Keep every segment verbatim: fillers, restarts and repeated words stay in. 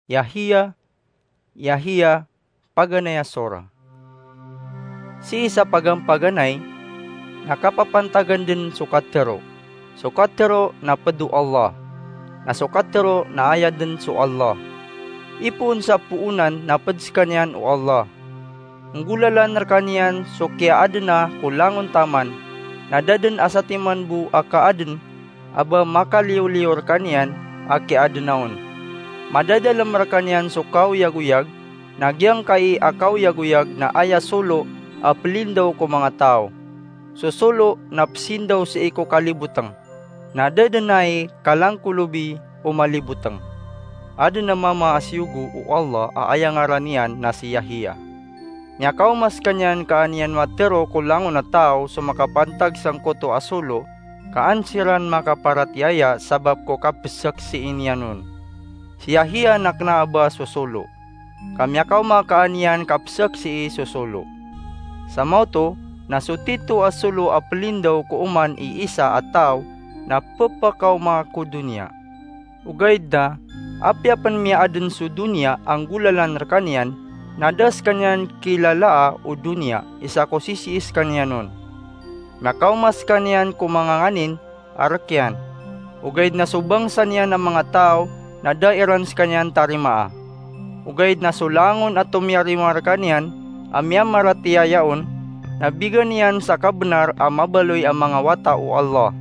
Yahiya, Yahiya, paganay a sora. Sii sa pagampaganay na kapapantagan dn so katharo. So katharo na pd o Allah, na so katharo na aya dn so Allah. Ipoon sa poonan na pd skaniyan o Allah. Nggolalan rkaniyan so kiyaadna ko langon taman, na da dn a satiman bo a kaadn a ba makaliyo-liyo rkaniyan a kiyaadna on. Madadalm rkaniyan so kaoyagoyag, na giyangkai a kaoyagoyag na aya solo a plindaw ko manga taw. So solo na psindaw sii ko kalibotng, na da dn ai kalangkolobi o malibotng. Adn a mama a siyogo o Allah a aya ngaran iyan na si Yahiya. Miyakaoma skaniyan ka an iyan matharo ko langon a taw so makapantag sangkoto a solo, ka an siran makaparatiyaya sabap ko kapsaksii niyan on. Si Yahiya na kna a ba so solo, ka miyakaoma ka an iyan kapsaksii so solo. Sa maoto na so tito a solo a plindaw ko oman i isa a taw na pphakaoma ko doniya. Ogaid na, apiya pn miyaadn so doniya a nggolalan rkaniyan, na da skaniyan kilalaa o doniya isa ko sisii skaniyan on. Miyakaoma skaniyan ko manga nganin a rk iyan. Ogaid na so bangsa niyan a manga taw na da iran skaniyan tarimaa. Ogaid na so langon a tomiyarima rkaniyan a miyamaratiyaya on, na bigan iyan sa kabnar a mabaloy a manga wata o Allah.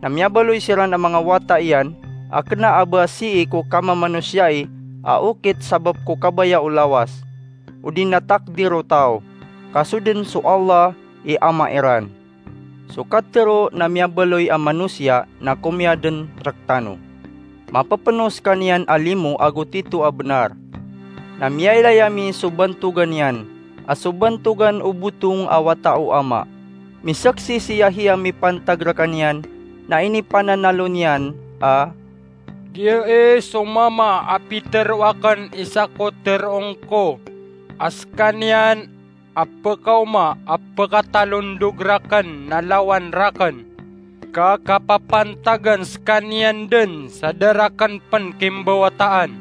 Na miyabaloy siran a manga wata iyan a kna a ba sii ko kamamanosiya a okit sabap ko kabaya o lawas, odi na takdir o taw, ka so dn so Allah i Ama iran. So katharo na miyabaloy a manosiya na komiya dn rktano. Mapphno skaniyan a limo ago tito a bnar. Na miyailay ami so bantogan iyan, a so bantogan o botong a wata o Ama. Misaksi si Yahiya mipantag rkaniyan, na inipananalo niyan a, "Giya i so mama a pitharo akn i isa ko tharoon ko, a skaniyan a pkaoma a pkatalondog rakn na lawan rakn, ka kapapantagan skaniyan dn sa da rakn pn kimbawataan."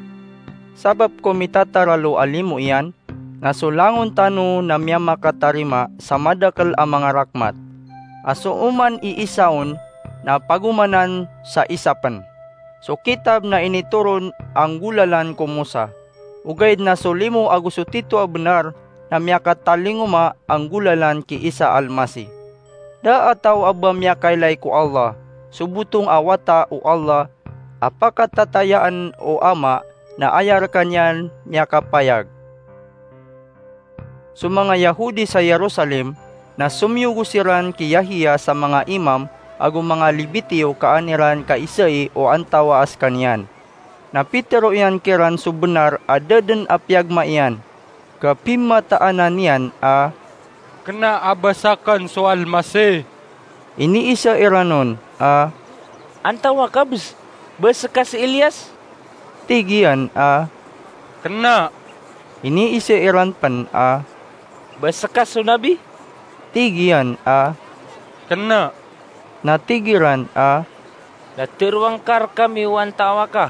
Sabap ko mitataralo a limo iyan, na so langon tano na miyamakatarima sa madakl a manga rakmat, a so oman i isa on na pagomanan sa isa pn. So kitab na initoron a nggolalan ko Mosa, ogaid na so limo ago so tito a bnar na miyakatalingoma a nggolalan ki Isa Almasih. Da a taw a ba miyakailay ko Allah, so botong a wata o Allah, a pakatatayaan o Ama na aya rkaniyan miyakapayag. So manga Yahudi sa Jerusalem na somiyogo siran ki Yahiya sa manga imam ago manga Lebitiyo ka an iran kaisai o antawaa skaniyan. Na pitharo iyan kiran so bnar a da dn a piyagma iyan, ka pimataana niyan a, "Kna a ba sakn so Almasih." Iniisa iran on a, "Antawaa ka bs? Ba ska si Elias?" Tig iyan a, "Kna." Iniisa iran pn a, "Ba ska so nabi?" Tig iyan a, "Kna." Na tig iran a, "Na tharoa ngka rkami o antawaa ka,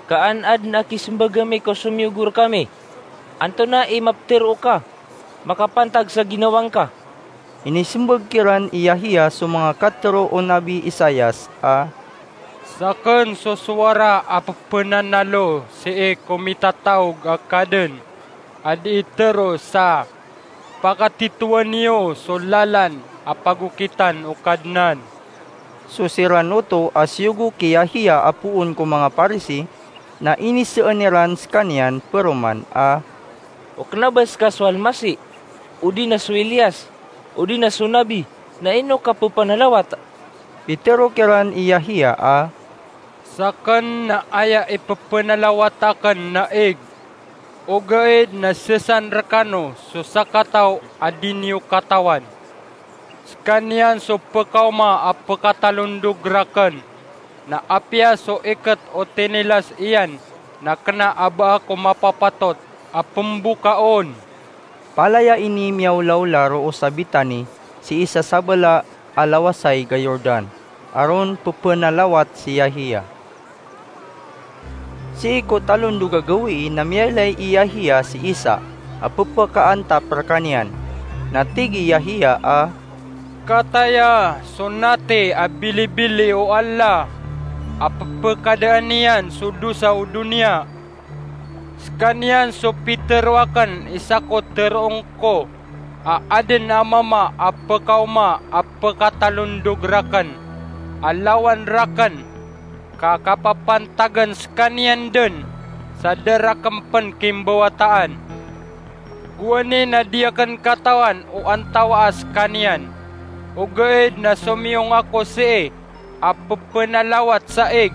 ka an adn a kismbag ami ko somiyogo rkami. Antonaa i maptharoa ka makapantag sa ginawa ngka?" Inismbag kiran i Yahiya so manga katharo o Nabi Isaias a, "Sakn so sowara a pphananalo sii ko mitataog a Kadn, a dii tharo sa, 'Pakatitoa niyo so lalan a pagokitan o Kadnan.'" So siran oto a siyogo ki Yahiya a poon ko manga Parisi na inisaan iran skaniyan paroman a, "O kna ba ska so Almasih, odi na so Elias, odi na so nabi, na ino ka pphanalawat?" Pitharo kiran i Yahiya a, "Sakn na aya i pphanalawat akn na ig, ogaid na sesan rkano so sakataw a di niyo katawan. Skaniyan so pkaoma a pkatalondog rakn, na apiya so ikt o tinilas iyan na kna a ba ako mapapatot a pmbokaon." Palaya ini miyaolaola roo sa Betani, sii sa sabala a lawasayg a Jordan, a ron pphanalawat si Yahiya. Sii ko talondog a gawii na miyailay i Yahya si Isa a pphakaantap rkaniyan. Na tig i Yahya a, "Kataya so natay a bilibili o Allah a pphakadaan iyan so dosa o doniya. Skaniyan so pitharo akn i sako tharoon ko a adn a mama a pkaoma a pkatalondog rakn a lawan rakn, ka kapapantagan skaniyan dn sa da rakn pn kimbawataan. Gowani na di akn katawan o antawaa skaniyan, ogaid na somiyong ako sii a pphanalawat sa ig,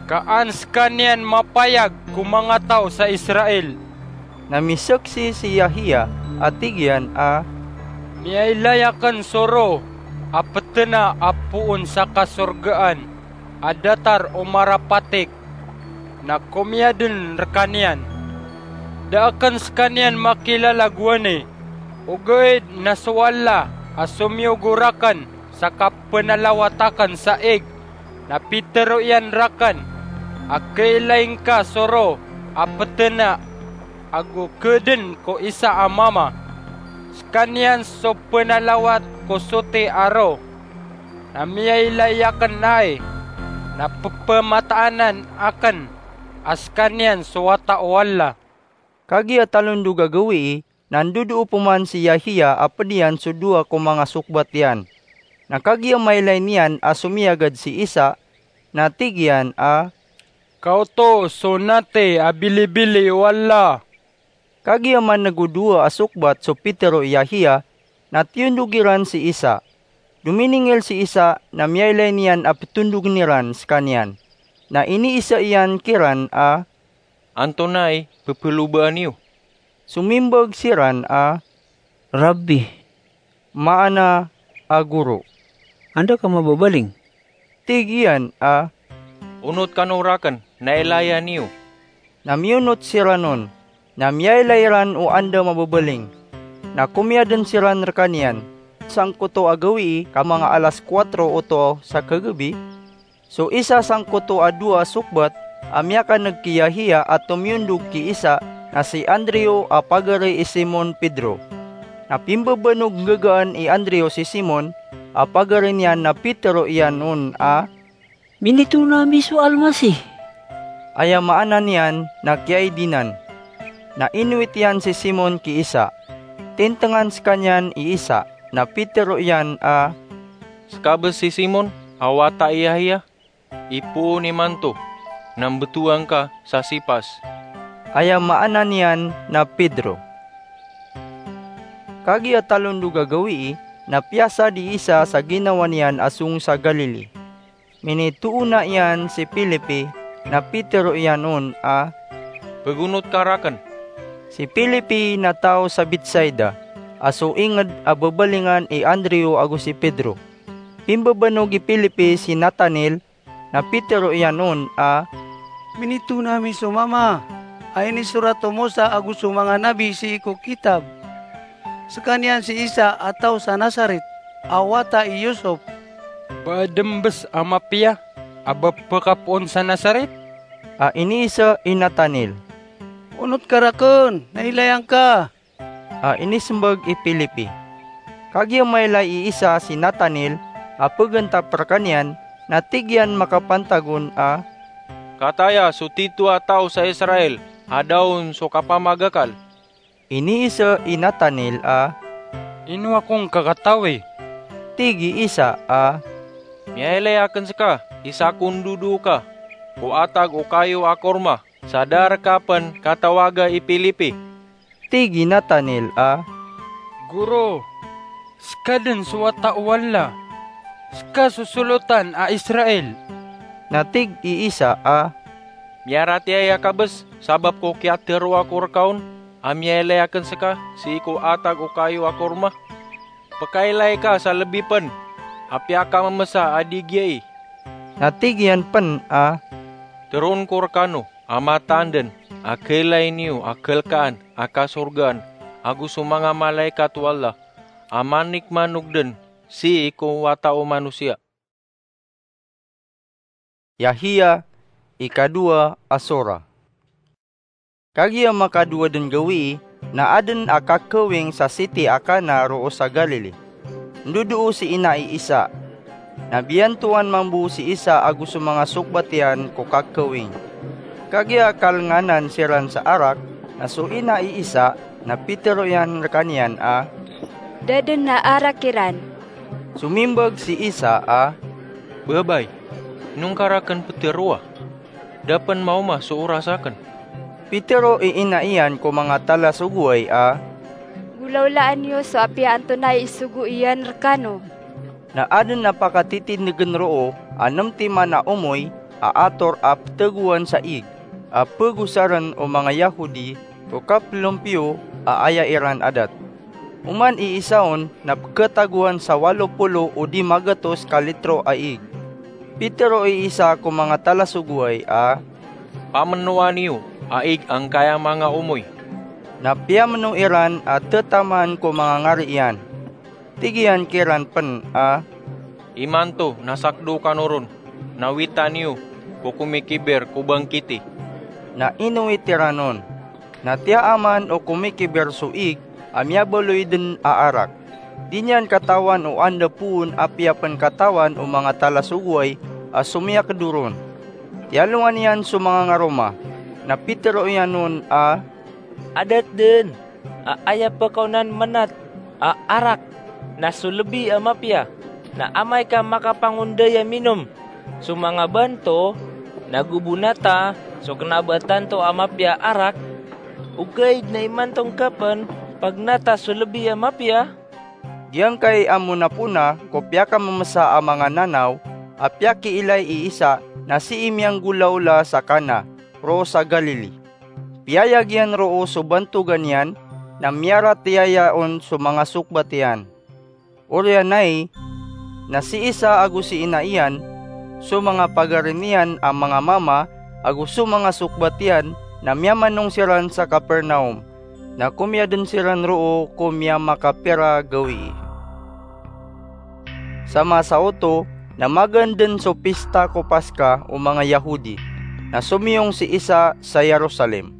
ka an skaniyan mapayag ko manga taw sa Israel." Na misaksi si Yahya a tig iyan a, "Miyailay akn so Roh a ptna a poon sa kasorgaan a datar o marapatik, na komiya dn rkaniyan. Da akn skaniyan makilala gowani, ogaid na so Allah a somiyogo rakn sa kapnalawat akn sa ig, na pitharo iyan rakn a kailay ngka so Roh a ptna ago kdn ko isa a mama. Skaniyan so pnalawat ko soti a Roh. Na miyailay akn ai, na pphamataanan akn a skaniyan so wata o Allah." Kagiya talondog a gawii na ndodoo pman si Yahya a pd iyan so dowa ko manga sokbat iyan. Na kagiya mailay niyan a somiyagad si Isa, na tig iyan a, "Ka oto so natay a bilibili o Allah." Kagiya man'g o dowa a sokbat so pitharo i Yahya, na tiyondog iran si Isa. Dominingil si Isa na miyailay niyan a ptondogn iran skaniyan. Na iniisa iyan kiran a, "Antonaa i pphalobaan iyo?" Somimbag siran a, "Rabbi," maana a goro, "anda ka mababaling?" Tig iyan a, "Onot kano rakn, na ilayan iyo." Na miyonot siran on, na miyailay ran o anda mababaling. Na komiya dn siran rkaniyan. Sangkoto a gawii ka manga alas kuwatro oto sa kagabi, so isa sangkoto a dowa a sokbat a miyakan'g ki Yahya a tomiyondog ki Isa na si Andrew a pagari i Simon Pedro. Na pimbabanog nggagaan i Andrew si Simon a pagari niyan na pitharo iyan on a, "Minitoon ami so Almasih." Aya maana niyan na kiyaidinan. Na inowit iyan si Simon ki Isa. Tintngan skaniyan i Isa, na pitharo iyan a, "Ska bs si Simon a wata i Yahya? Ipoon imanto na mbtowan ka sa Sipas." Aya maana niyan na Pedro. Kagiya talondog a gawii na piyasad i Isa sa ginawa niyan a song sa Galili. Minitoona iyan si Felipe, na pitharo iyan on a, "Pagonot ka rakn." Si Felipe na taw sa Betsaida, a so ingd a babalingan i Andrew ago si Pedro. Pimbabanog i Felipe si Nathanael, na pitharo iyan on a, "Minitoon ami so mama a inisorat o Mosa ago so manga nabi sii ko kitab. Skaniyan si Isa a taw sa Nazaret a wata i Yusop." "Ba adn bs a mapiya a ba pkapoon sa Nazaret?" a iniisa i Nathanael. "Onot ka rakn, na ilayan ka." a inismbag i Felipe. Kagiya mailay i Isa si Nathanael a pagantap rkaniyan, na tig iyan makapantag on a, "Kataya so titho a taw sa Israel a da on so kapamagakal." Iniisa i Nathanael a, "Ino ako ngka katawi?" Tig i Isa a, "Miyailay akn ska i sako ndodoo ka ko atag o kayo a korma sa da rka pn katawaga i Felipe." Tig i Nathanael a, "Goro, ska dn so wata o Allah, ska so solotan a Israel." Na tig i Isa a, "Miyaratiyaya ka bs sabap ko kiyatharoa ko rka on a miyailay akn ska sii ko atag o kayo a korma? Pkailay ka sa lbi pn a piyakamamsa a di giyai." Na tig iyan pn a, "Tharoon ko rkano a mataan dn a kailay niyo a kalkaan a kasorgaan ago so manga malaikat o Allah a manikmanog dn sii ko Wata o Manosiya." Yahya, ikadowa a sora. Kagiya makadowa den gawii na aden a kakawing sa siti a Kana roo sa Galili. Ndodoo si ina i Isa. Na biyantoan mambo si Isa ago so manga sokbat iyan ko kakawing. Kagiya kalenganan siran sa arak, na so ina i Isa na pitero iyan rekaniyan a, "Da den a arak iran." Somimbag si Isa a, "Babay, ino ngka raken peteroa? Da pen maoma so oras aken." Pitero i ina iyan ko manga talasogoway a, "Golawlaan iyo so apiya antonaa i isogo iyan rekano." Na aden a pakatitindegen roo a nem timan a omoy a ator a petegowan sa ig, a pegosaren o manga Yahudi ko kapelompiyo a aya iran adat. Oman i Isa on na peketagowan sa walo polo o dima gatos ka litro a ig. Pitero i Isa ko manga talasogoway a, "Pamenoa niyo a ig angkaya manga omoy." Na piyameno iran a tetaman ko manga ngari iyan. Tig iyan kiran pen a, "Imanto na sakdo kano ron, na wita niyo ko komikiber ko bangkiti." Na inowit iran on. Na tiyaaman o komikiber so ig a miyabaloy den a arak. Di niyan katawan o anda poon apiya pen katawan o manga talasogoway a somiyakdo ron. Tiyalongan iyan so manga ngaroma, na pitero iyan on a, "Adat den a aya pekaonan manat a arak na so lebi a mapiya, na amay ka makapangonday a minom so manga banto, na go bo nata so kena ba tanto a mapiya a arak, ogaid na imanto ngka pen pagnata so lebi a mapiya?" Giyangkai a monapona ko piyakamemesa a manga nanaw a piyakiilay i Isa na sii miyanggolawla sa Kana roo sa Galili. Piyayag iyan roo so bantogan iyan, na miyaratiyaya on so manga sokbat iyan. Oriyan ai, na si Isa ago si ina iyan, so manga pagari niyan a manga mama, ago so manga sokbat iyan, na miyamanong siran sa Capernaum, na komiyaden siran roo ko miyamakapira gawii. Sa masa oto, na magaan den so pista ko Paska o manga Yahudi, na somiyong si Isa sa Jerusalem.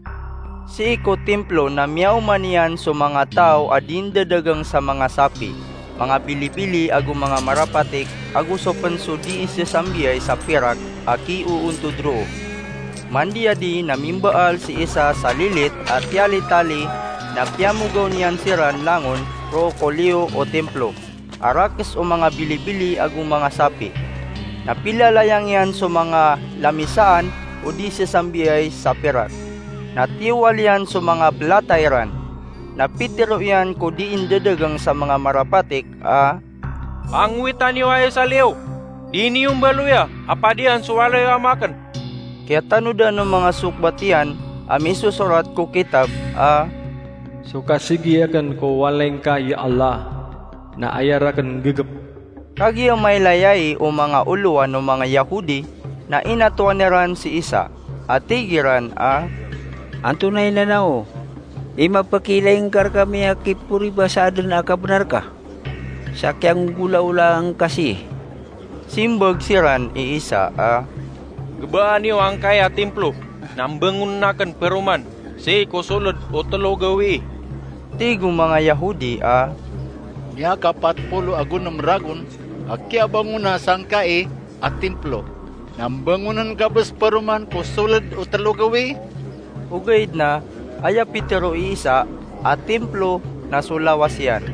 Sii ko Templo na miyaoma niyan so manga taw a dii ndadagang sa manga sapi, manga bilibili ago manga marapatik, ago so pen so dii sesambiyai sa pirak a kioontod roo. Mandiyadi na mimbaal si Isa sa lilit a tiyalitali, na piyamogaw niyan siran langon roo ko liyo o Templo a rakes o manga bilibili ago manga sapi. Na pilalayang iyan so manga lamisaan o dii sesambiyai sa pirak. Na tiyowal iyan so manga pelata iran. Na pitero iyan ko dii ndadagang sa manga marapatik a, "Pangowita niyo aya sa liyo. Di niyo mbaloya a padian so walay o Ama aken." Kiyatanodan o manga sokbat iyan a misosorat ko kitab a, "So kasigi aken ko walay ngka, ya Allah, na aya raken nggegep." Kagiya mailay ai o manga olowan o manga Yahudi, na inatoan iran si Isa, a tig iran a, "Antonaa i nanaw o, i mapakiilay ngka rekami a kiporiba sa aden a kabenar ka sa kiyanggolawlaan ka sii?" Simbag siran i Isa a, "Gebaa niyo angkai a Templo na mbangonen aken peroman sii ko soled o telo gawii." Tig o manga Yahudi a, "Miyakapat polo ago nem ragon a kiyabangona sangkai a Templo, na mbangonen ka bes peroman ko soled o telo gawii?" Ogaid na aya pitero i Isa a Templo na so lawas iyan.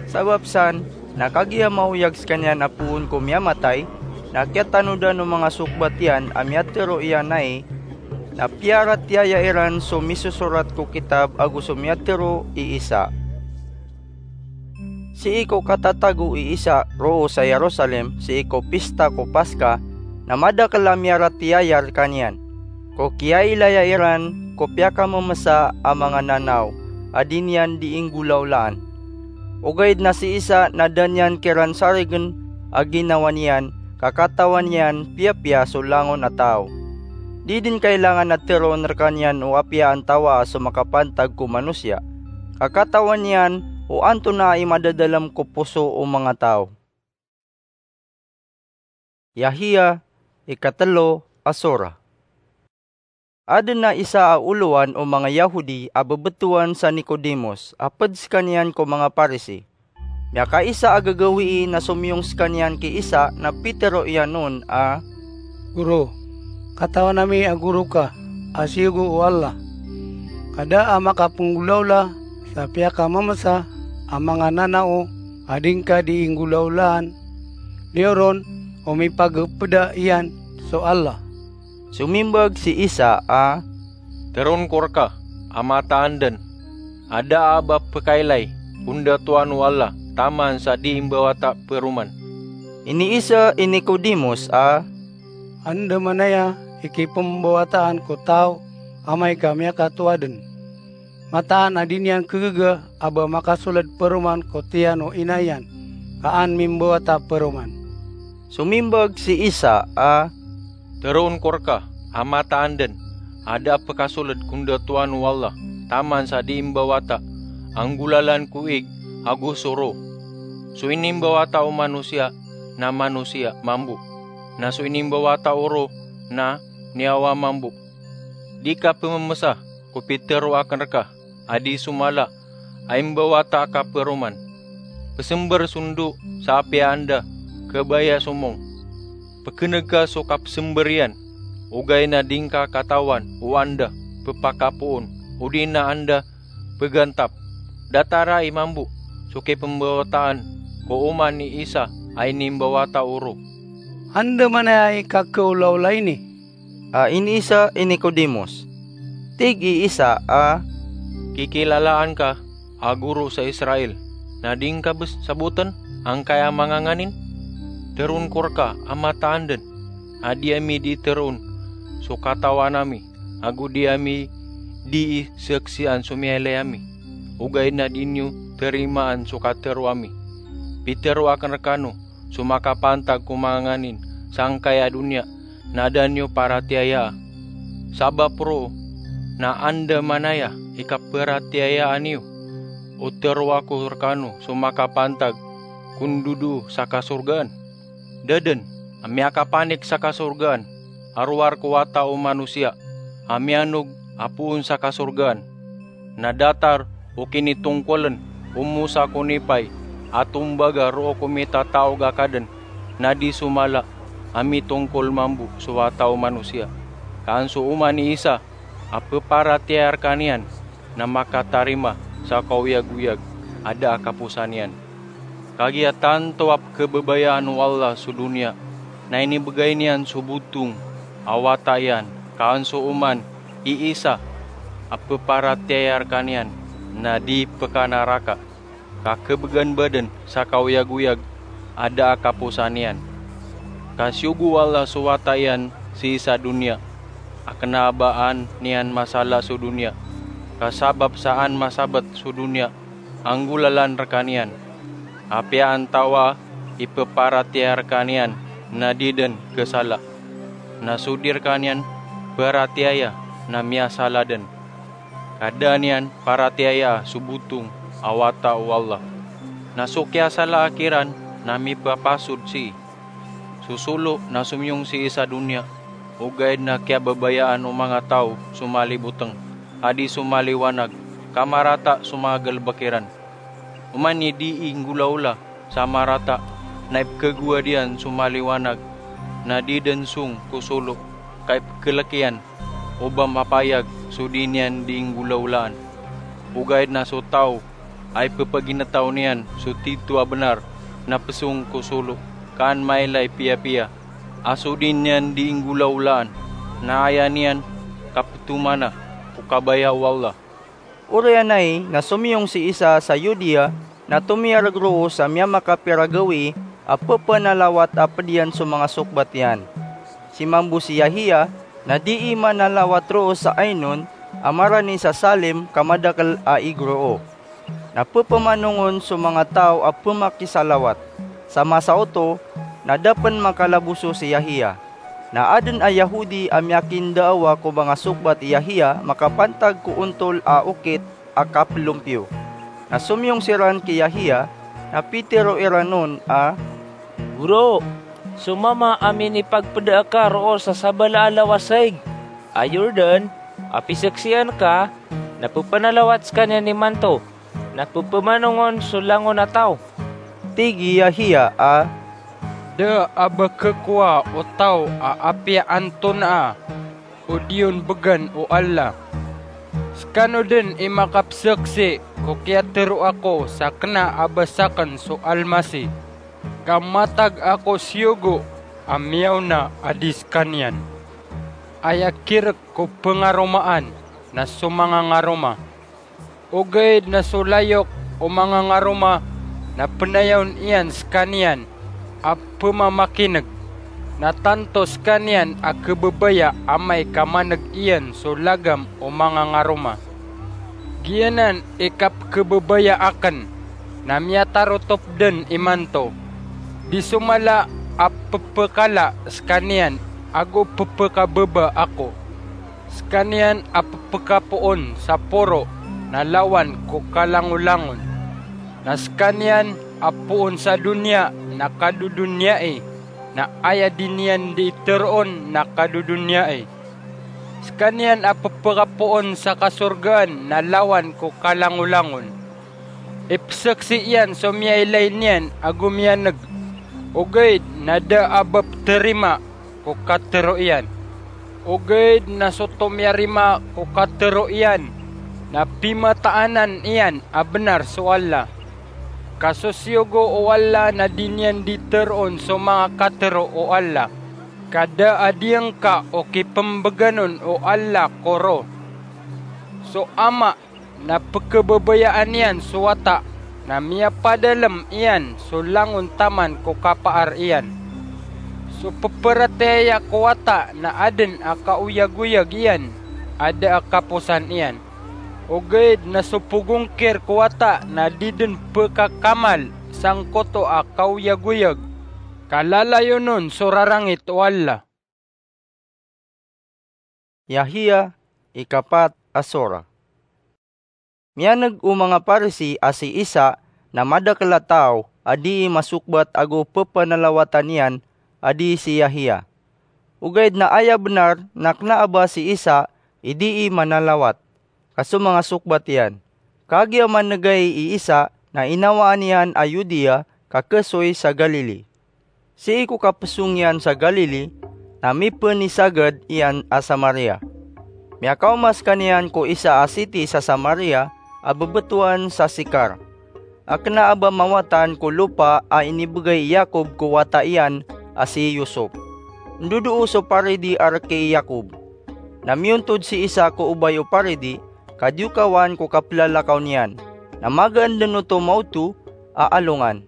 Sabap san, na kagiya maoyag sekaniyan a poon ko miyamatay, na kiyatanodan o manga sokbat iyan a miyatero iyan ai, na piyaratiyaya iran so misosorat ko kitab ago so miyatero i Isa. Sii ko katatago i Isa roo sa Jerusalem sii ko pista ko Paska, na madakel a miyaratiyaya rekaniyan. Ko kiyailaya iran ko piyakamemesa a manga nanaw a di niyan dii nggolawlaan. Ogaid na si Isa na da niyan kiran sarigen a ginawa niyan, ka katawan iyan piyapiya so langon a taw. Di den kailangan a teroon rekaniyan o apiya antawaa so makapantag ko manosiya, ka katawan iyan o antonaa i madadalem ko poso o manga taw. Yahya, ikatelo a sora. Aden a isa a olowan o manga Yahudi a bebetowan sa Nicodemus a ped sekaniyan ko manga Parisi. Miyakaisa a gagawii na somiyong sekaniyan ki Isa na pitero iyan on a, "Guro, katawan ami a goro ka a siyogo o Allah. Ka da a makapenggolawla sa piyakamemesa a manga nanao a di ngka di inggolawlaan, niyoron o mipagepeda iyan so Allah." Somimbag si Isa a, "Teroon ko reka a mataan den a da a ba pekailay ko ndatoan o Allah taman sa di imbawata peroman." Iniisa i Nicodemus a, "Andamanaya i kipembawataan ko taw amay ka miyakatoa den? Mataan a di niyan kegaga a ba makasoled peroman ko tiyan o ina iyan ka an mimbawata peroman?" Somimbag si Isa a, "Teroon ko reka a mataan den a da a pekasoled ko ndatoan o Allah taman sa di imbawata a nggolalan ko ig ago so ro. So inimbawata o manosiya na manosiya mambo, na so inimbawata o ro na niyawa mambo. Di ka pememesa ko pitero aken reka a di so mala a imbawata ka peroman. Pesember so ndo sa apiya anda kebaya somong. Pekeneg ka so kapesember iyan, ogaid na di ngka katawan o anda pepakapoon odi na anda pegantap. Datar ai mambo so kipembawataan ko oman i Isa a inimbawata o ro." "Andamanaya i kakeolaola ini?" a iniisa i Nicodemus. Tig i Isa a, "Kikilalaan ka a goro sa Israel, na di ngka bes saboten angkaya manga nganin? Teroon ko reka a mataan den a di ami di teroon so katawan ami, ago di ami di saksian so miyailay ami, ogaid na di niyo terimaan so katero ami. Pitero aken rekano so makapantag ko manga nganin sangkaya doniya na da niyo paratiyayaa. Sabap roo na andamanaya i kaparatiyayaan iyo o tero ako rekano so makapantag ko ndodoo sa kasorgaan. Da den a miyakapanik sa kasorgaan a rowar ko Wata o Manosiya a miyanog a poon sa kasorgaan. Na datar o kinitongkolen o Mosa ko nipay a tombaga roo ko mitataog a kaden, na di so mala a mitongkol mambo so Wata o Manosiya. Ka an so oman i Isa a peparatiyaya rekaniyan na makatarima sa kaoyagoyag a da a kaposan iyan. Kagiya tanto a pekebabayaan o Allah so doniya, na inibegay niyan so botong a Wata iyan, ka an so oman i Isa a peparatiyaya rekaniyan na di pekanaraka, ka kebegan baden sa kaoyagoyag a da a kaposan iyan. Ka siyogo o Allah so Wata iyan sii sa doniya, a kena a ba an iyan masala so doniya, ka sabap sa an masabat so doniya a nggolalan rekaniyan. Apiya antawaa i peparatiyaya rekaniyan na di den kesala, na so di rekaniyan paratiyaya na miyasala den. Ka da niyan paratiyayaa so botong a Wata o Allah. Na so kiyasalaa kiran na mipapasod sii. So solo na somiyong sii sa doniya, ogaid na kiyababayaan o manga taw so maliboteng a di so maliwanag, ka marata so manga galebek iran. Oman i di inggolawla sa marata na ipekegowad iyan so maliwanag, na di den song ko solo, ka ipekelek iyan o ba mapayag so di niyan di inggolawlaan. Ogaid na so taw a ipepaginetaw niyan so tito a benar na pesong ko solo, ka an mailay piyapiya a so di niyan di inggolawlaan, na aya niyan kapetomana ko kabaya o Allah. Oriyan ai na somiyong si Isa sa Yudea, na tomiyareg roo sa miyamakapira gawii a pepanalawat a ped iyan so manga sokbat iyan. Si mambo si Yahiya na dii manalawat roo sa Ainon a marani sa Salim ka madakel a ig roo. Na pepamanong on so manga taw a pemakisalawat. Sa masa oto na da pen makalaboso si Yahiya. Na aden a Yahodi a miyakindaawa ko manga sokbat i Yahiya makapantag ko ontol a okit a kapelompiyo. Na somiyong siran ki Yahiya, na pitero iran on a, "Goro, so mama a minipagpeda aka roo sa sabala a lawas sa ig, a Jordan a pisaksian ka, na pepanalawat sekaniyan imanto, na pepamanongon so langon a taw." Tig i Yahya a, "Da a ba kekowa o taw a apiya antonaa o di on began o Allah. Sekano den i makapesaksi ko kiyatero ako sa kena a ba saken so Almasih, ka matag ako siyogo a miyaona a di sekaniyan. Aya kirek ko pengaromaan na so mangangaroma. Ogaid na so layok o mangangaroma na penayawn iyan sekaniyan a pemamakineg, na tanto sekaniyan a kebebaya amay ka maneg iyan so lagam o mangangaroma. Giyanan i kapekebebaya aken, na miyatarotop den imanto. Di so mala a pepekala sekaniyan ago pepekababa ako. Sekaniyan a pepekapoon sa poro na lawan ko kalangolangon. Na sekaniyan a poon sa doniya na kadodoniyai, na aya di niyan di teroon na kadodoniyai. Sekaniyan a pepekapoon sa kasorgaan na lawan ko kalangolangon. Ipesaksi iyan so miyailay niyan ago miyaneg, ogaid na da a ba peterima ko katero iyan. Ogaid na so tomiyarima ko katero iyan, na pimataanan iyan a benar so Allah. Ka so siyogo o Allah na di niyan di teroon so manga katero o Allah. Ka da a diyangka o kipembeganon o Allah ko ro. So ama na pekebebayaan iyan so wata, na miyapadalem iyan so langon taman ko kapaar iyan. So peperatiyaya ko wata na aden a kaoyagoyag iyan a da a kaposan iyan. Ogaid na so pegongkir ko wata na di den pekakamal sangkoto a kaoyagoyag, ka lalayon on so rarangit o Allah. Yahya, ikapat a sora. Miyaneg o manga Parisi a si Isa na madakel a taw a dii masokbat ago pepanalawatan iyan a dii si Yahya. Ogaid na aya benar na kena a ba si Isa i dii manalawat, ka so manga sokbat iyan. Kagiya manegay i Isa na inawaan iyan a Judea ka kesoy sa Galili. Sii ko kapesong iyan sa Galili na mipenisagad iyan a Samaria. Miyakaoma sekaniyan ko isa a siti sa Samaria a bebetowan sa Sikar, a kena a ba mawatan ko lopa a inibegay i Yakob ko wata iyan a si Yosop. Ndodoo so paridi a reki i Yakob. Na miyontod si Isa ko obay o paridi, ka diyokawan ko kapelalakaw niyan, na magaan den oto maoto a alongan.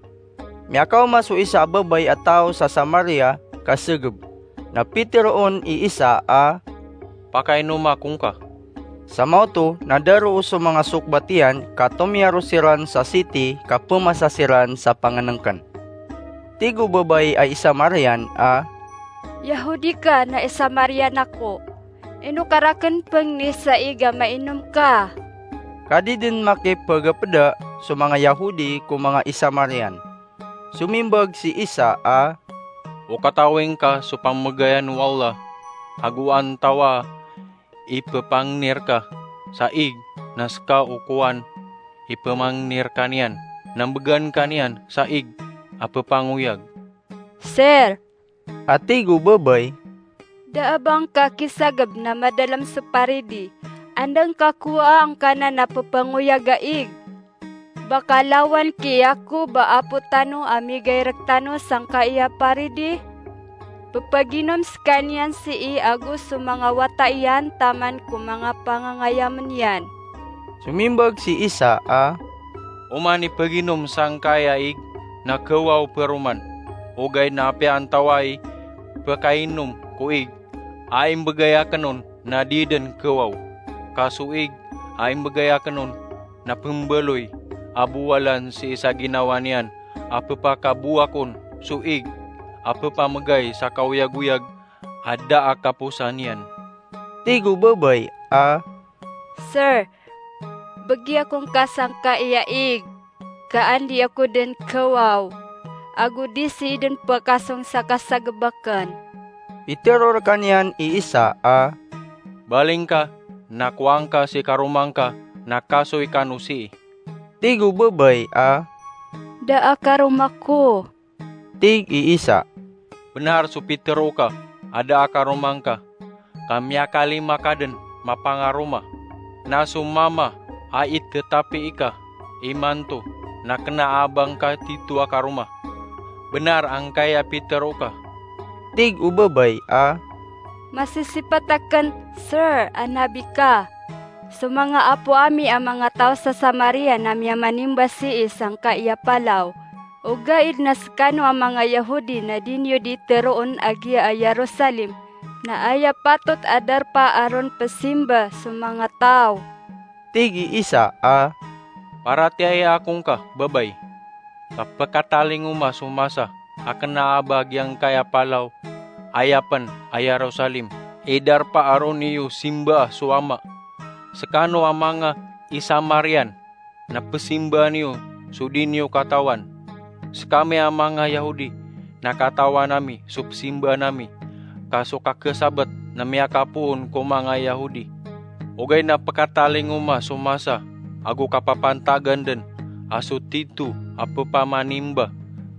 Miyakaoma so isa a babay a taw sa Samaria ka segeb. Na piteroon i Isa a, "Pakainoma ko ngka." Sa maoto na daroo so manga sokbat iyan ka tomiyaro siran sa siti ka pemasa siran sa pangenengken. Tig o babay a Isamarian a, "Yahudi ka na Isamarian ako. Ino ka raken pengni sa ig a mainom ka?" Ka di den makipegepeda so manga Yahudi ko manga Isamarian. Somimbag si Isa a, "O katawing ka so pamegayan o Allah, ago antawa i pepangni reka sa ig na seka o kowan i pemangni reka niyan, na mbegan ka niyan sa ig a pepangoyag." "Sir," a tig o babay, "da a ba ngka kisageb na madalem so paridi, anda ngka kowaa angkanan a pepangoyag a ig? Ba ka lawan ki Yakob a apo tano a migay rektano sangkai a paridi? Pepaginom sekaniyan sii ago so manga wata iyan taman ko manga pangangayamen iyan." Somimbag si Isa a, "Oman i peginom sangkai a ig na kewaw peroman, ogaid na apiya antawa i pekainom ko ig a imbegay aken on na di den kewaw, ka so ig a imbegay aken on na pembaloy a bowalan sii sa ginawa niyan a pepakabowak on so ig a pepamegay sa kaoyagoyag a da a kaposan iyan." Tig o babay a, "Sir, begi ako ngka sangkai a ig, ka an di ako den kewaw, ago di sii den pekasong sa kasageb aken." Pitero rekaniyan i Isa a, Baling ka, na kowaan ka si karoma ngka, na kasoy kano sii." Tig o babay a, "Da a karoma ko." Tig i isa, "Benar so pitero ka a da a karoma ngka, ka miyakalima ka den mapangaroma. Na so mama a itetepi ika imanto na kena a ba ngka tito a karoma. Benar angkai a pitero ka." Tig o babay a, "Masisipat aken, Sir, a nabi ka. So manga apo ami a manga taw sa Samaria na miyamanimba sii sangkai a palaw. Ogaid na sekano a manga Yahudi na di niyo di teroon a giya a Yerusalem na aya patot a darpa a ron pesimba so manga taw." Tig i isa a, "Paratiyaya ako ngka, babay, ka pekatalingoma so masa a kena a ba giyangkai a palaw, aya pen a Yerusalem, i darpa a ron iyo simbaa so Ama. Sekano a manga Isamarian na pesimbaa niyo so di niyo katawan. Sekami a manga Yahudi na katawan ami so pesimbaan ami, ka so kakesabet na miyakapoon ko manga Yahudi. Ogaid na pekatalingoma so masa ago kapapantagan den a so tito a pepamanimba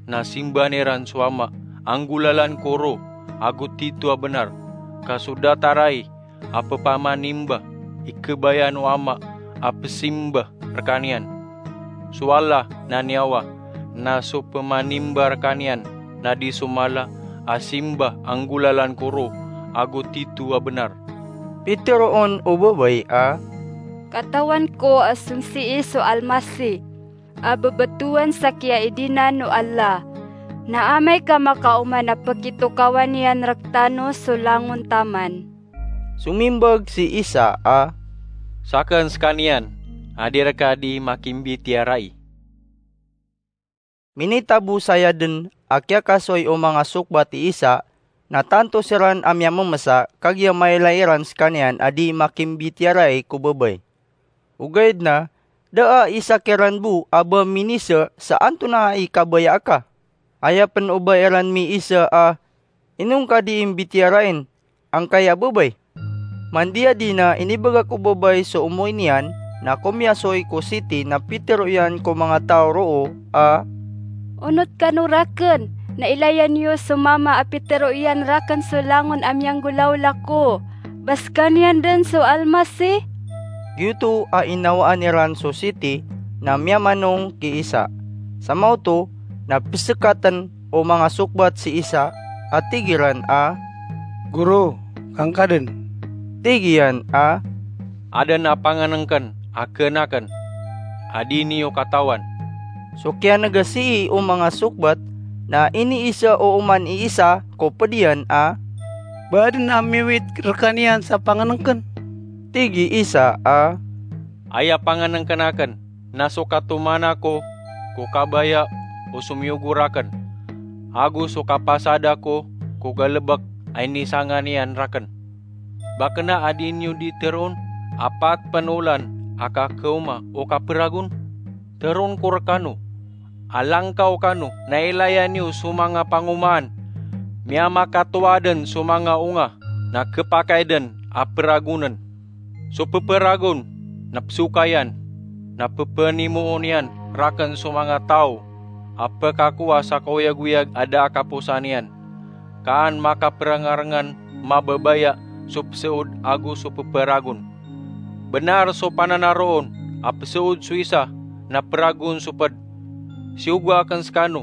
na simbaan iran so Ama a nggolalan ko ro ago tito a benar, ka so datar ai a pepamanimba i kebayaan o Ama a pesimba rekaniyan. So Allah na niyawa, na so pemanimba rekaniyan na di so mala a simba a nggolalan ko ro ago tito a benar." Piteroon o babay a, "Katawan ko a song sii so Almasih a bebetowan sa kiyaidina o Allah. Na amay ka makaoma na pekitokawan iyan rektano so langon taman." Somimbag si Isa a, "Saken sekaniyan a di reka di makimbitiyarai." Minitabo saya den a kiyakasoy o manga sokbat i Isa, na tanto siran a miyamemesa, kagiya mailay iran sekaniyan a di makimbitiyarai ko babay. Ogaid na da a isa kiran bo a ba minisa sa antonaa i kabaya aka. Aya pen o ba iran miisa a, "Ino ngka di imbitiyarain angkaya babay?" Mandiya di na inibagak o babay so omoy niyan, na komiyasoy ko siti na pitero iyan ko manga taw roo a, "Onot kano raken, na ilaya niyo so mama a pitero iyan raken so langon a miyanggolawla ko, ba sekaniyan den so Almasih?" Giyoto a inawaan iran so siti na miyamanong ki Isa. Samaoto na pesekaten o manga sokbat si Isa a tig iran a, "Goro, kangka den." Tig iyan a, "Aden a pangenengken a kenaken a di niyo katawan." So kiyanega sii o manga sokbat na iniisa o oman i Isa ko ped iyan a, "Ba aden a miwit rekaniyan sa pangenengken?" Tig i Isa a, "Aya pangenengken aken na so katomana ko ko kabaya o somiyogo raken, ago so kapasada ko ko galebek a inisangan iyan raken. Ba kena a di niyo di teroon a pat pen olan a kakaoma o kaperagon? Teroon ko rekano a langkaw kano na ilaya niyo so manga pangomaan. Miyamakatowa den so manga onga na kepakay den a peragonen. So peperagon na pesokayan, na pepenimoon iyan raken so manga taw a pekakowa sa kaoyagoyag a da a kaposan iyan. Kaan makaperengarengan mababaya so peseod ago so peperagon. Benar so pananaroon a peseod so isa na peragon so ped. Siyogo aken sekano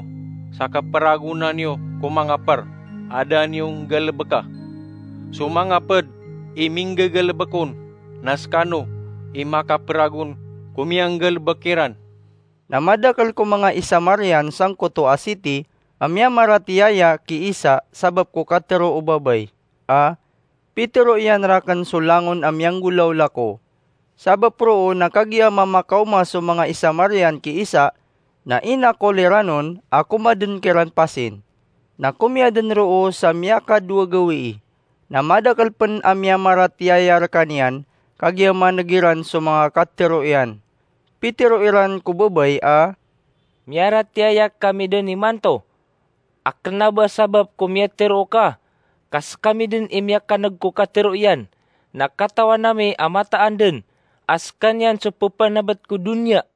sa kaperagonan iyo ko manga per a da niyo nggalebeka. So manga ped i minggegalebek on, na sekano i makaperagon ko miyanggalebek iran." Na madakel ko manga Isamarian sangkoto a siti a miyamaratiyaya ki Isa sabap ko katero o babay a, "Pitero iyan raken so langon a miyanggolawla ko." Sabap roo na kagiya mamakaoma so manga Isamarian ki Isa, na inakol iran on a komaden kiran pasin. Na komiyaden roo sa miyakadowa gawii. Na madakel pen a miyamaratiyaya rekaniyan, kagiya maneg iran so manga katero iyan. Pitero iran ko babay a, "Miyaratiyaya kami den imanto. A kena ba sabap ko miyatero ka, ka sekami den i miyakaneg ko katero iyan, na katawan ami a mataan dn a skaniyan so pphanabet ko doniya.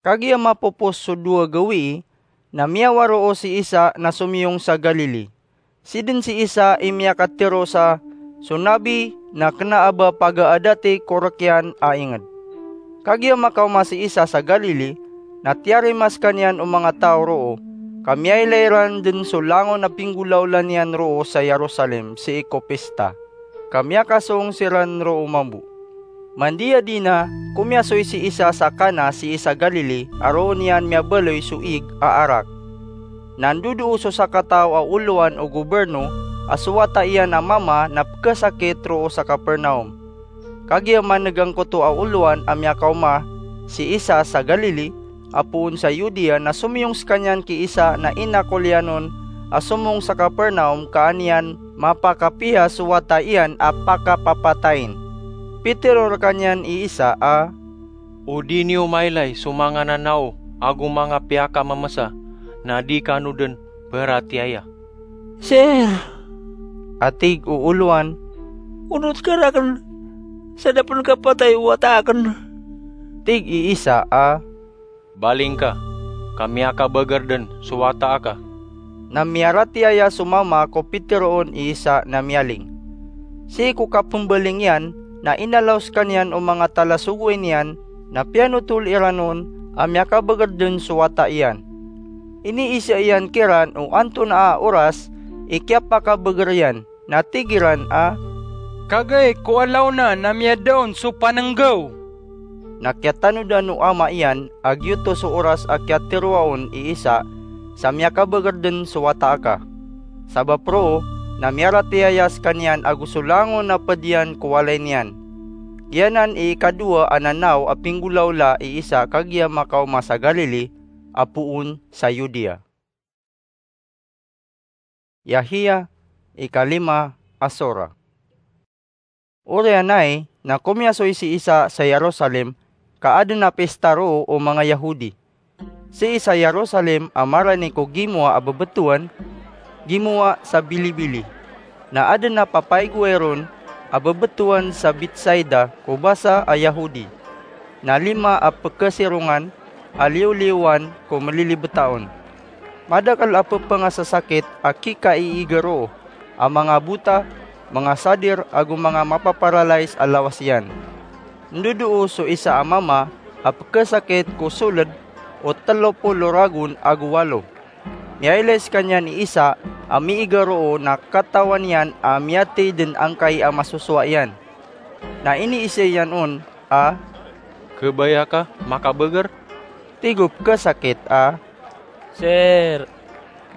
Kagiya mapopos so dowa gawii, na miyawaro si Isa na somiyong sa Galili. Sidn si Isa i miyakatero sa so nabi na kna a ba pagaadati ko rk iyan a ingd. Kagiya makaoma si Isa sa Galili, na tiyarima skaniyan o manga taw roo, ka miyailay ran dn so langon a pinggolawla niyan roo sa Jerusalem sii ko pista, ka miyakasong siran roo mambo. Mandiyadi na, komiyasoy si Isa sa Cana sii sa Galili a roo niyan miyabaloy so ig a arak. Na ndodoo so sakataw a olowan o goberno a so wata iyan a mama na pkhasakit roo sa Capernaum. Kagiya man'g angkoto a olowan a miyakaoma si Isa sa Galili a poon sa Judea, na somiyong skaniyan ki Isa na inakol iyan on a somong sa Capernaum ka an iyan mapakapiya so wata iyan a pakapapatayin. Pitero rkaniyan i Isa a, "O di niyo mailay so manga nanao ago manga piyakamamasa na di kano dn pharatiyaya?" "Sir," a tig o olowan, "onot ka rakn sa da pn kapatay o wata akn." Tig i Isa a, "Baling ka, ka miyakabagr dn so wata aka." Na miyaratiyaya so mama ko piteroon i Isa na miyaling. Sii ko kapmbaling iyan, na inalaw skaniyan o manga talasogoy niyan, na piyanotol iran on a miyakabagr dn so wata iyan. Iniisa iyan kiran o antonaa a oras i kiyapakabagr iyan, na tig iran a, "Kagay ko alaw na na miyadaon so pannggaw." Na kiyatanodan o ama iyan a giyoto so oras a kiyateroa on i Isa sa miyakabagr dn so wata aka. Sabap roo, na miyaratiyaya skaniyan ago so langon a pd iyan ko walay niyan. Giyanan i ikadowa a nanao a pinggolawla i Isa kagiya makaoma sa Galili a poon sa Judea. Yahia, ikalima a sora. Oriyan ai na komiyasoy si Isa sa Jerusalem ka adn a pista roo o manga Yahudi. Sii sa Jerusalem a marani ko Gimowa a Bbtowan, gimowa sa Bilibili, na adn a papaygoway ron a bbtowan sa Betsaida ko basa a Yahudi, na lima a pkhasirongan a liyoliyowan ko mlilibta on. Madakl a pphangasasakit a kikaiiga roo, a manga bota, manga sadir, ago manga mapaparalays a lawas iyan. Ndodoo so isa a mama a pkhasakit ko sold o tlo polo ragon ago walo. Miyailay skaniyan i Isa a miiga roo na katawan iyan a miyathay dn angkai a masosowa iyan. Na iniisa iyan on a, "Khabaya ka makabagr?" Tig o pkhasakit a, "Sir,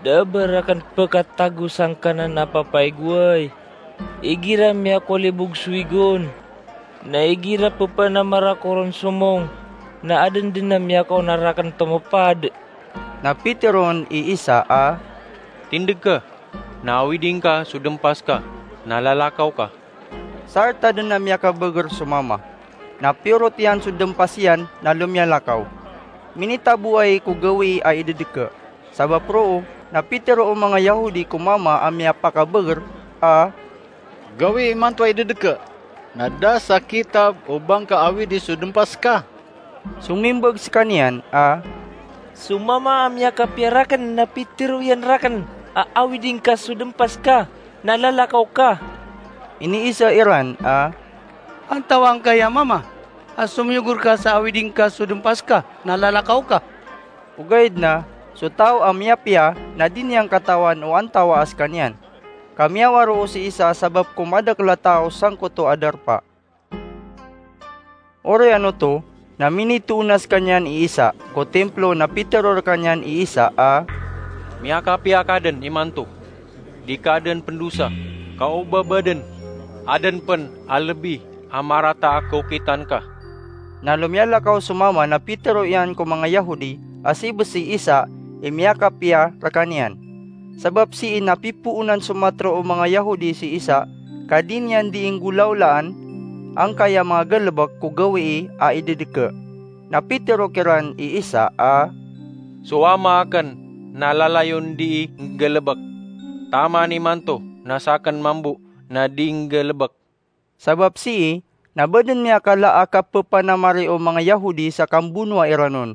da a ba rakn pkhatago sangkanan a papaygoway. Igira miyakolibog so ig on, na igira pphanamar ako ron somong, na adn dn a miyakaonar akn tomopad." Na piteroon i Isa a, "Tindg ka, na awiding ka so dmpas ka, na lalakaw ka." Sarta dn a miyakabagr so mama, na piyorot iyan so dmpas iyan na lomiyalakaw. Minitaboay ko gawii a idadka. Sabap roo, na pitero o manga Yahudi ko mama a miyapakabagr a, "Gawii imanto a idadka, na da sa kitab o ba ngka awidi so dmpas ka." Somimbag skaniyan a, "So mama a miyakapiya rakn na pitero iyan rakn a awiding ka so dmpas ka, na lalakaw ka." Iniisa iran a, "Antawaa ngka aya mama a somiyogor ka sa awiding ka so dmpas ka, na lalakaw ka?" Ogaid na so taw a miyapiya na di niyan katawan o antawaa skaniyan. Ka miyawaroo si Isa sabap ko madakl a taw sangkoto a darpa. Oriyan oto na minitoona skaniyan i Isa ko timplo na pitero rkaniyan i Isa a, "Miyakapiya ka dn imanto. Di ka dn pndosa, ka o ba ba dn, adn pn a lbi a marata a kaokitan ka." Na lomiyalakaw so mama na pitero iyan ko manga Yahudi a sii bs si Isa i miyakapiya rkaniyan. Sabap sii na pipoonan so matro o manga Yahudi si Isa ka di niyan dii nggolawlaan angkaya manga galbk ko gawii a idadka. Na pitero kiran i Isa a, "So ama akn na lalayon dii nggalbk. Taman imanto na sakn mambo na di nggalebek. Sabap sii, na ba den miyakala a kapepanamari o manga Yahudi sa kambonoa iran on.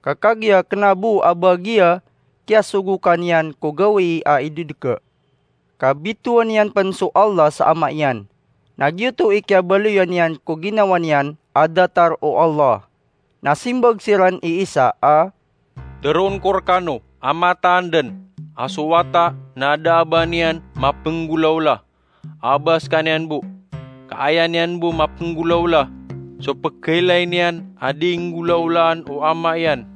Ka kagiya kena bo a ba giya kiyasogokan iyan ko gawii a idedeke. Ka bitowan iyan pen so Allah sa Ama iyan. Na giyoto i kiyabaloyan iyan ko ginawa niyan a datar o Allah. Na simbag siran i Isa a, "Teroon ko rekano a mataan den a so wata na da a ba niyan mapenggolaola a ba sekaniyan bo. Ka aya niyan bo mapenggolaola so pekeilay niyan a di nggolaolaan o ama iyan.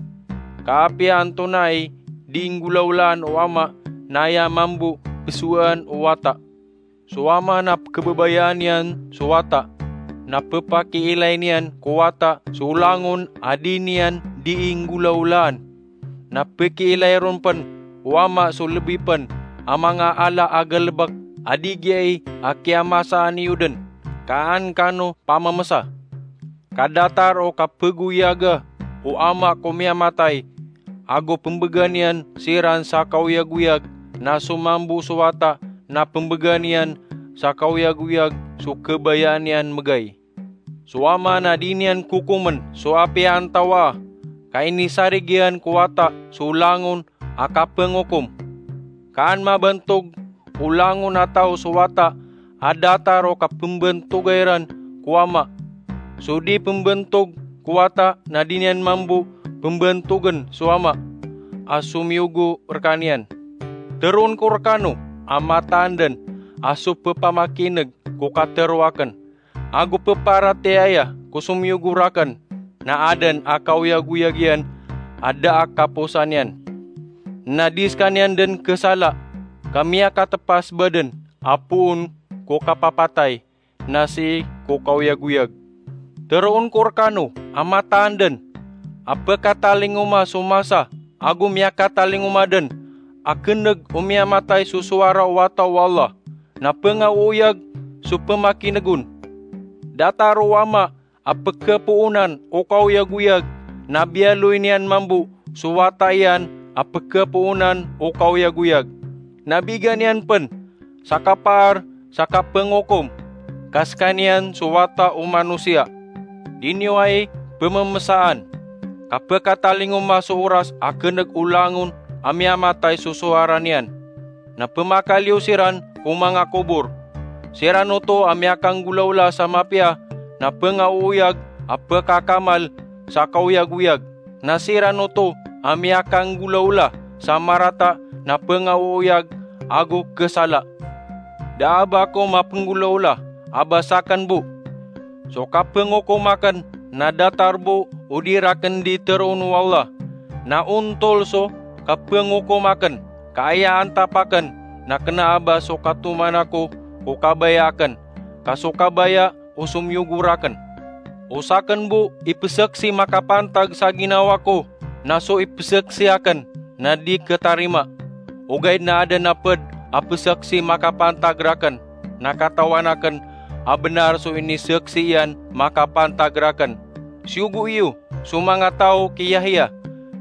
Ka apiya antonaa i di nggolaolaan o ama na aya mambo pesoaan o wata. So ama na pekebabayaan iyan so wata, na pepakiilay niyan ko wata so langon a di niyan di nggolaolaan. Na pekiilay ron pen o ama so lebi pen a manga ala a galebek a di giyai a kiyamasaan iyo den, ka an kano pamemesa. Ka datar o kapegoyaga o ama ko miyamatay, ago pembegan iyan siran sa kaoyagoyag, na so mambo so wata na pembegan iyan sa kaoyagoyag so kabayaan iyan megay. So ama na di niyan kokomen so apiya antawaa, ka inisarig iyan ko wata so langon a kapengokom. Ka an mabantog o langon a taw so wata a datar o kapembantoga iran ko ama. So di pembantog ko wata na di niyan mambo pembantogen so ama a somiyogo rekaniyan. Teroon ko rekano a mataan den a so pepamakineg ko katero aken, ago peparatiyaya ko somiyogo raken, na aden a kaoyagoyag iyan a da a kaposan iyan. Na di sekaniyan den kesala, ka miyakatepas baden a poon ko kapapatay, na sii ko kaoyagoyag. Teroon ko rekano a mataan den a pekatalingoma so masa ago miyakatalingoma den a keneg o miyamatay so sowara o wata o Allah, na pengaoyag so pemakineg on. Datar o ama a pekepoonan o kaoyagoyag, na biyaloy niyan mambo so wata iyan a pekepoonan o kaoyagoyag. Na bigan iyan pen sa kapaar sa kapengokom, ka sekaniyan so wata o manosiya. Di niyo ai pememesaan, ka pekatalingoma so oras a keneg o langon a miyamatay so sowara niyan. Na pemakaliyo siran ko manga kobor. Siran oto a miyakanggolawla sa mapiya na pengaoyag a pekakamal sa kaoyagoyag. Na siran oto a miyakanggolawla sa marata na pengaoyag ago kesala. Da a ba ako mapenggolawla a ba saken bo. So kapengokom aken na datar bo o di raken di teroon o Allah. Na ontol so kapengokom aken, ka aya antap aken na kena a ba so katoman ako ko kabaya aken, ka so kabaya o somiyogo raken. O saken bo ipesaksi makapantag sa ginawa ko, na so ipesaksi aken na di ketarima. Ogaid na aden a ped a pesaksi makapantag raken, na katawan aken a benar so inisaksi iyan makapantag raken. Siyogo iyo so manga taw ki Yahya,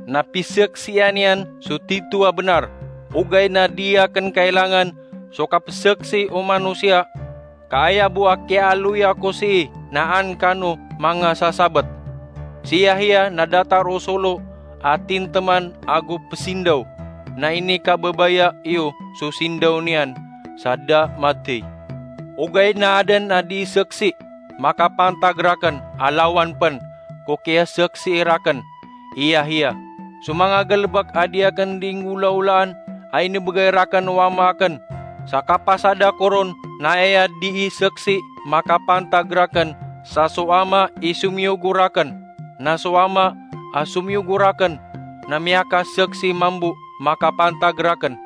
na pisaksian iyan so tito a benar. Ogaid na di aken kailangan so kapesaksi o manosiya, ka aya bo a kiyaaloya ko sii na an kano manga sasabet. Si Yahya na datar o solo a tinteman ago pesindaw, na inikababaya iyo so sindaw niyan sa da matey. Ogaid na aden a di saksi makapantag raken a lawan pen ko kiyasaksi raken i Yahya. So manga galebek a di aken di nggolawlaan a inibegay raken o ama aken, sa kapasad ako ron na aya di saksi makapantag raken sa so ama i somiyogo raken, na so ama a somiyogo raken na miyakasaksi mambo makapantag raken.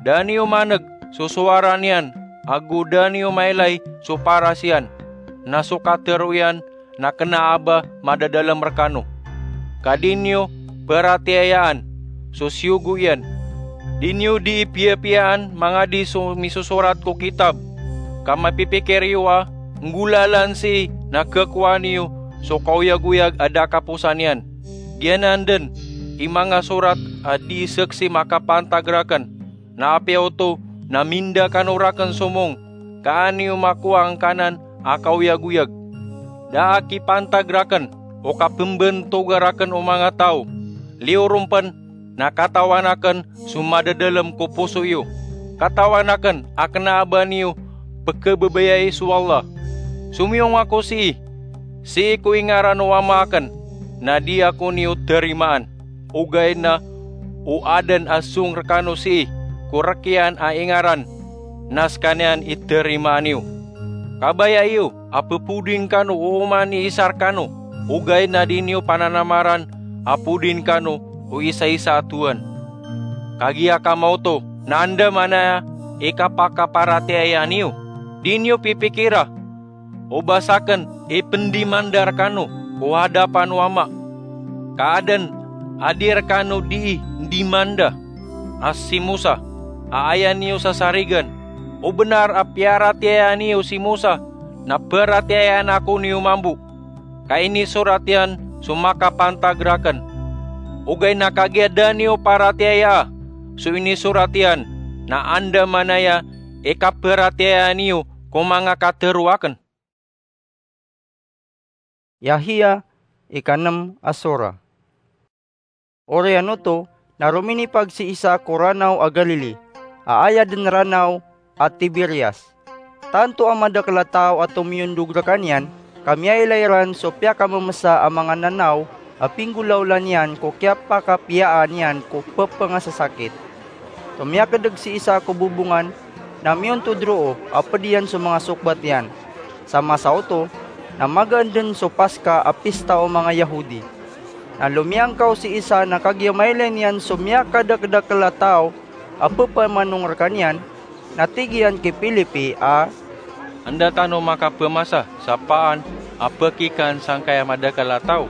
Da niyo maneg so sowara niyan, ago da niyo mailay so paras iyan, na so katero iyan na kena a ba madadalem rekano. Ka di niyo peratiyayaan so siyogo iyan. Di niyo di piyapiyaan mangadi so misosorat ko kitab, ka mapipikir iyo a nggolalan sii na kekowaan iyo so kaoyagoyag a da kaposan iyan. Giyanan den i manga sorat a di saksi makapantag raken, na apiya oto na minda kano raken somong. ka an iyo makowa angkanan a kaoyagoyag. Da a kipantag rakn o kapmbntoga rakn o manga taw. Liyo ron pn na katawan akn so madadalm ko poso iyo. Katawan akn a kna a ba niyo pkhababayai so Allah. Somiyong ako sii, sii ko ingaran o Ama akn, na di ako niyo tarimaan. Ogaid na o adn a song rkano sii ko rk iyan a ingaran, na skaniyan i tarimaan iyo. Kabaya iyo a ppoding kano o oman i isa rkano, ogaid na di niyo pananamaran a poding kano o isaisa a towan. Kagiya kamaoto na andamanaya i kapakaparatiyaya niyo, di niyo pipikira o ba sakn i pndimanda rkano ko hadapan o Ama. Ka adn a di rkano dii ndimanda a si Mosa a aya niyo sasarigan. O bnar a piyaratiyaya niyo si Mosa na paratiyayaan ako niyo mambo, ka inisorat iyan so makapantag rakn. Ogaid na kagiya da niyo paratiyayaa so inisorat iyan, na andamanaya i kaparatiyaya niyo ko manga katharo akn. Yahya, ikanem a sora. Oriyan oto na rominipag si Isa ko Ranaw a Galili, a aya den ranaw a Tiberias. Tanto a madakel a taw a tomiyondog rekaniyan, ka miyailay ran so piyakamemesa a manga nanaw a pinggolawla niyan ko kiyapakapiyaan iyan ko pepengasasakit. Tomiyakedeg si Isa ko bobongan, na miyontod roo a ped iyan so manga sokbat iyan. Sa masa oto, na magaan den so Paska a pista o manga Yahudi. Na lomiyangkaw si Isa na kagiya mailay niyan so miyakadakedakel a taw a pepamanong rekaniyan, na tig iyan ki Filipi a, "Anda tano makapemasa sa paan a pekikan sangkaya madakel a taw?"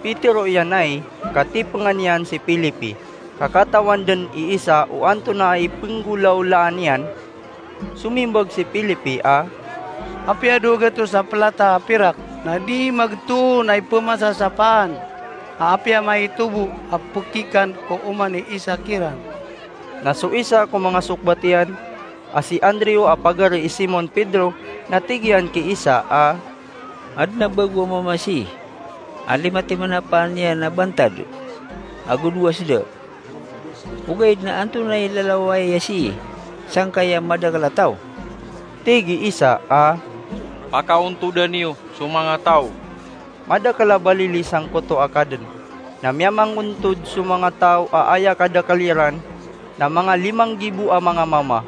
Pitero iyan ai, ka tipengan iyan si Filipi, ka katawan den i Isa o antonaa i penggolawlaan iyan. Somimbag si Filipi a, "Apiya dowa gatos a pelata a pirak, na di magetoon a ipemasa sa paan a apiya maitobo a pekikan ko oman i Isa kiran." Na so isa ko manga sokbat iyan, a si Andrew a pagari i Simon Pedro, na tig iyan ki Isa a, "Aden a bago a mamasi a lima timan a paan iyan a bantad ago dowa seda. Ogaid na antonaa i lalawaya sii sangkaya madakel a taw?" Tig i Isa a, "Pakaontoda niyo so manga taw." Madakel a balili sangkoto a kaden, na miyamangontod so manga taw a aya kadakel iran na manga limang gibo a manga mama.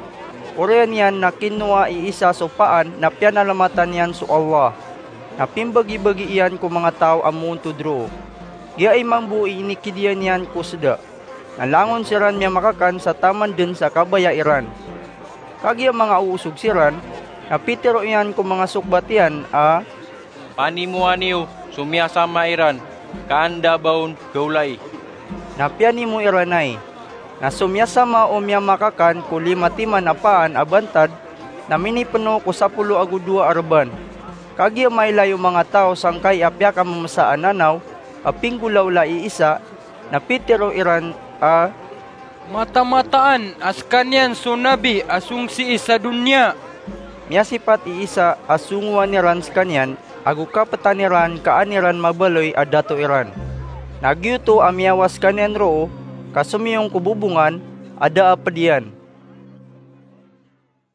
Oriyan iyan na kinowa i Isa so paan na piyanalamatan iyan so Allah. Na pimbagibagi iyan ko manga taw a moontod roo. Giya i mambo i inikidiya niyan ko seda. Na langon siran miyamakakan sa taman den sa kabaya iran. Kagiya mangaoosog siran, na pitero iyan ko manga sokbat iyan a, "Panimoa niyo so miyasama iran, ka anda ba on gawlai." Na piyanimo iran ai. Na so miyasama o miyamakakan ko lima timan a paan a bantad, na minipeno ko sapolo ago dowa a reban. Kagiya mailay o manga taw sangkai a piyakamemesa a nanaw a pinggolawla i Isa, na pitero iran a, "Matamataan a sekaniyan so nabi a song sii sa doniya." Miyasipat i Isa a songowan iran sekaniyan, ago kapetan iran ka an iran mabaloy a dato iran. Na giyoto a miyawas sekaniyan roo, ka somiyong ko bobongan a da a ped iyan.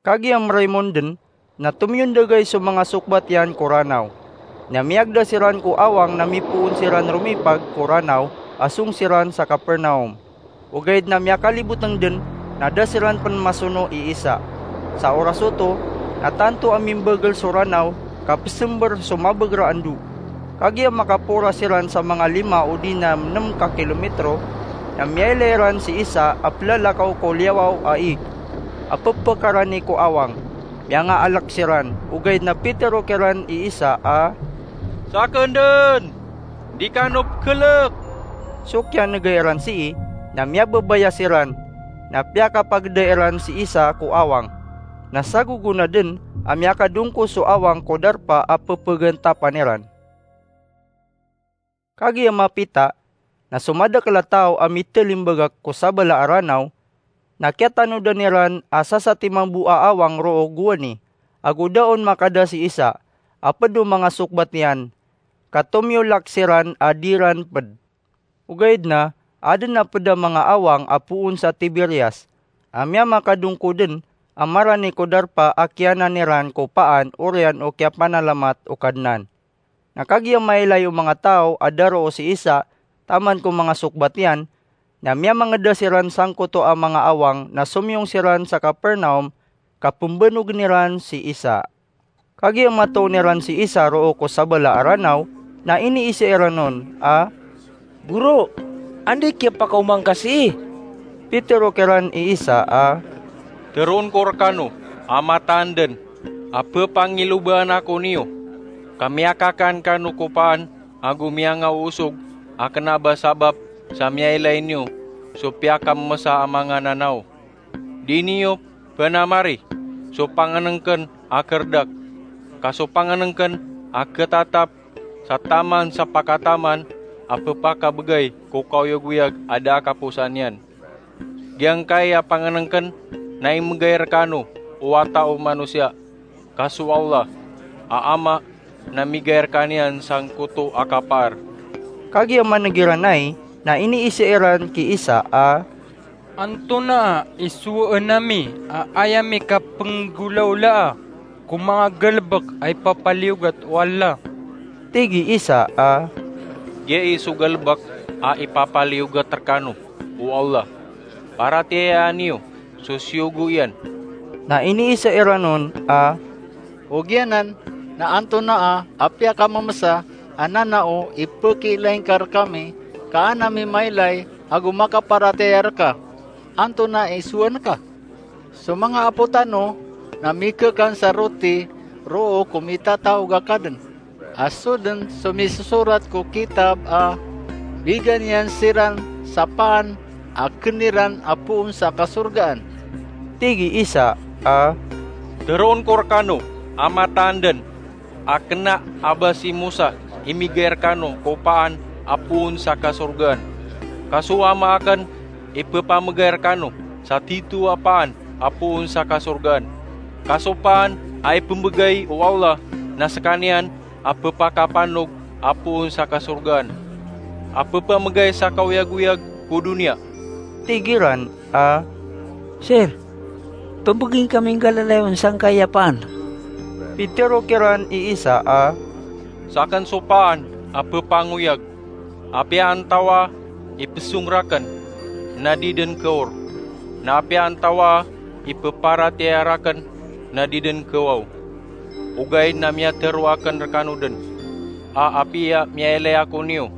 Kagiya meraymon den, na tomiyondogay so manga sokbat iyan ko ranaw. Na miyagda siran ko awang na mipoon siran romipag ko ranaw a song siran sa Capernaum. Ogaid na miyakaliboteng den, na da siran pen masono i Isa. Sa oras oto, na tanto a mimbagel so ranaw, ka pesember so mabeger a endo. Kagiya makapora siran sa manga lima odi na nem ka kilometro, na miyailay ran si Isa a pelalakaw ko liyawaw a ig a pepekarani ko awang. Miyangaalek siran, ogaid na pitero kiran i Isa a, "Saken den! Di kano pekelek!" So kiyanegay ran sii, na miyababaya siran, na piyakapageda iran si Isa ko awang. Na sagogo na den a miyakadongko so awang ko darpa a pepegantapan iran. Kagiya mapita, na so madakel a taw a mitelimbagak ko sabala a ranaw, na kiyatanodan iran a sasatiman bo a awang roo gowani, ago da on makada si Isa, a ped o manga sokbat iyan, ka tomiyolak siran a di ran ped. Ogaid na, aden a ped a manga awang a poon sa Tiberias, a miyamakadongkoden a marani ko darpa a kiyanan iran ko paan oriyan o kiyapanalamat o Kadnan. Na kagiya mailay o manga taw a daroo si Isa taman ko manga sokbat iyan, na miyamangeda siran sangkoto a manga awang na somiyong siran sa Capernaum ka pembanogen iran si Isa. Kagiya matoon iran si Isa roo ko sabala a Ranaw, na iniisa iran on a, "Goro, anda i kiyapakaoma ngka sii?" Pitero kiran i Isa a, "Teroon ko rekano a mataan den a pepangilobaan ako niyo, ka miyakakan kano ko paan ago miyangaosog a kena ba sabap sa miyailay niyo so piyakamesa a manga nanaw. Di niyo penamari so pangenengken a kerdak, ka so pangenengken a ketatap sa taman sa pakataman a pepakabegay ko kaoyagoyag a da a kaposan iyan. Giyangkai a pangenengken na imegay rekano o Wata o Manosiya, ka so Allah a Ama na migay rekaniyan sangkoto a kapaar." Kagiya maneg iran ai, na iniisa iran ki Isa a, "Antonaa i sowaan ami a aya mi kapenggolaolaa ko manga galebek a ipapaliyogat o Allah?" Tig i Isa a, "Giya i so galebek a ipapaliyogat rekano o Allah, paratiyayaan iyo so siyogo iyan." Na iniisa iran on a, "Ogaid anan na antonaa a piyakamemesa a nanao i pekiilay ngka rekami ka an ami mailay ago makaparatiyaya reka? Antonaa i sowaan ka? So manga apo tano na mikekan sa roti roo ko mitataog a kaden, a so den so misosorat ko kitab a bigan iyan siran sa paan a ken iran a poon sa kasorgaan." Tig i Isa a, "Teroon ko rekano a mataan den a kena a ba si Mosa i migay rekano ko paan a poon sa kasorgaan, ka so Ama aken i pepamegay rekano sa tito a paan a poon sa kasorgaan. Ka so paan a ipembegay o Allah na sekaniyan a pepakapanog a poon sa kasorgaan, a pepamegay sa kaoyagoyag ko doniya." Tig iran a, "Sir, pembegay ngka mi nggalalayon sangkai a paan." Pitero kiran i Isa a, "Saken so paan a pepangoyag. Apiya antawaa i pesong raken, na di den keor. Na apiya antawaa i peparatiyaya raken, na di den kewaw. Ogaid na miyatero aken rekano den a apiya miyailay ako niyo,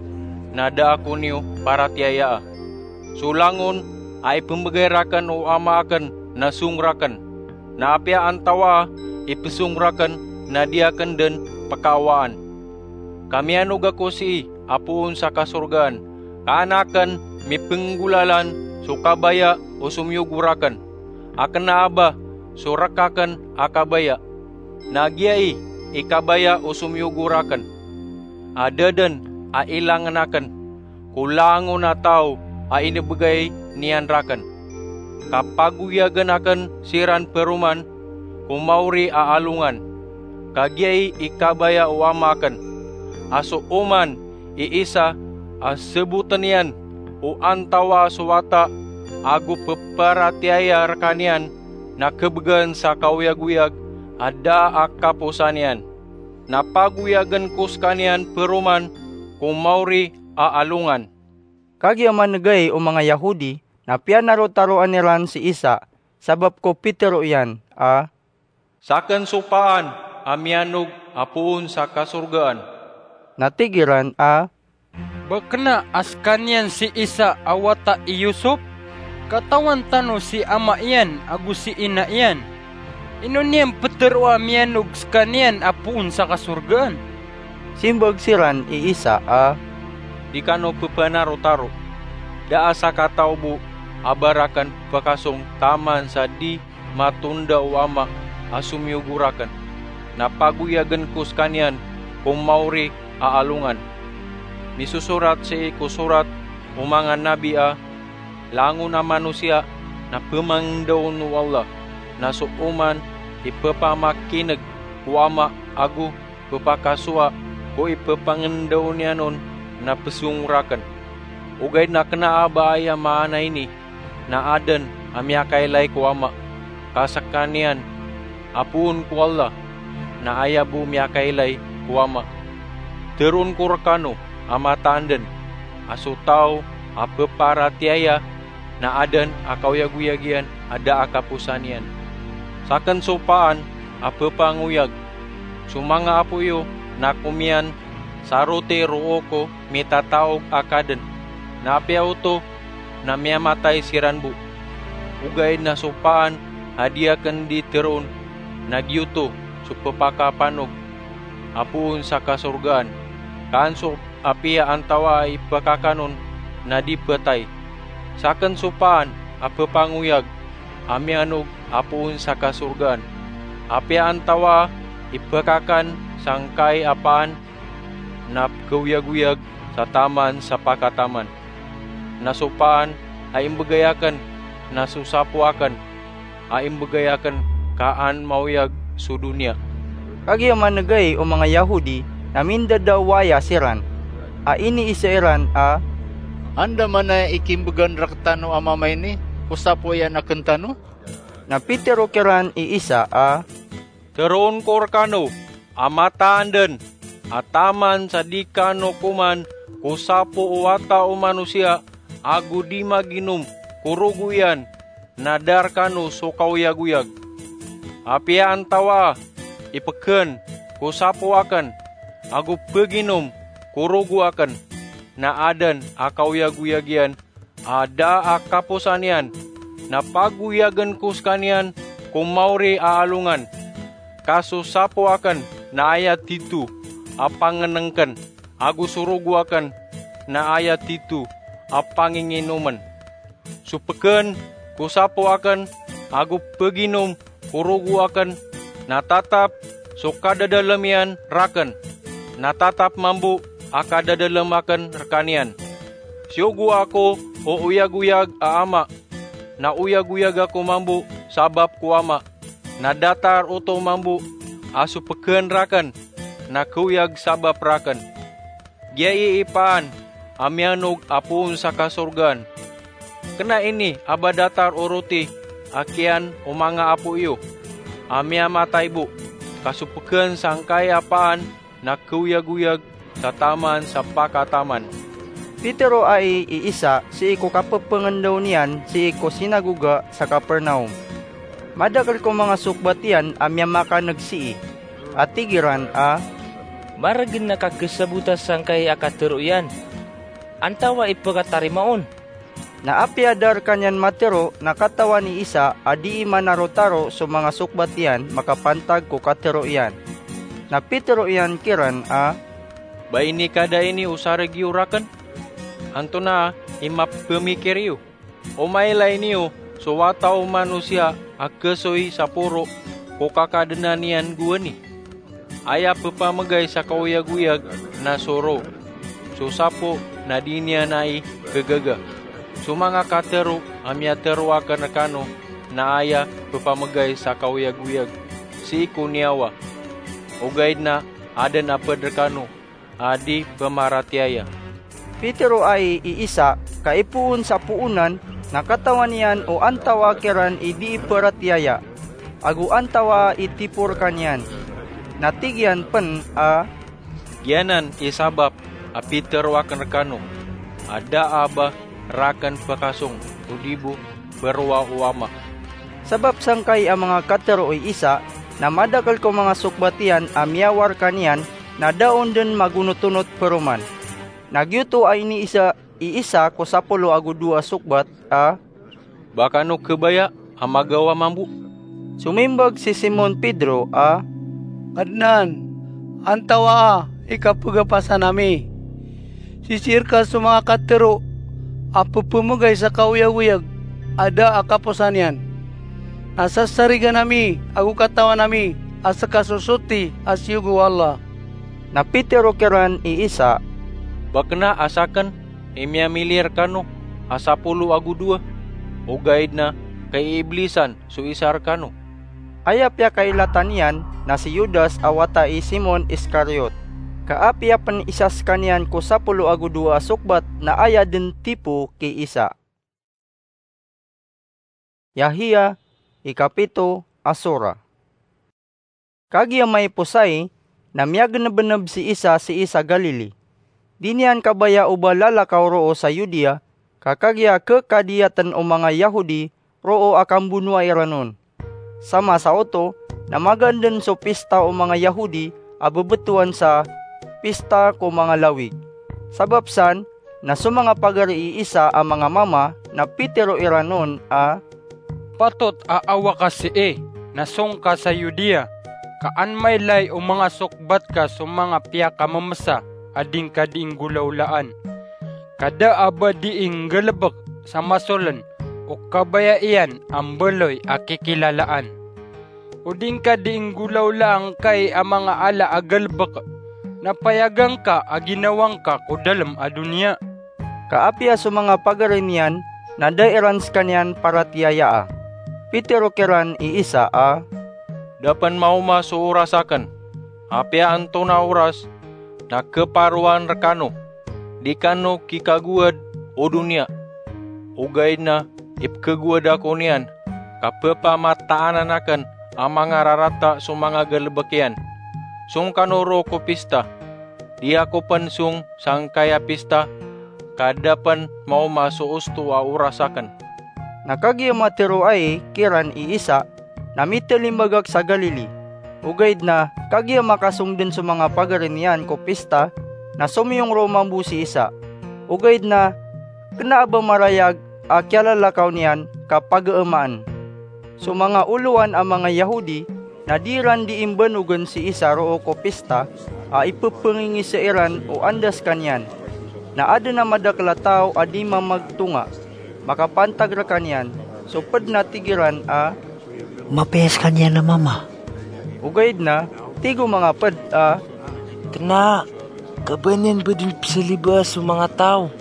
na da ako niyo paratiyayaa. So langon a ipembegay raken o Ama aken na song raken. Na apiya antawaa i pesong raken, na di aken den pekaawaan. Ka miyanog ako sii a poon sa kasorgaan, ka an aken mipenggolalan so kabaya o somiyogo raken, a kena a ba so rek aken a kabaya. Na giya i kabaya o somiyogo raken, a da den a ilangen aken ko langon a taw a inebegay niyan raken, ka pagoyagen aken siran peroman ko maori a alongan. Ka giya i kabaya o Ama aken, a so oman i Isa a seboten iyan o antawaa so wata ago peparatiyaya rekaniyan na kebegan sa kaoyagoyag a da a kaposan iyan. Na pagoyagen ko sekaniyan peroman ko maori a alongan." Kagiya maneg ai o manga Yahodi na piyanarotaroan iran si Isa sabap ko pitero iyan a, "Saken so paan a miyanog a poon sa kasorgaan." Na tig iran a, "Ba kena a sekaniyan si Isa a wata i Yosop? Katawan tano si ama iyan ago si ina iyan. Ino niyan petero a miyanog sekaniyan a poon sa kasorgaan?" Simbag siran i Isa a, "Di kano pepanarotaro. Da a sakataw bo a ba raken pekasong taman sa di matonda o Ama a somiyogo raken, na pagoyagen ko sekaniyan ko maori a alongan. Misosorat sii ko sorat o manga nabi a langon a manosiya na pemangendaon o Allah, na so oman ipepamakineg ko Ama ago pepakasowa ko ipepangendaw niyan on na pesong raken. Ogaid na kena a ba aya maana ini na aden a miyakailay ko Ama, ka sekaniyan a poon ko Allah na aya bo miyakailay ko Ama. Teroon ko rekano a mataan den a so taw a peparatiyaya na aden a kaoyagoyag iyan a da a kaposan iyan. Saken so paan a pepangoyag. So manga apo iyo na komiyan sa roti roo ko mitataog a kaden, na apiya oto na miyamatay siran bo. Ogaid na so paan a di aken di teroon, na giyoto so pepakapanog a poon sa kasorgaan. Kaan so apiya antawaa i pekakan on na di petay. Saken so paan a pepangoyag a miyanog a poon sa kasorgaan. Apiya antawaa i pekakan sangkai a paan na pekeoyagoyag sa taman sa pakataman. Na so paan a imbegay aken na so sapo aken a imbegay aken ka an maoyag so doniya. Kagiya manegay o manga Yahudi na mindadawaya siran, a iniisa iran a, "Anda man aya i kimbegan rektano a mama ini ko sapo iyan aken tano?" Na pitero kiran i Isa a, "Teroon ko rekano a mataan den a taman sa di kano koman ko sapo o Wata o Manosiya ago di maginom ko rogo iyan, na da rekano so kaoyagoyag. Apiya antawaa i peken ko sapo aken ago peginom ko rogo aken, na aden a kaoyagoyag iyan a da a kaposan iyan, na pagoyagen ko sekaniyan ko maori a alongan. Ka so sapo aken na aya tito a pangenengken, ago so rogo aken na aya tito a panginginomen. So peken ko sapo aken ago peginom ko rogo aken, na tatap so kadadalem iyan raken, na tatap mambo a kadadalem aken rekaniyan. Siyogoa ako o oyagoyag a Ama, na oyagoyag ako mambo sabap ko Ama, na datar oto mambo a so peken raken na keoyag sabap raken. Giyai i paan a miyanog a poon sa kasorgaan. Kena ini a ba datar o roti a kiyan o manga apo iyo a miyamatay bo, ka so peken sangkai a paan na keoyagoyag sa taman sa pakataman." Pitero ai i Isa sii ko kapepengendaw niyan sii ko sinagoga sa Kapernaum. Madakel ko manga sokbat iyan a miyamakaneg sii, a tig iran a, "Maregen a kakesabota sangkai a katero iyan. Antawaa i pekatarima on?" Na apiya da rekaniyan matero na katawan i Isa a dii manarotaro so manga sokbat iyan makapantag ko katero iyan. Na pitero iyan kiran a, "Ba inikada ini o sareg iyo raken? Antonaa i mapemikir iyo? O mailay niyo so Wata o Manosiya a kesoy sa poro ko kakadenan iyan gowani? Aya pepamegay sa kaoyagoyag na so roo, so sapo na di niyan ai kegaga. So manga katero a miyatero aken rekano na aya pepamegay sa kaoyagoyag sii ko niyawa. Ogaid na aden a ped rekano a di pemaratiyaya." Pitero ai i Isa ka ipoon sa poonan na katawan iyan o antawaa kiran i dii peratiyaya, ago antawaa i tipo rekaniyan. Na tig iyan pen a, "Giyanan i sabap a pitero aken rekano a da a ba raken pekasong odi bo perowa o Ama." Sabap sangkai a manga katero i Isa, na madakel ko manga sokbat iyan a miyawar rekaniyan, na da on den magonotonot peroman. Na giyoto a iniisa i Isa ko sapolo ago dowa a sokbat a, "Ba kano kebaya a magawa mambo?" Somimbag si Simon Pedro a, "Kadnan, antawaa i kapegapasan ami? Sisii reka so manga katero a pepemegay sa kaoyagoyag a da a kaposan iyan. Na sasarigan ami ago katawan ami a seka so soti a siyogo o Allah." Na pitero kiran i Isa, "Ba kena a saken i miyamili rekano a sapolo ago dowa? Ogaid na kaiiblisan so isa rekano." Aya piyakailatan iyan na si Judas a wata i Simon Iscariot, ka apiya pn isa skaniyan ko sapolo ago dowa a sokbat na aya dn tipo ki Isa. Yahya, ikapito a sora. Kagiya maiposay, na miyagnbnb si Isa sii sa Galili. Di niyan kabaya o ba lalakaw roo sa Judea, ka kagiya khkadiyatn o manga Yahudi roo a kambonoa iran on. Sa masa oto, na magaan dn so pista o manga Yahudi a bbtowan sa pista ko manga lawig. Sabap san, na so manga pagari i Isa a manga mama na pitero iran on a, "Patot a awa ka sii, na song ka sa Judea, ka an mailay o manga sokbat ka so manga piyakammsa a di ngka dii nggolawlaan. Ka da a ba dii nggalbk sa masoln o kabaya iyan a mbaloy a kikilalaan. O di ngka dii nggolawlaan kai a manga ala a galbk, na payagan ka a ginawa ngka ko dalm a doniya." Ka apiya so manga pagari niyan na da iran skaniyan paratiyayaa. Pitero kiran i Isa a, "Da pn maoma so oras akn. Apiya antonaa oras, na khaparoan rkano. Di kano kikagowad o doniya. Ogaid na ipkhagowad ako niyan, ka pphamataan akn a manga rarata so manga galbk iyan. Song kano roo ko pista. Di ako pn song sangkaya pista, ka da pn maoma so osto a oras akn." Na kagiya matero ai kiran i Isa, na mitalimbag ak sa Galili. Ogaid na kagiya makasong dn so manga pagari niyan ko pista, na somiyong roo mambo si Isa. Ogaid na kna a ba marayag a kiyalalakaw niyan ka pagamaan. So manga olowan a manga Yahudi na di ran dii mbanogn si Isa roo ko pista a ipphangingisa iran o anda skaniyan. Na adn a madakl a taw a di mamagtonga makapantag rkaniyan, so pd na tig iran a, "Mapiya skaniyan a mama." Ogaid na tig o manga pd a, "Kna, ka ba niyan ba dn pzalibaa so manga taw."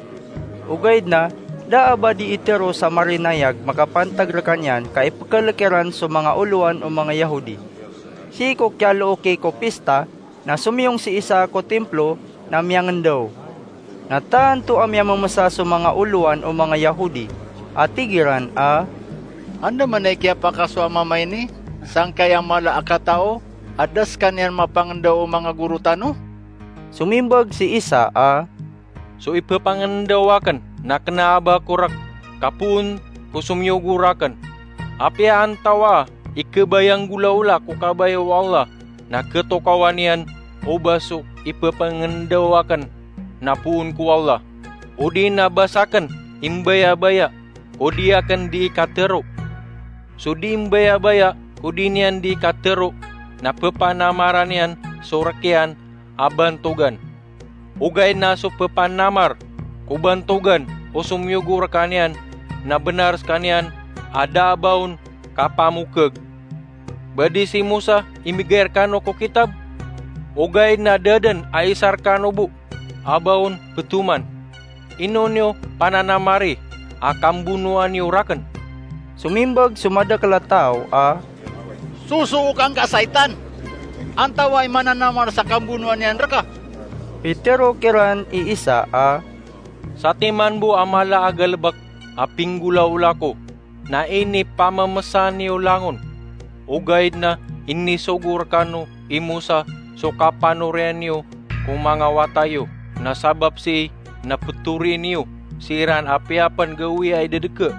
Ogaid na da a ba dii tero sa marinayag makapantag rkaniyan ka ipkhalk iran so manga olowan o manga Yahudi. Sii ko kiyalooki ko pista, na somiyong si Isa ko timplo na miyangndaw. Na tanto a miyamamsa so manga olowan o manga Yahudi a tig iran a, "Anda man i kiyapakasowa a mama ini sangkai a mala a katao a da skaniyan mapangndaw o manga goro tano?" Somimbag si Isa a, "So ippangndaw akn na kna a ba ko rk, ka poon ko somiyogo rakn. Apiya antawaa i khabaya nggolawla ko kabaya o Allah, na khatokawan iyan o ba so ippangndaw akn na poon ko Allah. Odi na ba sakn i mbayabaya ko di akn dii katero. So dii mbayabaya ko di niyan dii katero, na ppanamaran iyan so rk iyan a bantogan. Ogaid na so ppanamar ko bantogan o somiyogo rkaniyan na bnar skaniyan a da a ba on kapamokhag. Ba di si Mosa i migay rkano ko kitab? Ogaid na da dn a isa rkano bo a ba on ptoman. Ino niyo pananamari a kambonoa niyo rakn?" Somimbag so madakl a taw a, "Sosook angka a saitan! Antawaa i mananamar sa kambonoa niyan rka?" Pitero kiran i Isa a, "Satiman bo a mala a galbk a pinggolawla ko na inipamamsa niyo langon. Ogaid na inisogo rkano i Mosa so kapanoriyan iyo ko manga wata iyo, na sabap sii na pthori niyo siran apiya pn gawii a idadka.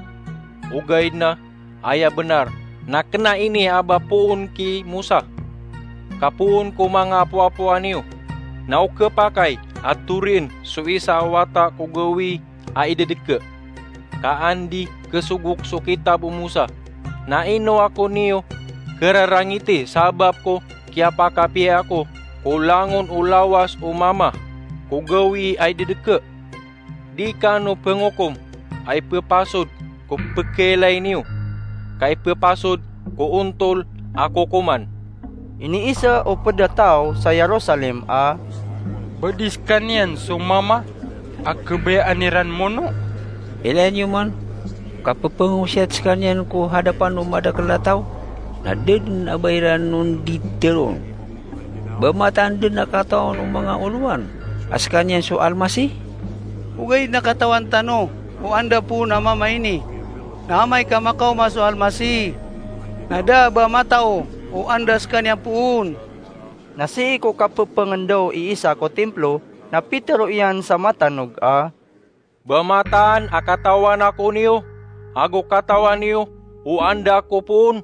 Ogaid na aya bnar na kna ini a ba poon ki Mosa, ka poon ko manga apoapoa niyo, na o khapakay a thorien so isa a wata ko gawii a idadka. Ka an di khasogok so kitab o Mosa, na ino ako niyo khararangiti sabap ko kiyapakapiya ako ko langon o lawas o mama ko gawii a idadka? Di kano pngokom a ippasod ko pkhailay niyo, ka ippasod ko ontol a kokoman." Iniisa o pd a taw sa Jerusalem a, "Ba di skaniyan so mama a khabayaan iran mono? Ilaya niyo man, ka pphangosiyat skaniyan ko hadapan o madakl a taw." na da dn a ba iran on di teroon. Ba mataan dn a katawan o manga olowan a skaniyan so Almasih? Ogaid na katawan tano o anda poon a mama ini. Na amay ka makaoma so Almasih, na da a ba matao o anda skaniyan poon. Na sii ko kapphangndao i Isa ko timplo, na pitero iyan sa matanog a, "Ba mataan a katawan ako niyo, ago katawan iyo o anda ako poon?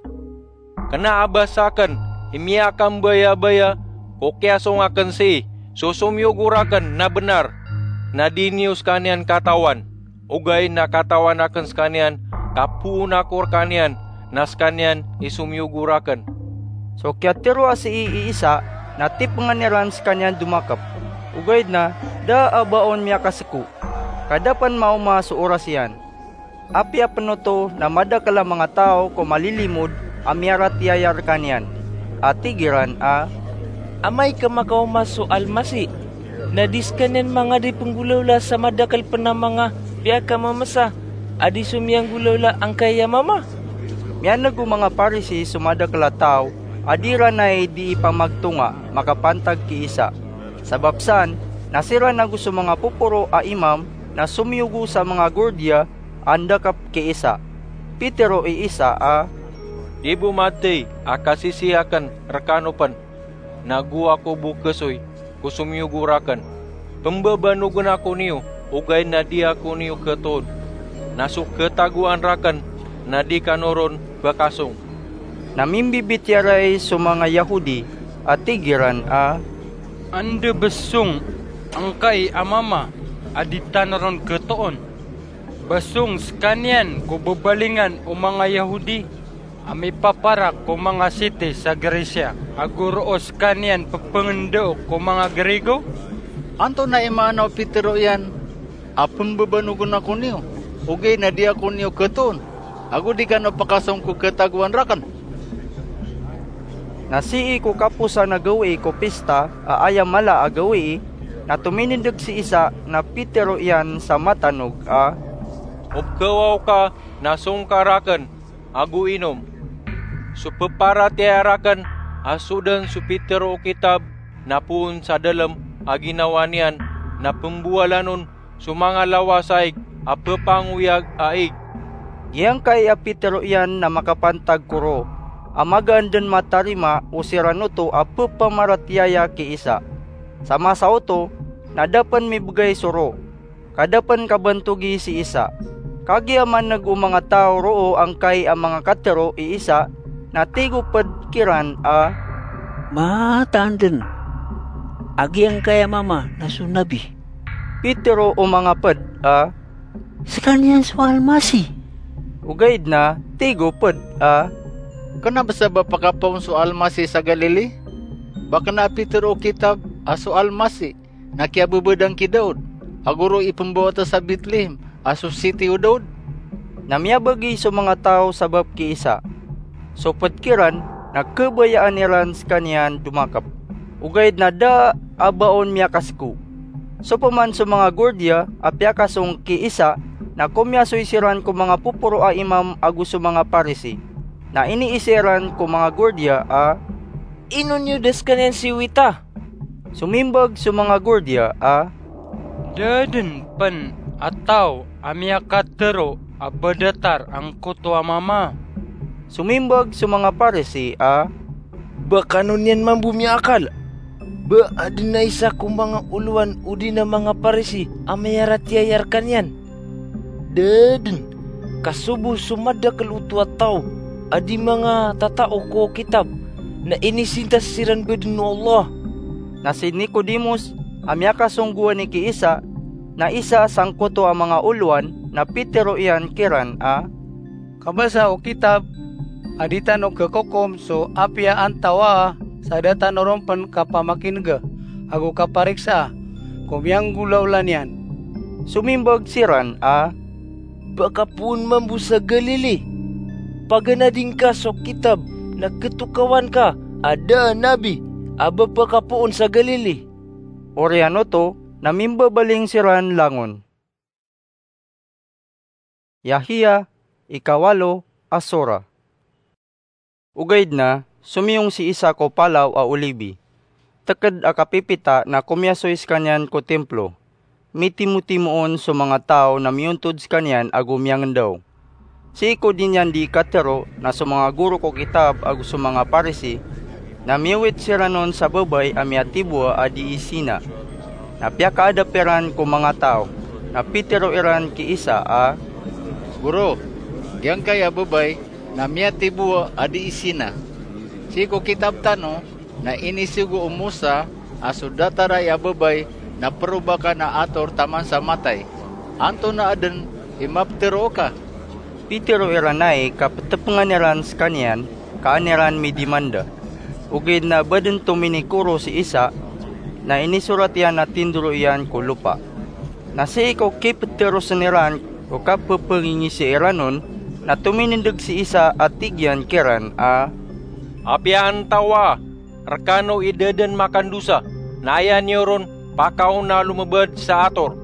Kna a ba sakn i miyakambayabaya ko kiyasong akn sii so somiyogo rakn na bnar, na di niyo skaniyan katawan. Ogaid na katawan akn skaniyan, ka poon ako rkaniyan, na skaniyan i somiyogo rakn." So kiyatero a sii i Isa na tipngan iran skaniyan domakp. Ogaid na da a ba on miyakaseko, ka da pn maoma so oras iyan. Apiya pn oto na madakl a manga taw ko malilimod a miyaratiyaya rkaniyan, a tig iran a, "Amay ka makaoma so Almasih, na di skaniyan manga di pnggolawla sa madakl pn a manga piyakamamsa a di somiyanggolawla angkai a mama?" Miyan'g o manga Parisi so madakl a taw a di iran ai di ipamagtonga makapantag ki Isa. Sabap san, na siran ago so manga poporo a imam na somiyogo sa manga gordiya a ndakp ki Isa. Pitero i Isa a, "Di bo mathay a kasisii akn rkano pn, nago ako bo khasoy ko somiyogo rakn. Pmbabanogn ako niyo, ogaid na di ako niyo khatoon, na so khatagoan rakn na di kano ron phakasong." Na mimbibitiyarai so manga Yahudi a tig iran a, "Anda ba song angkai a mama a di tano ron khatoon? Ba song skaniyan ko babalingan o manga Yahudi a mipaparak ko manga siti sa Grisiya, ago roo skaniyan pphangendao ko manga Grigo?" Antonaa i maana o pitero iyan a pmbabanogn ako niyo, ogaid na di ako niyo khatoon, ago di kano phakasong ko khatagoan rakn? Na sii ko kaposan a gawii ko pista a aya mala a gawii, na tominindg si Isa na pitero iyan sa matanog a, "Opkhawaw ka na song ka rakn ago inom. So pparatiyaya rakn a so dn so pitero o kitab na poon sa dalm a ginawa niyan na pmbowalan on so manga lawas a ig a ppangoyag a ig." Giyangkai a pitero iyan na makapantag ko roo a magaan dn matarima o siran oto a ppamaratiyaya ki Isa. Sa masa oto na da pn mibgay so roo, ka da pn kabantogi si Isa. Kagiya man'g o manga taw roo angkai a manga katero i Isa, na tig o pd kiran a, "Mataan dn a giyangkai a mama na so nabi." Pitero o manga pd a, "Skaniyan so Almasih." Ogaid na tig o pd a, "Kna bs a ba pakapoon so Almasih sa Galili? Ba kna a pitero o kitab a so Almasih na kiyababadang ki Daud, ago roo ipmbawata sa Betlehem a so siti o Daud?" Na miyabagi so manga taw sabap ki Isa. So pd kiran na khabayaan iran skaniyan domakp, ogaid na da a ba on miyakaseko. So pman so manga gordiya a piyakasong ki Isa na komiyasoy siran ko manga poporo a imam ago so manga Parisi. Na iniisa iran ko manga gordiya a, "Ino niyo da skaniyan siwita?" Somimbag so manga gordiya a, "Da dn pn a taw a miyakatero a ba datar angkoto a mama." Somimbag so manga Parisi a, "Ba kano niyan mambo miyaakal ba adn a isa ko manga olowan odi na manga Parisi a miyaratiyaya rkaniyan? Da dn, ka so bo so madakl oto a taw a di manga tatao ko kitab na inisintas siran badn o Allah." Na si Nicodemos a miyakasong gowani ki Isa, na isa sangkoto a manga olowan, na pitero iyan kiran a, "Kabasa o kitab a di tano khakokom so apiya antawaa sa da tano ron pn kapamakin'ga ago kapariksaa ko miyanggolawla niyan." Somimbag siran a, "Ba ka poon mambo sa Galili? Paganadi ngka so kitab na khatokawan ka a da a nabi a ba pakapoon sa Galili." Oriyan oto na mimbabaling siran langon. Yahiya, ikawalo a sora. Ogaid na somiyong si isa ko Palaw a Olibi. Teked a kapipita na komiyasoy sekaniyan ko Templo. Mitimotimoon so manga taw na miyontod sekaniyan ago miyangendaw. Sii ko di niyan di katero na so manga goro ko kitab ago so manga Parisi na miyowit siran on sa babay a miyatibowa a dii sina. Na piyakaadap iran ko manga taw, na pitero iran ki isa a, "Goro, giyangkai a babay na miyatibowa a dii sina. Sii ko kitab tano na inisogo o Mosa a so dataray a babay na perobakan a ator taman sa matay. Antonaa den i mapetero oka?" Pitero iran ai ka petepengan iran sekaniyan ka an iran midimanda. Ogaid na ba den tominikoro si isa, na inisorat iyan a tindoro iyan ko lopa. Na sii ko kipeterosen iran ko kapepengingisi iran on, na tominindeg si isa a tig iyan kiran a, "Apiya antawa rekano i da den makandosa, na aya niyo ron pakaona a lomebad sa ator."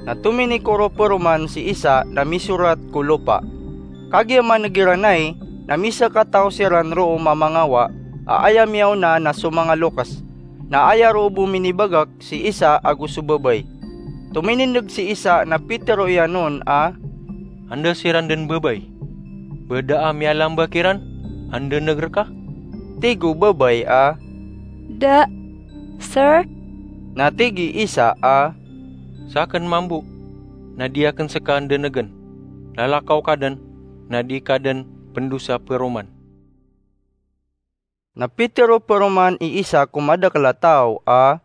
Na tominikoro peroman si isa na misorat ko lopa. Kagiya maneg iran ai, na misakataw siran roo mamangawa a aya miyaona na so manga lokes, na aya roo bo minibagak si isa ago so babay. Tominindeg si isa na pitero iyan on a, "Anda siran den babay? Ba da a miyalamba kiran a ndeneg reka?" Tig o babay a, "Da, sir." Na tig i isa a, "Saken mambo na di aken seka ndenegen. Lalakaw ka den, na di ka den pendosa peroman." Na pitero peroman i isa ko madakel a taw a,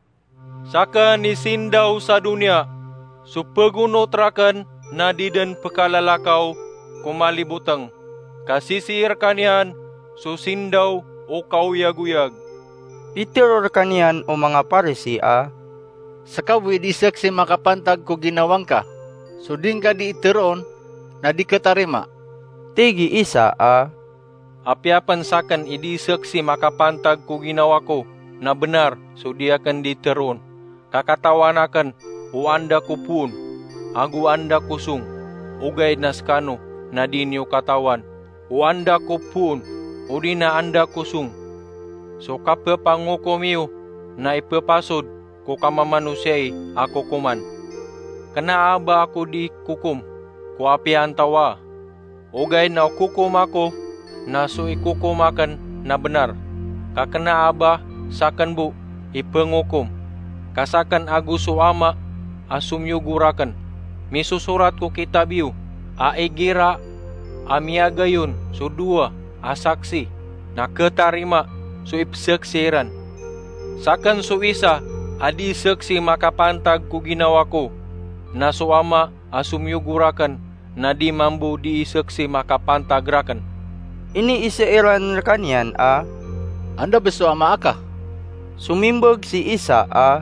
"Saken i sindaw sa doniya. So pegonot raken na di den pekalalakaw ko maliboteng, ka sisii rekaniyan so sindaw o kaoyagoyag." Pitero rekaniyan o manga Parisi a, "Seka bo i di seksi makapantag ko ginawa ngka, so di ngka di teroon na di ketarima." Tig i isa a, "Apiya pen saken i di seksi makapantag ko ginawa ko na benar so di aken di teroon, ka katawan aken o anda ko poon ago anda ko song, ogaid na sekano na di niyo katawan o anda ko poon odi na anda ko song. So kapepangokom iyo na ipepasod ko kamamanosiya a kokoman. Kena a ba ako di kokom ko apiya antawa, ogaid na o kokom ako na so ikokom aken na benar. Ka kena a ba saken bo i pengokom, ka saken ago so Ama a somiyogo raken. Misosorat ko kitab iyo a igira a miyagayon so dowa a saksi, na ketarima so ipeseksi iran. Saken so isa a di seksi makapantag ko ginawa ko, na so Ama a somiyogo raken na di mambo di seksi makapantag raken." Iniisa iran rekaniyan a, "Anda bo so Ama aka?" Somimbag si isa a,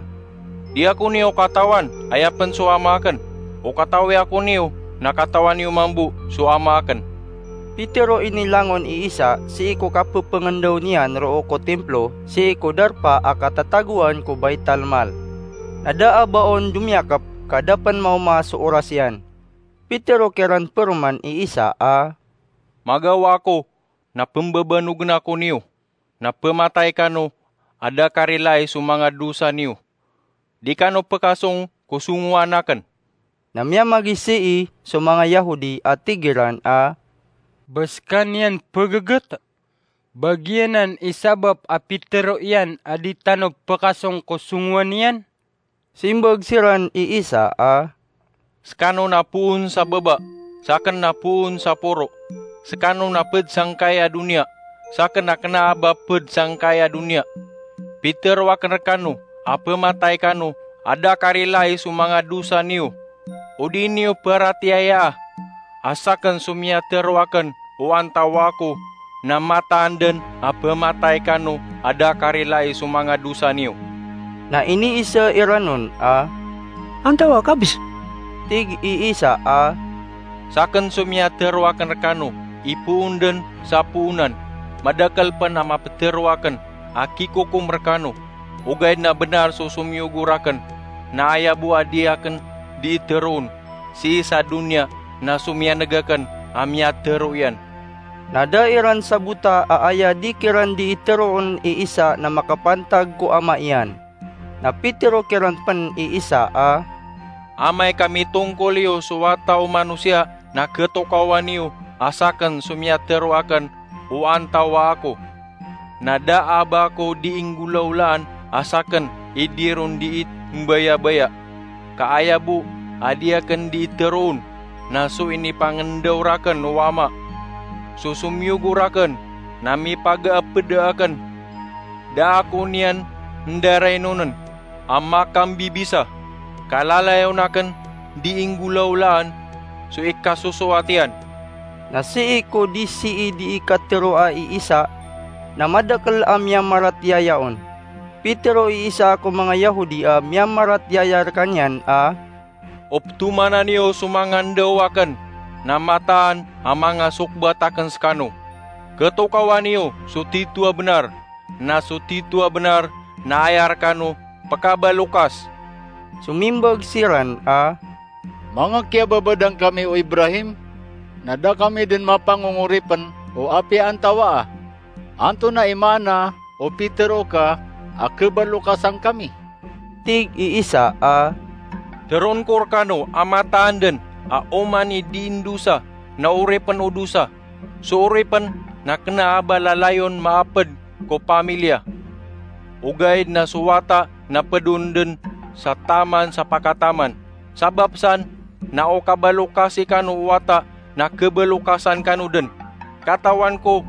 "Di ako niyo katawan, aya pen so Ama aken. O katawi ako niyo, na katawan iyo mambo so Ama aken." Pitero inilangon i isa sii ko kapepengendaw niyan roo ko Templo, sii ko darpa a katatagoan ko Baitalmal. Na da a ba on domiyakep ka da pen maoma so oras iyan. Pitero kiran peroman i isa a, "Magawa ako na pembebanogen ako niyo, na pematay kano a da karilai so manga dosa niyo. Di kano pekasong ko songowan aken." Na miyamagisii so manga Yahodi a tig iran a, "Ba sekaniyan pegeget? Ba giyanan i sabap a pitero iyan a di tano pekasong ko songowan iyan?" Simbag siran i isa a, "Sekano na poon sa baba, saken na poon sa poro. Sekano na ped sangkai a doniya, saken na kena a ba ped sangkai a doniya. Pitero aken rekano a pematay kano a da karilai so manga dosa niyo, o di niyo peratiyayaa a saken so miyatero aken o antawa ko na mataan den a pematay kano a da karilai so manga dosa niyo." Na iniisa iran on a, "Antawa ka bes?" Tig i isa a, "Saken so miyatero aken rekano i poon den sa poonan. Madakel pen a mapetero aken a kikokom rekano, ogaid na benar so somiyogo raken, na aya bo a di aken di teroon sii sa doniya na so miyaneg aken a miyatero iyan." Na da iran sabota a aya di kiran dii teroon i Isa na makapantag ko Ama iyan. Na pitero kiran pen i Isa a, "Amay ka mitongkol iyo so Wata o Manosiya na ketokawan iyo a saken so miyatero aken o antawaa ko. Na da a ba ako dii nggolawlaan a saken i dii ron dii mbayabaya. Ka aya bo a di aken dii teroon na so inipangendaw raken o Ama. So somiyogo raken na mipagaapeda aken. Da ako niyan ndarainonen a makambibisa, ka lalayon aken dii nggolawlaan so ikasosoat iyan." Na sii ko di sii dii kateroa i Isa, na madakel a miyamaratiyaya on. Pitero i Isa ko manga Yahudi a miyamaratiyaya rekaniyan a, "Optomanan iyo so manga ndaw aken na mataan a manga sokbat aken sekano. Ketokawan iyo so tito a benar, na so tito a benar na aya rekano pekabalokas." Somimbag siran a, "Manga kiyababadan kami o Ibrahim, na da kami den mapangongoripen o apiya antawaa. Antonaa i maana o pitero ka a kebalokasan kami?" Tig i Isa a, "Teroon ko rekano a mataan den a oman i dii ndosa na oripen o dosa. So oripen na kena a ba lalayon maaped ko pamiliya. Ogaid na so wata na ped on den sa taman sa pakataman. Sabap san na o kabalokasi kano o wata na kebalokasan kano den. Katawan ko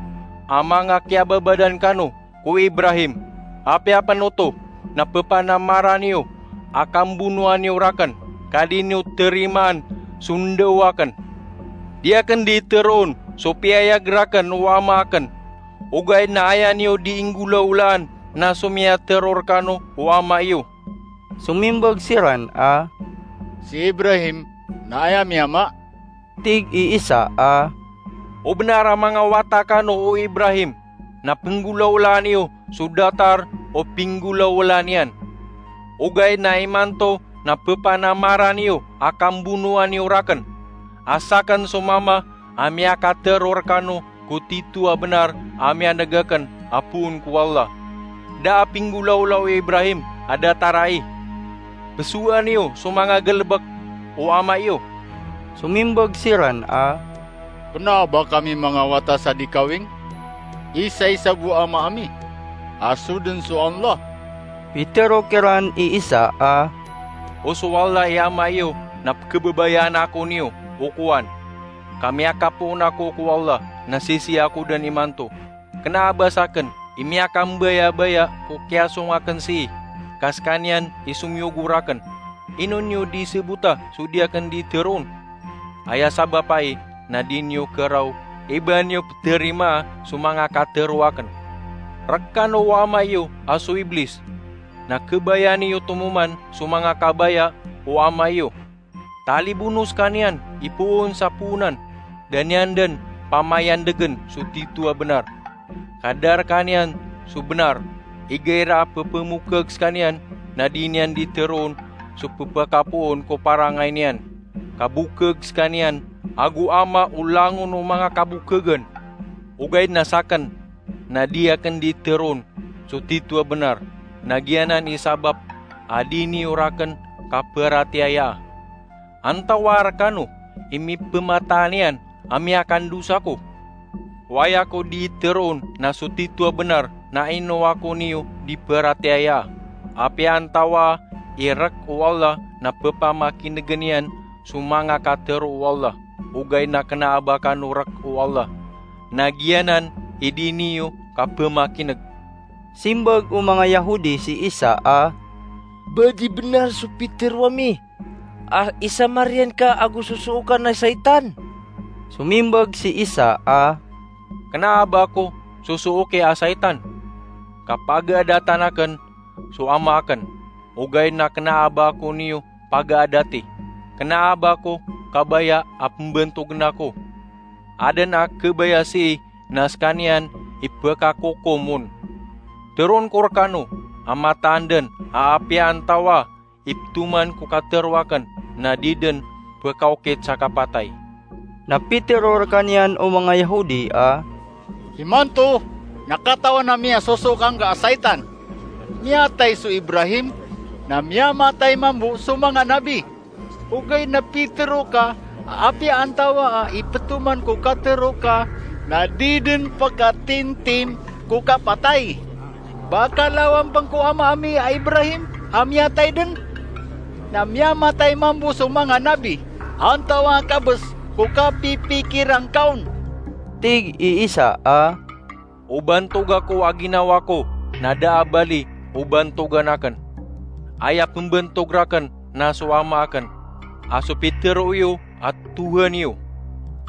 a manga kiyababadan kano ko Ibrahim. Apiya pen oto na pepanamaran iyo a kambonoan iyo raken, ka di niyo terimaan so ndaw aken. Di aken dii teroon so piyayag raken o Ama aken. Ogaid na aya niyo dii nggolawlaan na so miyatero rekano o ama iyo." Somimbag siran a, "Si Ibrahim na aya miyama?" Tig i Isa a, "O benar a manga wata kano o Ibrahim na penggolawlaan iyo so datar o pinggolawlaan iyan. Ogaid na imanto na pepanamaran iyo a kambonoan iyo raken a saken so Mama a miyakatero rekano ko tito a benar a miyaneg aken a poon ko Allah. Da a pinggolawla o Ibrahim a datar ai. Pesowan iyo so manga galebek o ama iyo." Somimbag siran a, "Kena a ba kami manga wata sa di kawing? Isaisa bo Ama ami, a so den so Allah." Pitero kiran i Isa a, "O so Allah i Ama iyo na pekebabayaan ako niyo o kowan. Ka miyakapoon ako ko Allah na sisii ako den imanto. Kena a ba saken i miyakambayabaya ko kiyasong aken sii, ka sekaniyan i somiyogo raken. Ino niyo di sebota so di aken di teroon? Aya sabap ai na di niyo keraw i ba niyo peterimaa so manga katero aken. Rekano o ama iyo a so Iblis, na kebaya niyo tomoman so manga kabaya o ama iyo. Talibono sekaniyan i poon sa poonan, da niyan den pamayandegen so tito a benar. Ka da rekaniyan so benar, igira a pepemokeg sekaniyan na di niyan di teroon so pepakapoon ko parangay niyan. Ka bokeg sekaniyan ago ama o langon o manga kabokegen. Ogaid na saken na di aken di teroon so tito a benar, na giyanan i sabap a di niyo raken kaperatiyayaa. Antawaa rekano i mipemataan iyan a miyakandosa ko? O aya ko di teroon na so tito a benar na ino ako niyo di peratiyayaa. Apiya antawaa i rek o Allah na pepamakinegen iyan so manga katero o Allah, ogaid na kena a ba kano rek o Allah, na giyanan i di niyo kapemakineg." Simbag o manga Yahudi si Isa a, "Ba di benar so pitero ami a isamariyan ka ago sosoo ka na saitan?" Somimbag si Isa a, "Kena a ba ko sosoo ki a saitan? Ka pagaadatan aken so Ama aken, ogaid na kena a ba ako niyo pagaadati. Kena a ba ko kabaya a pembentogen ako. Aden a kebaya sii na sekaniyan i pekakokom on. Teroon ko rekano a mataan den a apiya antawaa i petoman ko katero aken na di den pekaokit sa kapatay." Na pitero rekaniyan o manga Yahudi a, Imanto na katawan ami a sosok angga a saitan. Miyatay so Ibrahim, na miyamatay mambo so manga nabi. Ogaid na pitharo ka a apiya antawaa i ptoman ko katharo ka na di dn pkatintim ko kapatay. Ba ka lawan pn ko ama ami a Ibrahim a miyatay dn? Na miyamatay mambo so manga nabi. Antawaa ka bs ko kapipikiran ka on? Tig i Isa a, o bantog ako a ginawa ko na da a bali o bantogan akn. Aya pmbantog rakn na so Ama akn, a so pitharo iyo a Tohan iyo.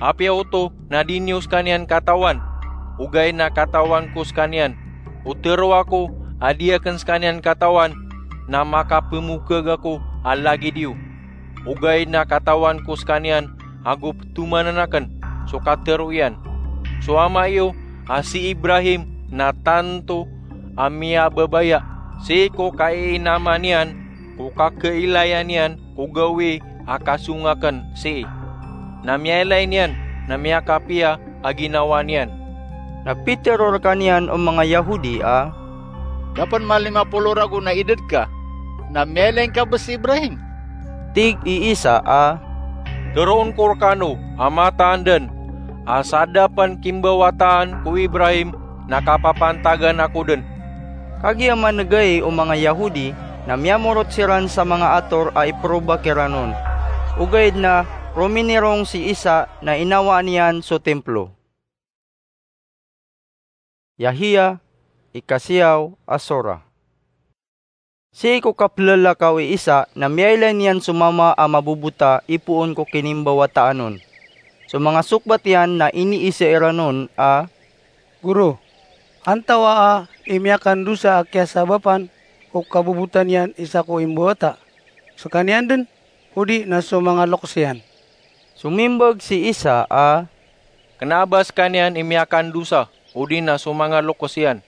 Apiya oto na di niyo skaniyan katawan, ogaid na katawan ko skaniyan. O tharo ako a di akn skaniyan katawan na makapmokag ako a lagid iyo. Ogaid na katawan ko skaniyan ago ptomanan akn so katharo iyan. So Ama iyo a si Ibrahim na tanto a miyababaya sii ko kaiinama niyan ko kakailaya niyan ko gawii a kasong akn sii. Na miyailay niyan na miyakapiya a ginawa niyan. Na pitharo rkaniyan o manga Yahudi a, Da pn malima polo ragon a idad ka, na miyailay ngka bs si Ibrahim? Tig i Isa a, Tharoon ko rkano a mataan dn a sa da pn kimbawataan ko Ibrahim na kapapantagan ako dn. Kagiya man'g ai o manga Yahudi na miyamorot siran sa manga ator a iproba kiran on. Ogaid na rominirong si Isa na inawaan iyan so Timplo. Yahia, ikasiyaw a sora. Sii ko kaplalakaw i Isa na miyailay niyan so mama a mabobota ipoon ko kinimbawataan on. So manga sokbat iyan na iniiza iran on a, Goro, antawaa i miyakandosa a kiyasabapan ko kabobota niyan i sako imbawata, skaniyan dn, odi na so manga loks iyan? Somimbag si Isa a, Kna a ba skaniyan i miyakandosa odi na so manga loks iyan.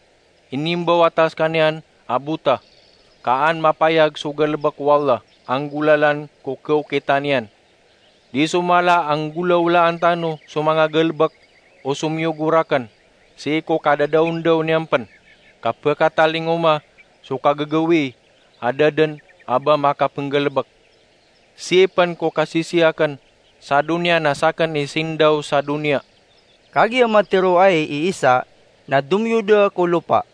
Inimbawata skaniyan a bota, ka an mapayag so galbk o Allah a nggolalan ko kaokitan iyan. Di so mala a nggolawlaan tano so manga galbk o somiyogo rakn sii ko kadadaondaw niyan pn, ka pkatalingoma so kagagawii a da dn a ba makapnggalbk. Sii pn ko kasisii akn sa doniya na sakn i sindaw sa doniya. Kagiya matharo ai i Isa na domiyoda ko lopa,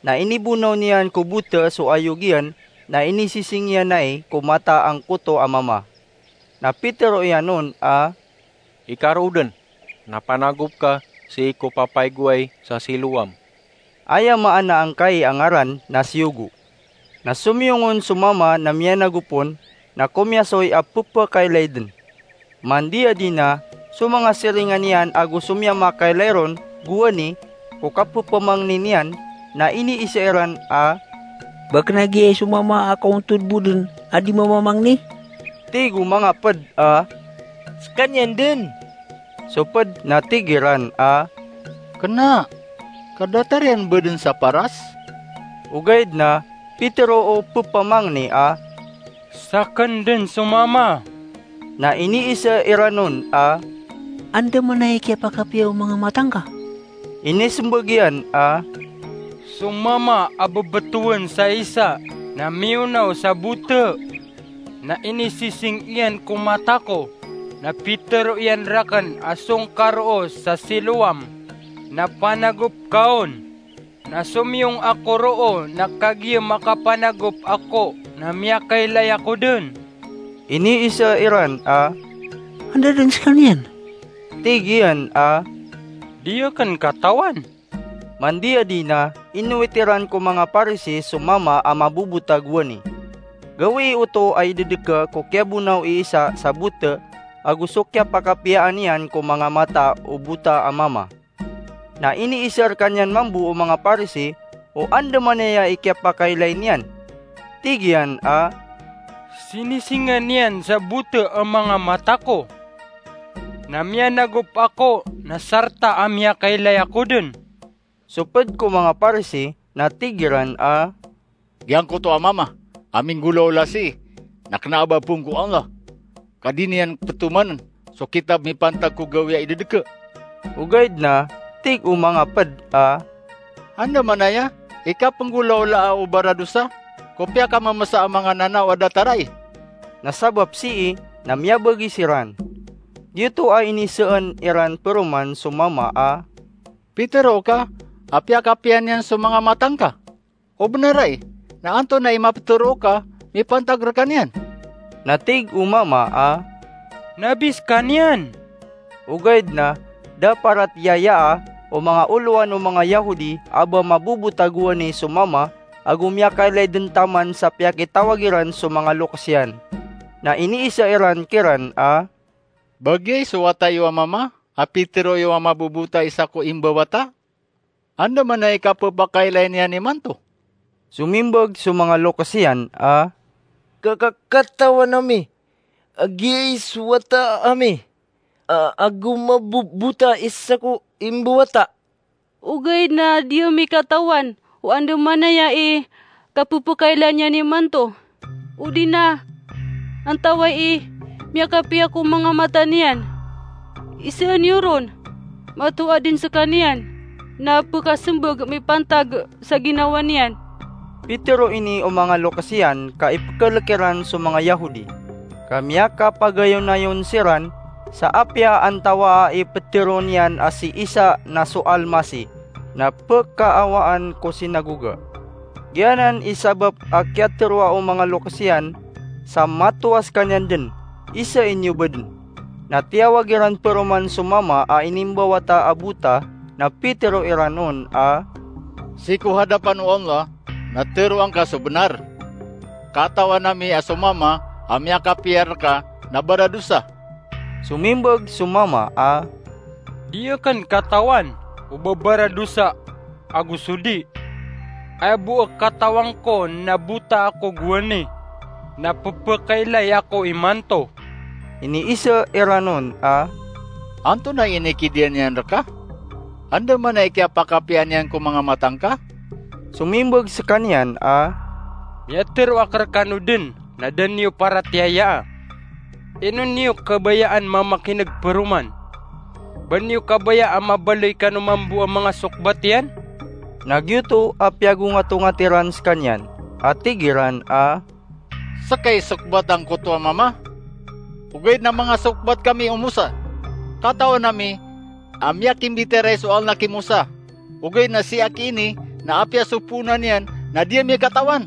na inibonaw niyan ko bota so ayog iyan, na inisising iyan ai ko mata angkoto a mama. Na pitharo iyan on a, Ikaroo dn, na panagop ka sii ko papaigoay sa Siloam. Aya maana angkai a ngaran na siyogo. Na somiyong on so mama na miyanagop on, na komiyasoy a pphakailay dn. Mandiya di na so manga siringan iyan ago so miyamakailay ron gowani ko kapphmangni niyan, na iniiza iran a, Ba kna giya i so mama a kaontod bo dn a di mamamangni? Tig o manga pd a, Skaniyan dn. So pd na tig iran a, Kna, ka datar iyan ba dn sa paras? Ogaid na pitharo o pphamangni a, Sakn dn so mama. Na iniiza iran on a, Andamanaya i kiyapakapiya o manga mata ngka? Inismbag iyan a, So mama a bbtowan sa Isa na miyonaw sa bota, na inisising iyan ko mata ko, na pitharo iyan rakn a song ka roo sa Siloam, na panagop ka on. Na somiyong ako roo, na kagiya makapanagop ako na miyakailay ako dn. Iniiza iran a, Anda dn skaniyan? Tig iyan a, Di akn katawan. Mandiya di na inowit iran ko manga Parisi so mama a mabobota gowani. Gawii oto a idadka ko kiyabonaw i Isa sa bota ago so kiyapakapiyaan iyan ko manga mata o bota a mama. Na iniiza rkaniyan mambo o manga Parisi o andamanaya i kiyapakailay niyan. Tig iyan a, Sinisingan iyan sa bota a manga mata ko, na miyanagop ako na sarta a miyakailay ako dn. So pd ko manga Parisi na tig iran a, Giyangkoto a mama a minggolawla sii na kna a ba poon ko Allah, ka di niyan ptomanan so kitab mipantag ko gawii a idadka. Ogaid na tig o manga pd a, "Andamanaya i kapnggolawlaa o baradosa ko piyakamamsa a manga nanaw a datar ai?" Na sabap sii na miyabagi siran. Giyoto a inisaan iran paroman so mama a, "Pitharo ka a piyakapiya niyan so manga mata ngka. O bnar ai, na antonaa i maptharo ka mipantag rkaniyan?" Na tig o mama a, "Nabi skaniyan." Ogaid na da paratiyayaa o manga olowan o manga Yahudi a ba mabobota gowani so mama ago miyakailay dn taman sa piyakitawag iran so manga loks iyan. Na iniisa iran kiran a, "Ba giyai so wata iyo a mama a pitharo iyo a mabobota i sako imbawata? Andamanaya i kapphakailay niyan imanto?" Somimbag so manga loks iyan a, "Ka, ka, katawan ami a giyai so wata ami a, ago mabobota i sako imbawata. Ogaid na di ami katawan o andamanaya i kapphakailay niyan imanto, odi na antawaa i miyakapiya ko manga mata niyan. Isaan iyo ron, mato adn skaniyan na pkhasmbag mipantag sa ginawa niyan." Pitharo ini o manga loks iyan ka ipkhalk iran so manga Yahudi, ka miyakapagayonayon siran sa apiya antawaa i ptharo niyan a si Isa na so Almasih, na pkaawaan ko sinagoga. Giyanan i sabap a kiyatharoa o manga loks iyan sa mato a skaniyan dn, isaan iyo badn. Na tiyawag iran paroman so mama a inimbawata a bota, na pitharo iran on a, "Sii ko hadapan o Allah na tharoa ngka so bnar. Katawan ami a so mama a miyakapiya rka na baradosa." Somimbag so mama a, "Di akn katawan o ba baradosa ago so di. Aya bo a katawan ko na bota ako gowani, na pphakailay ako imanto." Iniisa iran on a, "Antonaa i inikidiya niyan rka? Andamanaya i kiyapakapiya niyan ko manga mata ngka?" Somimbag skaniyan a, "Miyatharo ak rkano dn na da niyo paratiyayaa. Ino niyo kabayaan mamakin'g paroman? Ba niyo kabaya a mabaloy kano mambo a manga sokbat iyan?" Na giyoto a piyagongatongat iran skaniyan a tig iran a, "Ska i sokbat angkoto a mama, ogaid na manga sokbat kami o Mosa. Katawan ami a miyakimbitiyarai so Allah ki Mosa, ogaid na sii aki ini na apiya so poonan iyan na di ami katawan."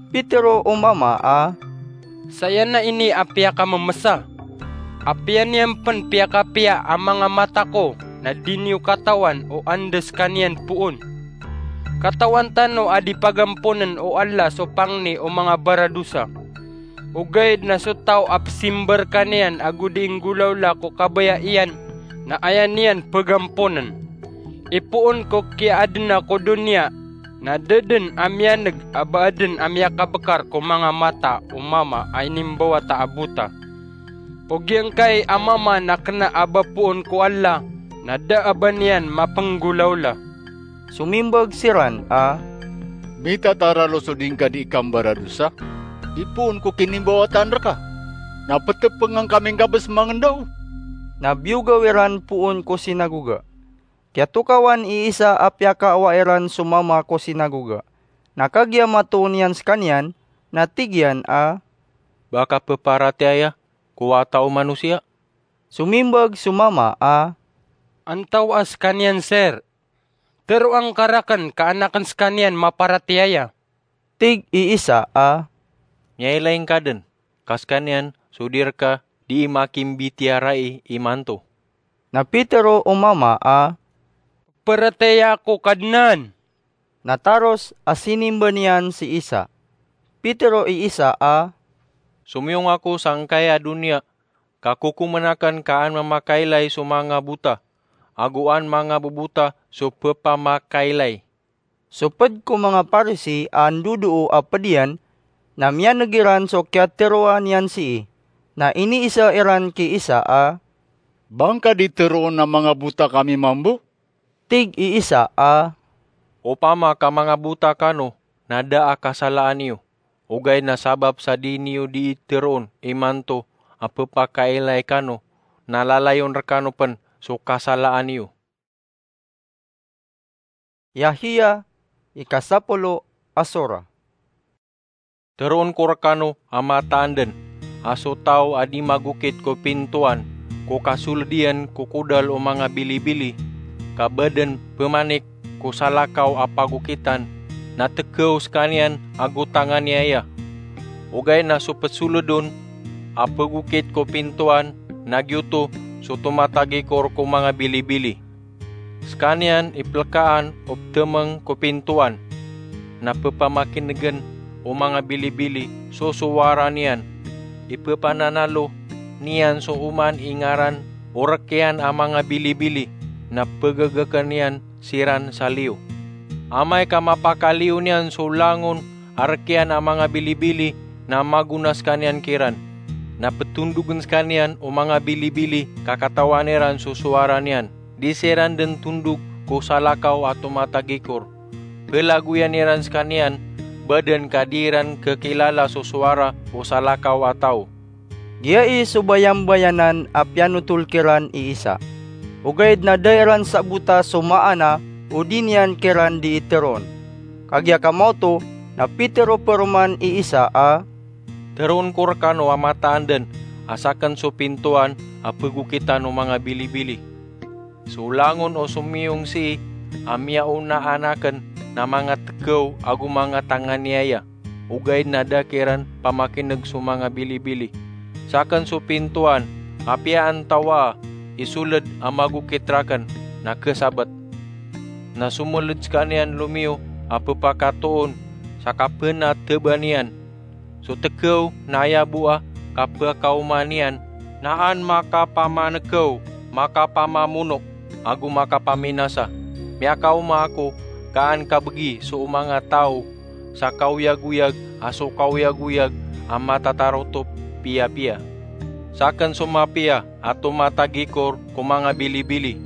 Pitharo o mama a, "Saya na ini a piyakamamsa. Apiya niyan pn piyakapiya a manga mata ko na di niyo katawan o anda skaniyan poon. Katawan tano a di pagampnn o Allah so pangni o manga baradosa. Ogaid na so taw a psimba rkaniyan ago di inggolawla ko kabaya iyan na aya niyan pagampnn. Ipoon ko kiyaadna ko doniya na da dn a miyan'g a ba adn a miyakabkar ko manga mata o mama a inimbawata a bota. O giyangkai a mama na kna a ba poon ko Allah na da a ba niyan mapnggolawla." Somimbag siran a, "Mitataralo so di ngka di kambaradosa? Ipoon ko kinimbawataan rka na ptpngan ka mingkabs mangndao." Na biyogaw iran poon ko sinagoga. Kiyatokawan i Isa a piyakaawa iran so mama ko sinagoga. Na kagiya matoon iyan skaniyan, na tig iyan a, "Ba ka pparatiyaya ko Wata o Manosiya?" Somimbag so mama a, "Antawaa skaniyan, Sir? Tharoa ngka rakn ka an akn skaniyan maparatiyaya." Tig i Isa a, "Miyailay ngka dn ka skaniyan so di rka dii makimbitiyarai imanto." Na pitharo o mama a, "Paratiyaya ako, Kadnan." Na taros a sinimba niyan si Isa. Pitharo i Isa a, "Somiyong ako sangkai a doniya ka kokomn akn ka an mamakailay so manga bota, ago an manga bobota so pphamaakailay." So pd ko manga Parisi a ndodoo a pd iyan, na miyan'g iran so kiyatharoa niyan sii, na iniisa iran ki Isa a, "Ba ngka di tharoon a manga bota kami mambo?" Tig i Isa a, "Opama ka manga bota kano na da a kasalaan iyo, ogaid na sabap sa di niyo dii tharoon imanto a pphakailay kano, na lalayon rkano pn so kasalaan iyo." Yahiya, ikasapolo a sora. Teroon ko rekano a mataan den a so taw a di magokit ko pintoan ko kasoled iyan ko kodal o manga bilibili, ka ba den pemanik ko salakaw a pagokitan, na tekew sekaniyan ago tanganiaya. Ogaid na so pesoled on a pegokit ko pintoan na giyoto so tomatagikor ko manga bilibili. Sekaniyan i pelekaan o petemeng ko pintoan, na pepamakinegen o manga bilibili so sowara niyan. Ipepananalo niyan so oman i ngaran o rekiyan a manga bilibili, na pegagaken iyan siran sa liyo. Amay ka mapakaliyo niyan so langon a rekiyan a manga bilibili, na magona sekaniyan kiran. Na petondogen sekaniyan o manga bilibili ka katawan iran so sowara niyan. Di siran den tondog ko salakaw a tomatagikor. Pelagoyan iran sekaniyan, ba den ka di iran kekilala so sowara o salakaw a taw. Giya i so bayambayanan a piyanotol kiran i Isa. Ogaid na da iran sabota so maana o di niyan kiran di iteroon. Kagiya kamaoto na pitero paroman i Isa a, "Teroon ko rekano a mataan den a saken so pintoan a pegokitan o manga bilibili. So langon o somiyong sii a miyaonaan aken na manga tekew ago manga tanganiaya, ogaid na da kiran pamakineg so manga bilibili. Saken so pintoan, apiya antawaa i soled a magokit raken na kesabet." Na someled sekaniyan lomiyo a pepakatoon sa kapenateba niyan so tekew, na aya bo a kapekaoma niyan na an makapamanekew, makapamamono, ago makapaminasa. Miyakaoma ako ka an kabegi so manga taw sa kaoyagoyag a so kaoyagoyag a matatarotop piyapiya. Saken so mapiya a tomatagikor ko manga bilibili.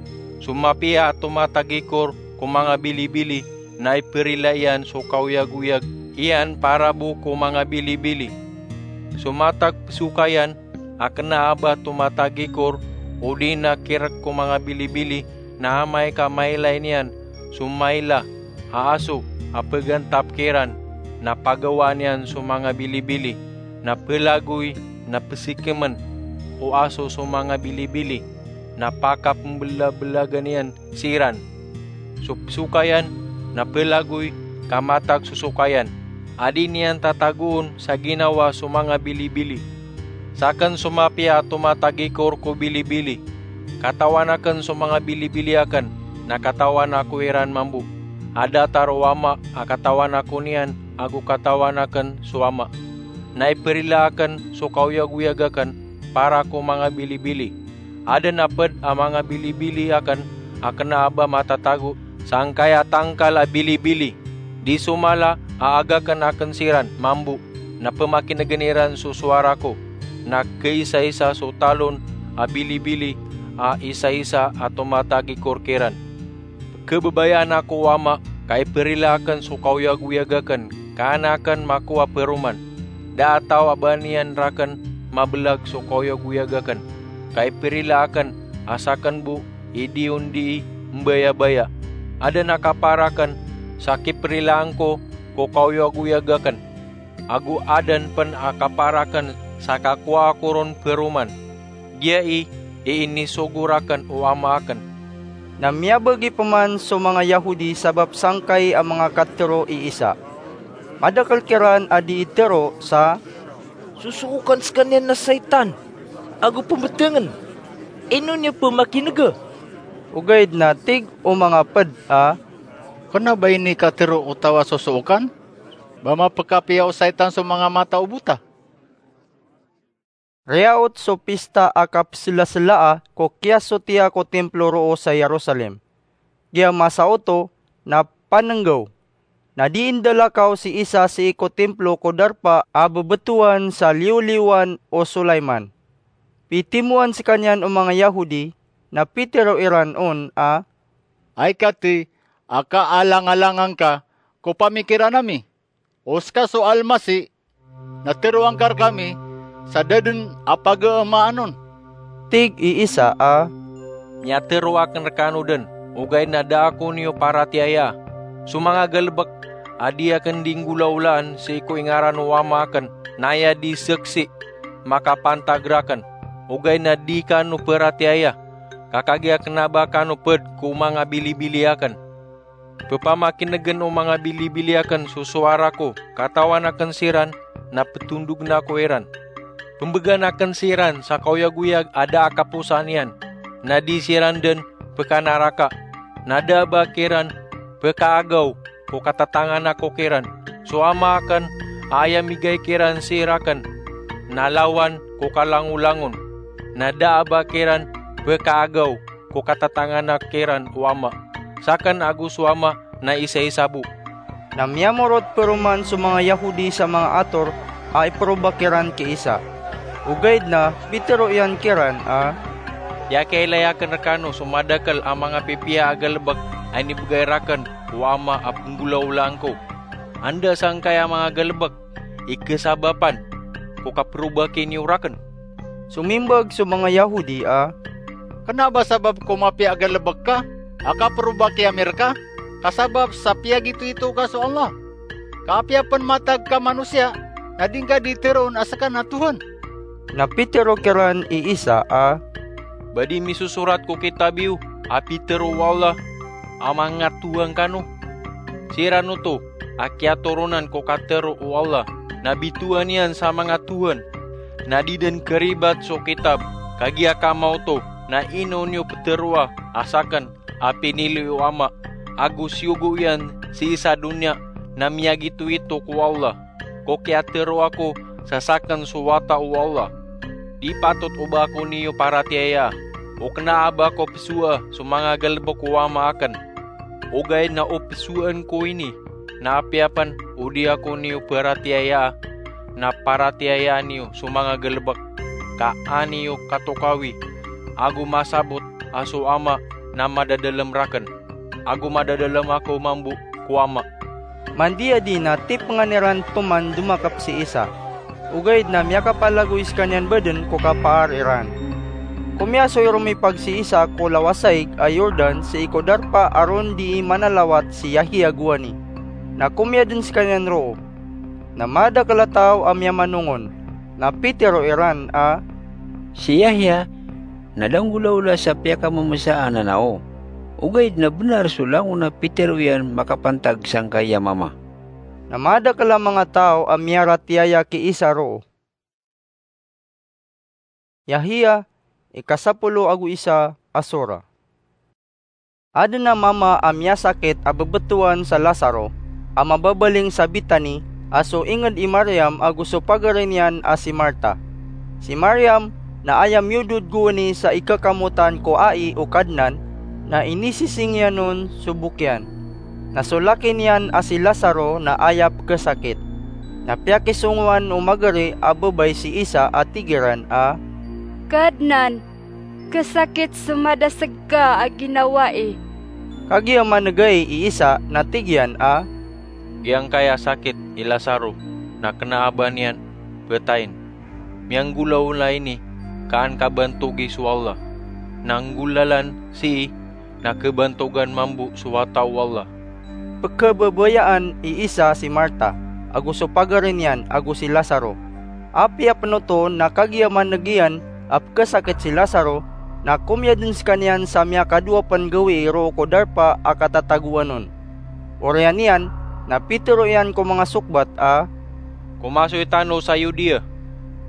So mapiya a tomatagikor ko manga bilibili na iperila iyan so kaoyagoyag iyan para bo ko manga bilibili. So matag pesokayan a kena a ba tomatagikor odi na kirek ko manga bilibili, na amay ka mailay niyan so maila a aso a pegantap kiran, na pagawaan iyan so manga bilibili, na pelagoy na pesikemen o aso so manga bilibili, na pakapembelabelagen iyan siran. So pesokayan na pelagoy ka matag so sokayan a di niyan tatagoon sa ginawa so manga bilibili. Saken so mapiya a tomatagikor ko bilibili. Katawan aken so manga bilibili aken, na katawan ako iran mambo. A datar o Ama a katawan ako niyan ago katawan aken so Ama. Na iperila aken so kaoyagoyag aken para ko manga bilibili. Aden a ped a manga bilibili aken a kena a ba matatago sangkaya tangkal a bilibili. Di so mala a agaken aken siran mambo, na pemakinegen iran so sowara ko, na keisaisa so talon a bilibili a isaisa a tomatagikor kiran. Kebebayaan ako o Ama ka iperila aken so kaoyagoyag aken ka an aken makowa paroman. Da a taw a ba niyan raken mabelag so kaoyagoyag aken, ka iperila aken a saken bo i di on dii mbayabaya. Aden a kapar aken sa kiperilaan ko ko kaoyagoyag aken, ago aden pen a kapar aken sa kakowa ako ron paroman. Giya i inisogo raken o Ama aken. Na miyabegi peman so manga Yahudi sabap sangkai a manga katero i Isa. Madakel kiran a di itero sa, "Sosokokan sekaniyan na saitan ago pembetengen. Ino niyo pemakinega?" Ogaid na tig o manga ped a, "Kena ba ini katero o taw a sosokokan? Ba mapekapiya o saitan so manga mata o bota?" Riyaot so pista a kapeselaselaa ko kiyasotiya ko timplo roo sa Jerusalem. Giya masa oto na panenggaw, na di indalakaw si Isa sii ko timplo ko darpa a bebetowan sa liwliwan o Sulaiman. Pitimoan sekaniyan o manga Yahudi, na pitero iran on a, "Ay kati a kaalangalangan ka ko pamikiran ami? O seka so Almasi na teroan ka rekami sa da den a pageemaan on." Tig i Isa a, "Miyatero aken rekano den, ogaid na da ako niyo paratiyayaa. So manga galebek a di aken di nggolawlaan sii ko ingaran o Ama aken na aya di seksi makapantag raken, ogaid na di kano peratiyaya, ka kagiya kena ba kano ped ko manga bilibili aken. Pepamakinegen o manga bilibili aken so sowara ko, katawan aken siran na petondogen ako iran. Pembegan aken siran sa kaoyagoyag a da a kaposaan iyan, na di siran den pekanaraka, na da a ba kiran pekaagaw ko katatanganak ko kiran. So Ama aken a aya migay kiran sii raken na lawan ko kalangolangon, na da a ba kiran pekaagaw ko katatanganak kiran o Ama. Saken ago so Ama na isaisa bo. Na miyamorot peroman so manga Yahudi sa manga ator a iperobak iran ki Isa. Ogaid na pitero iyan kiran a, Piyakiyailay aken rekano so madakel a manga pipiya a galebek a inibegay raken o Ama a penggolawlaan ko. Anda sangkaya manga galebek i kesabapan ko kaperobaki niyo raken? Somimbag so manga Yahudi a, Kena ba sabap ko mapiya a galebek ka a kaperobaki ami reka, ka sabap sa piyagitoito ka so Allah? Ka apiya pen matag ka manosiya, na di ngka di teroon a seka na Tuhan? Na pitero kiran i Isa a, Ba di misosorat ko kitab iyo a pitero o Allah a manga Tuhan kano? Siran oto a kiyatoronan ko katero o Allah na bitowan iyan sa manga tuhan, na di den keribat so kitab, kagiya kamaoto na ino niyo peteroa a saken a pinili o Ama, ago siyogo iyan sii sa doniya na miyagitoito ko Allah, ko kiyatero ako sa saken so wata o Allah. Di patot o ba ako niyo paratiyayaa, o kena a ba ko pesoa so manga galebek o Ama aken. Ogaid na o pesoan ko ini, na apiya pen o di ako niyo paratiyayaa, na paratiyayaa niyo so manga galebek, ka a niyo katokawi, ago masabot a so Ama na madadalem raken, ago madadalem ako mambo ko Ama. Mandiyadi na tipengan iran peman domakep si Isa. Ogaid na miyakapalagoy sekaniyan baden ko kapaar iran. Komiyasoy romipag si Isa ko lawasaig a Jordan sii ko darpa a ron dii manalawat si Yahya gowani. Na komiyaden sekaniyan roo. Na madakel a taw a miyamanongon. Na pitero iran a, Si Yahya na da nggolawla sa piyakamemesa a nanao. Ogaid na benar so langon a pitero iyan makapantag sangkai a mama. Na madakel a manga taw a miyaratiyaya ki Isa roo. Yahya, ikasapolo ago isa a sora. Aden a mama a miyasakit a bebetowan sa Lazaro, a mababaling sa Betani, a so inged i Mariam ago so pagari niyan a si Marta. Si Mariam na aya miyodod gowani sa ikekamotan ko ai o Kadnan, na inisising iyan on so bok iyan. Na so laki niyan a si Lazaro na aya pekesakit. Na piyakisongowan o magari a babay si Isa a tig iran a, Kadnan, kesakit so madaseg ka a ginawai. Kagiya manegay i Isa na tig iyan a, Giyangkaya sakit i Lazaro na kena a ba niyan petain. Miyanggolawla ini ka an kabantogi so Allah. Na nggolalan sii na kebantogan mambo so wata o Allah. Pekhababayaan i Isa si Marta, ago so pagari niyan ago si Lazaro. Apiya pen oto na kagiya maneg iyan a pekesakit si Lazaro, na komiyaden sekaniyan sa miyakadowa pen gawii roo ko darpa a katatagoan on. Oriyan iyan, na pitero iyan ko manga sokbat a, Komasoy tano sa Yudea.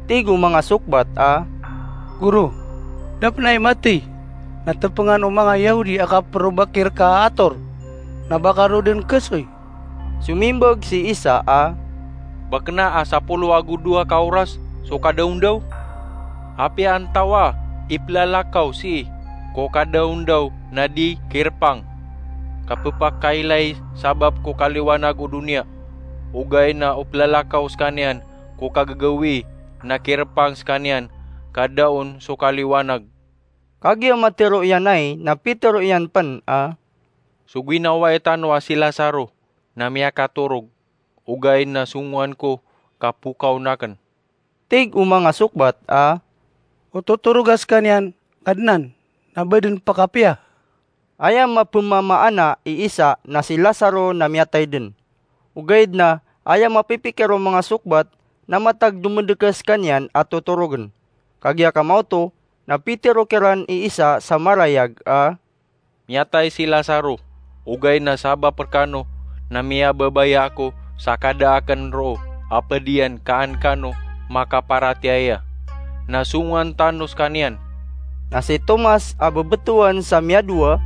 Tig o manga sokbat a, Goro, da pen ai matey na tepengan o manga Yahudi a kaperobaki reka a ator, na ba ka roo den kesoy? Somimbag si Isa a, Ba kena a sapolo ago dowa ka oras so kadaondaw? Apiya antawaa i pelalakaw sii ko kadaondaw na di kerepang, ka pepakailay sabap ko kaliwanag o doniya? Ogaid na o pelalakaw sekaniyan ko kagagawii na kerepang sekaniyan ka da on so kaliwanag. Kagiya matero iyan ai, na pitero iyan pen a, So ginawai tano a si Lazaro na miyakatorog, ogaid na songowan ko ka pokaon aken. Tig o manga sokbat a, O totoroga sekaniyan, Kadnan, na ba den pakapiya. Aya mapemamaana i isa na si Lazaro na miyatay den. Ogaid na aya mapipikir o manga sokbat na matag domedekes kaniyan a totorogen. Kagiya kamaoto na pitero kiran i isa sa marayag a, "Miyatay si Lazaro, ogaid na sabap rekano na miyababaya ako sa kada aken roo a ped iyan ka an kano makaparatiyaya. Na songowan tano sekaniyan." Na si Tomas a bebetowan sa miyadowa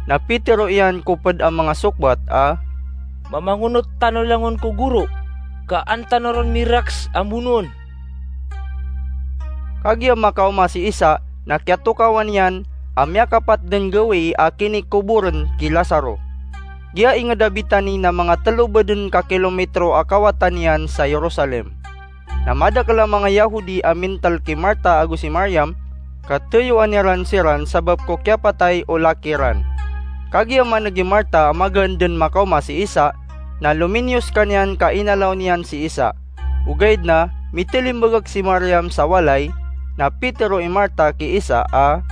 na pitero iyan ko ped a manga sokbat a, "Mamangonot tano langon ko Goro, ka an tano ron miraks a mbonoon." Kagiya makaoma si Isa na kiyatokawan iyan a miyakapat den gawii a kinikoboren ki Lazaro. Giya inged a Betani na manga telo baden ka kilometro a kawatan iyan sa Jerusalem. Na madakel a manga Yahudi a mintel ki Marta ago si Mariam, ka teyoan iran siran sabap ko kiyapatay o laki ran. Kagiya maneg i Marta a magaan den makaoma si Isa, na lominiyo sekaniyan ka inalaw niyan si Isa. Ogaid na mitelimbagak si Mariam sa walay, na pitero i Marta ki Isa a,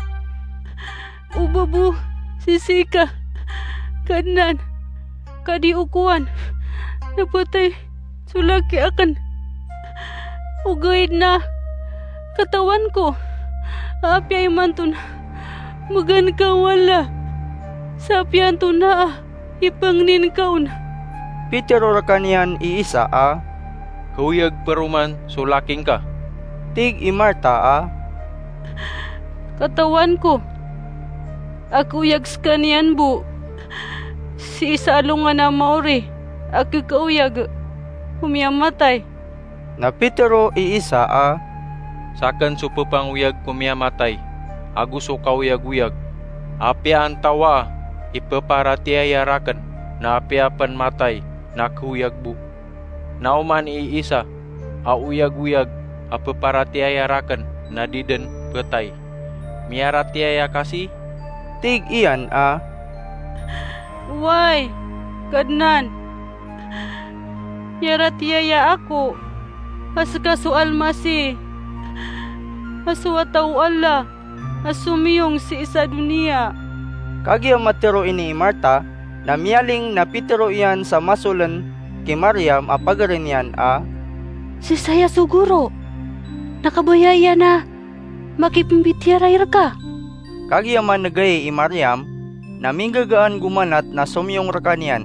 "O ba bo sisii ka, Kadnan, ka di okowan na patay so laki aken? Ogaid na katawan ko a apiya imanto na magaan ka o Allah, sa apiya antonaa i pangnin ka on." Pitero rekaniyan i Isa a, "Keoyag peroman so laki ngka." Tig i Marta a, "Katawan ko a keoyag sekaniyan bo sii sa alongan a maori a kekeoyag ko miyamatay." Na pitero i Isa a, "Saken so pepangoyag ko miyamatay ago so kaoyagoyag. Apiya antawaa i peparatiyaya raken na apiya pen matay na keoyag bo. Na oman i Isa a oyagoyag a peparatiyaya raken na di den petay. Miyaratiyaya ka sii?" Tig iyan a, "Oway, Kadnan. Miyaratiyaya ako a seka so Almasih, a so wata o Allah a somiyong sii sa doniya." Kagiya matero ini i Marta, na miyaling na pitero iyan sa masolen ki Mariam a pagari niyan a, "Si Isaya so Goro na kabaya iyan a makipembitiyarai reka." Kagiya maneg ai i Mariam, na minggagaan gomanat na somiyong rekaniyan.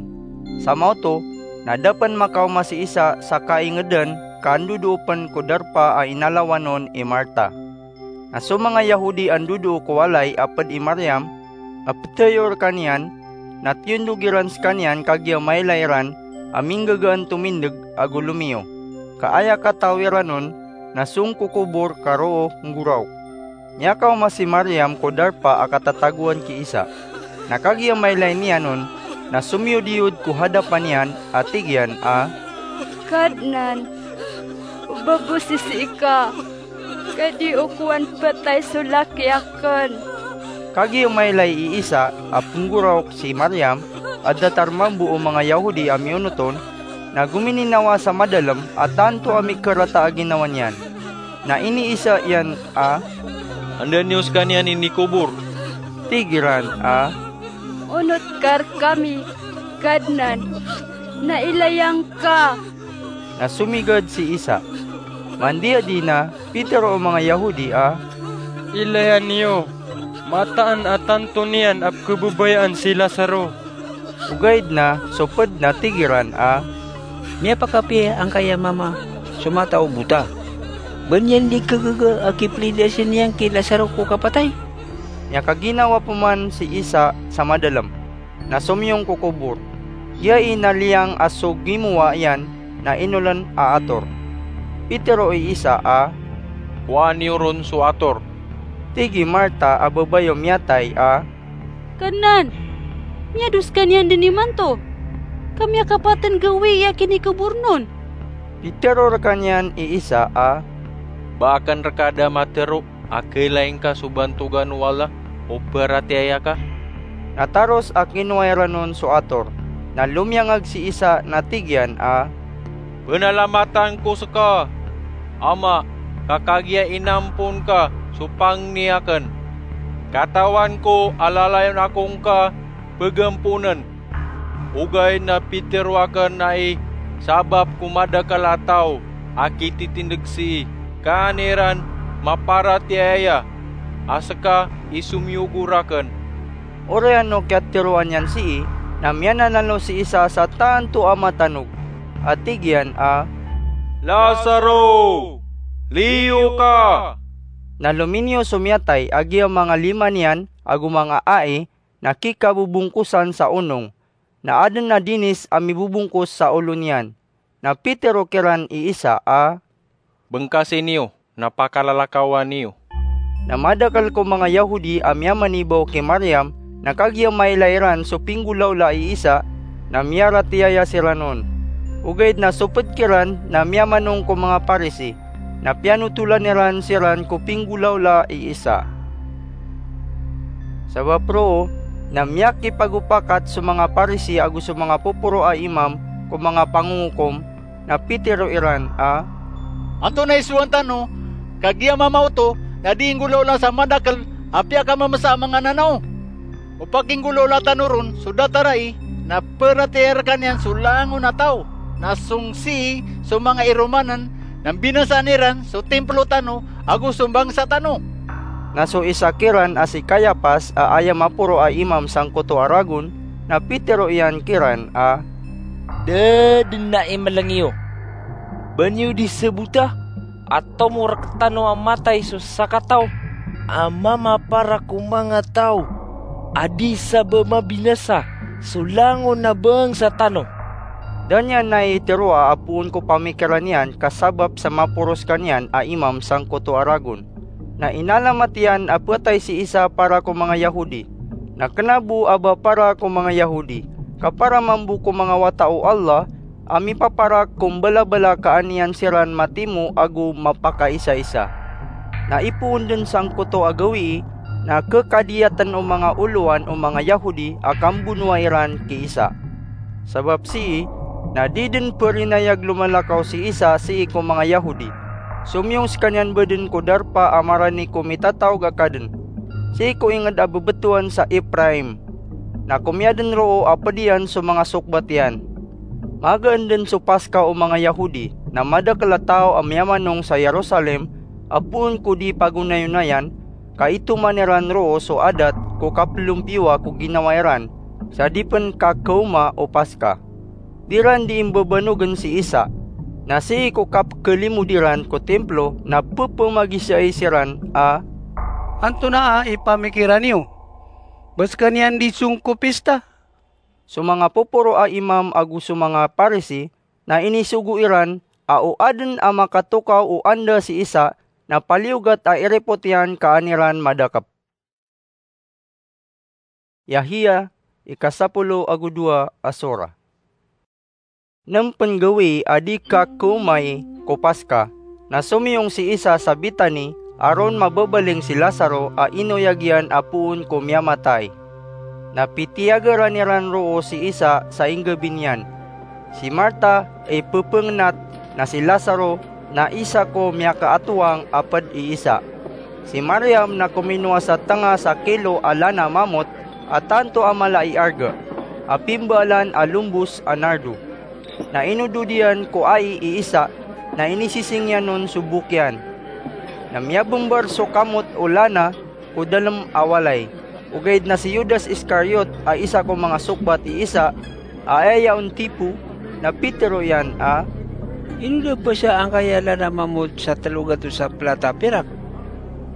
Sa maoto na da pen makaoma si Isa sa kaingeden ka andodoo pen ko darpa a inalawan on i Marta. Na so manga Yahudi a ndodoo ko walay a ped i Mariam a peteyo rekaniyan, na tiyondog iran sekaniyan kagiya mailay iran a minggagaan tomindeg ago lomiyo. Ka aya kataw iran on na song ko kobor ka roo nggoraok. Miyakaoma si Mariam ko darpa a katatagoan ki Isa. Na kagiya mailay niyan on, na somiyodiyod ko hadapan iyan a tig iyan a, "Kadnan, o ba bo sisii ka, ka di okowan petay so laki aken?" Kagiya mailay i Isa a penggoraok si Mariam a datar mambo o manga Yahudi a miyonot on, na gomininawa sa madalem a tanto a mikerata a ginawa niyan. Na iniisa iyan a, "Anda niyo sekaniyan inikobor?" Tig iran a, "Onot ka rekami, Kadnan, na ilaya ngka." Na somigad si Isa. Mandiyadi na pitero o manga Yahudi a, "Ilaya niyo, mataan a tanto niyan a pekebabayaan si Lazaro." Ogaid na so ped na tig iran a, "Miyapakapiya angkaya mama so mata o bota? Ba niyan di kagaga a kipelidasen iyan ki Lazaro ko kapatay?" Miyakaginawa peman si Isa sa madalem, na somiyong ko kobor. Giya i na liyang a so gimowa iyan na inolen a ator. Pitero i Isa a, "Kowaa niyo ron so ator." Tig i Marta a babay o miyatay a, "Kadnan, miyado sekaniyan den imanto, ka miyakapat den gawii a kinikobor on." Pitero rekaniyan i Isa a, "Ba aken reka da matero a kailay ngka so bantogan o Allah o paratiyaya ka?" Na taros a kinowa iran on so ator, na lomiyangag si Isa na tig iyan a, "Penalamatan ko seka, Ama, ka kagiya inampon ka so pangni aken. Katawan ko a lalayon ako ngka pegamponen. Ogaid na pitero aken ai sabap ko madakel a taw a kititindeg sii, ka an iran maparatiyaya a seka i somiyogo raken." Oriyan o kiyatiroan iyan sii, na miyanalalo si isa sa tanto a matanog, a tig iyan a, "Lazaro, liyo ka!" Na lominiyo so miyatay a giyamang a lima niyan ago manga ai na kikabobongkosan sa onong, na aden a dinis a mibobongkos sa olo niyan. Na pitero kiran i isa a, "Bengkasi niyo, na pakalalakawa niyo." Na madakel ko manga Yahudi a miyamanibaw ki Mariam, na kagiya mailay iran so pinggolawla i Isa, na miyaratiyaya siran on. Ogaid na soped kiran na miyamanong ko manga Parisi, na piyanotolan iran siran ko pinggolawla i Isa. Sabap roo, na miyakipagopakat so manga Parisi ago so manga poporo a imam ko manga pangongokom, na pitero iran a, "Antonaa i sowaan tano, kagiya mama oto na di inggolawla sa madakel a piyakamemesa a manga nanaw? O pakinggolawla tano ron so datarai, na peratiyaya rekaniyan so langon a taw, na song sii so manga iromanen, na mbinasaan iran so timplo tano ago so bangsa tano." Na so isa kiran a si Kayapas a aya maporo a imam sangkoto a ragon, na pitero iyan kiran a, "Da den ai meleng iyo. Ba niyo di sebota a tomo rektano a matay so sakataw a mamapara ko manga taw, a di sa ba mabinasa so langon a bangsa tano?" Da niyan ai teroa a poon ko pamikiran iyan ka sabap sa maporo sekaniyan a imam sangkoto a ragon. Na inalamat iyan a petay si Isa para ko manga Yahudi. Na kena bo a ba para ko manga Yahudi, ka para mambo ko manga wata o Allah, a mipaparak ko mbalabala ka an iyan siran matimo ago mapakaisaisa. Na ipoon den sangkoto a gawii, na kekadiyaten o manga olowan o manga Yahudi a kambonoa iran ki Isa. Sabap sii, na di den perinayag lomalakaw si Isa sii ko manga Yahudi. Somiyong sekaniyan bo den ko darpa a marani ko Mitataog a Kaden, sii ko inged a bebetowan sa Ephraim. Na komiya den roo a ped iyan so manga sokbat iyan. Magaan den so Paska o manga Yahudi, na madakel a taw a miyamanong sa Jerusalem a poon ko di pagonayonayan, ka itoman iran roo so adat ko kapelompiyowa ko ginawa iran sa di pen kakaoma o Paska. Di ran di imbabanogen si Isa, na sii ko kapkelimod iran ko Timplo na pepemagisaay siran a, "Antonaa i pamikiran iyo? Ba sekaniyan di song ko pista?" So manga poporo a imam ago so manga Parisi na inisogo iran a o aden a makatokaw o anda si Isa, na paliyogat a irepot iyan ka an iran madakep. Yahya, ikasapolo ago dowa a sora. Nem pen gawii a di kakaomai ko Paska, na somiyong si Isa sa Betani a ron mababaling si Lazaro a inoyag iyan a poon ko miyamatay. Na pitiyagaran iran roo si Isa sa inggabi niyan. Si Marta, ipepengnat, na si Lazaro, na isa ko miyakaatoang a ped i Isa. Si Mariam na kominowa sa tenga sa kilo a lana mamot a tanto a mala i arga, a pimbaalan a lombos a nardo. Na inodod iyan ko ai i Isa, na inisising iyan on so bok iyan. Na miyabembar so kamot o lana ko dalem a walay. Ogaid na si Judas Iscariot a isa ko manga sokbat i Isa, a aya on tipo, na pitero iyan a, "Ino da pasa angkaya lana mamot sa telo gatos a plata a pirak,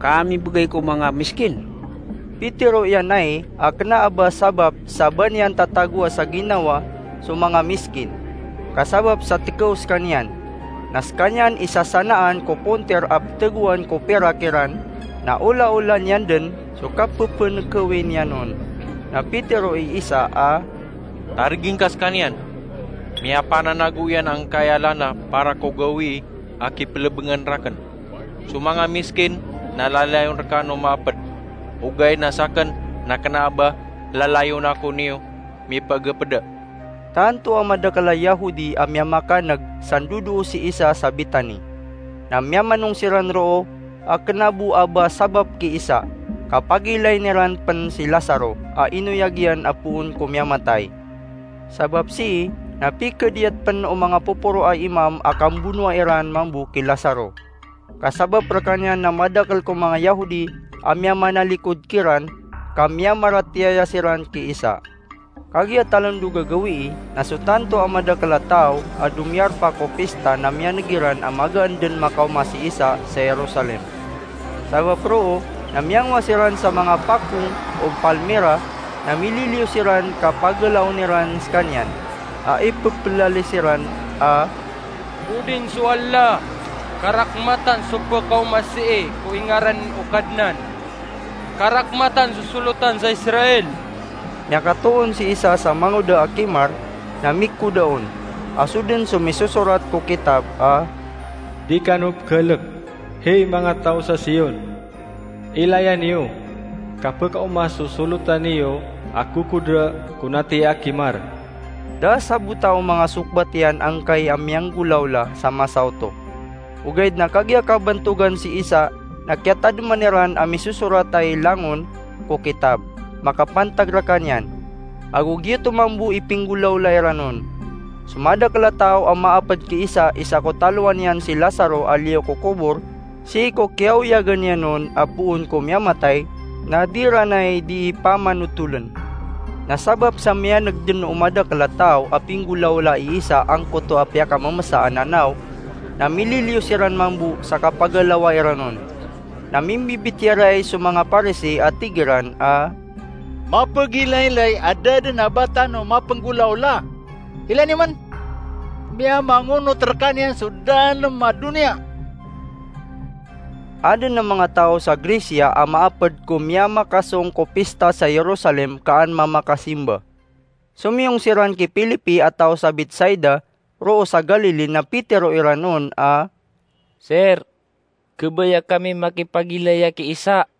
ka mibegay ko manga miskin?" Pitero iyan ai a kena a ba sabap sa ba niyan tatagoa sa ginawa so manga miskin, ka sabap sa tekew sekaniyan. Na sekaniyan i sasanaan ko ponter a petegoan ko pirak iran, na olaola niyan den so kapepenekewi niyan on. Na pitero i Isa a, "Targing ka sekaniyan. Miyapananago iyan angkaya lana para ko gawii a kipelebengan raken. So manga miskin na lalayon rekano maaped. Ogaid na saken na kena a ba lalayon ako niyo mipagepeda." Tanto a madakel a Yahudi a miyamakaneg sa ndodoo si Isa sa Betani. Na miyamanong siran roo a kena bo a ba sabap ki Isa, ka pagilain iran pen si Lazaro a inoyag iyan a poon ko miyamatay. Sabap sii na pikadiyat pen o manga poporo a imam a kambonoa iran mambo ki Lazaro. Ka sabap rekaniyan na madakel ko manga Yahudi a miyamanalikod kiran, ka miyamaratiyaya siran ki Isa. Kagiya talendog a gawii, na so tanto a madakel a taw a domiyarpa ko pista na miyaneg iran a magaan den makaoma si Isa sa Jerusalem. Sabap roo na miyangowa siran sa manga pakong o palmira, na mililiyo siran ka pagalaon iran sekaniyan, a ipepelali siran a, "Odin so Allah, karakmatan so pekaoma sii ko ingaran o Kadnan. Karakmatan so solotan sa Israel." Miyakatoon si Isa sa mangoda a kimar, na mikoda on, a so den so misosorat ko kitab a, "Di kano pekelek, hey manga taw sa Sion. Ilaya niyo, ka pekaoma so solotan iyo a kokoda ko nati a kimar." Da a sabota o manga sokbat iyan angkai a miyanggolawla sa masa oto. Ogaid na kagiya kabantogan si Isa na kiyatademan iran a misosorat a ilangon ko kitab makapantag rekaniyan, ago giyoto mambo i pinggolawla iran on. So madakel a taw a maaped ki Isa i sakotalowan iyan si Lazaro a liyo ko kobor, sii ko kiyaoyagan iyan on a poon ko miyamatay, na di iran ay dii pamanotolen. Na sabap sa miyaneg den o madakel a taw a pinggolawla i Isa angkoto a piyakamemesa a nanaw, na mililiyo siran mambo sa kapagalawa iran on. Na mimbibitiyarai so manga Parisi a tig iran a, "Mapegilaylay a da den a ba tano mapenggolawla. Ilaya niyo man, miyamangonot rekaniyan so dalem a doniya." Aden a manga taw sa Grecia a maaped ko miyamakasong ko pista sa Jerusalem ka an mamakasimba. Somiyong siran ki Felipe a taw sa Betsaida, roo sa Galili, na pitero iran on a, "Sir, khabaya kami makipagilaya ki Isa."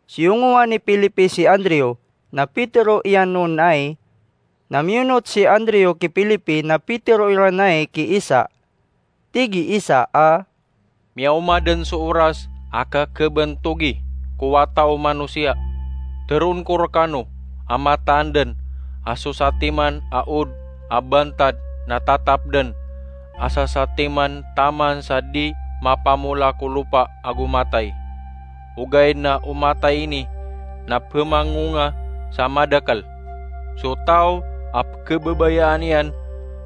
Siyongowan i Felipe si Andrew, na pitero iyan on ay. Na miyonot si Andrew ki Felipe, na pitero iran ay ki Isa. Tig i Isa a, "Miyaoma den so oras a kekhabantogi ko Wata o Manosiya. Teroon ko rekano a mataan den a so satiman a od a bantad na tatap den, a sa satiman taman sa di mapamola ko lopa ago matay. Ogaid na o matay ini na pemangonga sa madakel. So taw a pekhababayaan iyan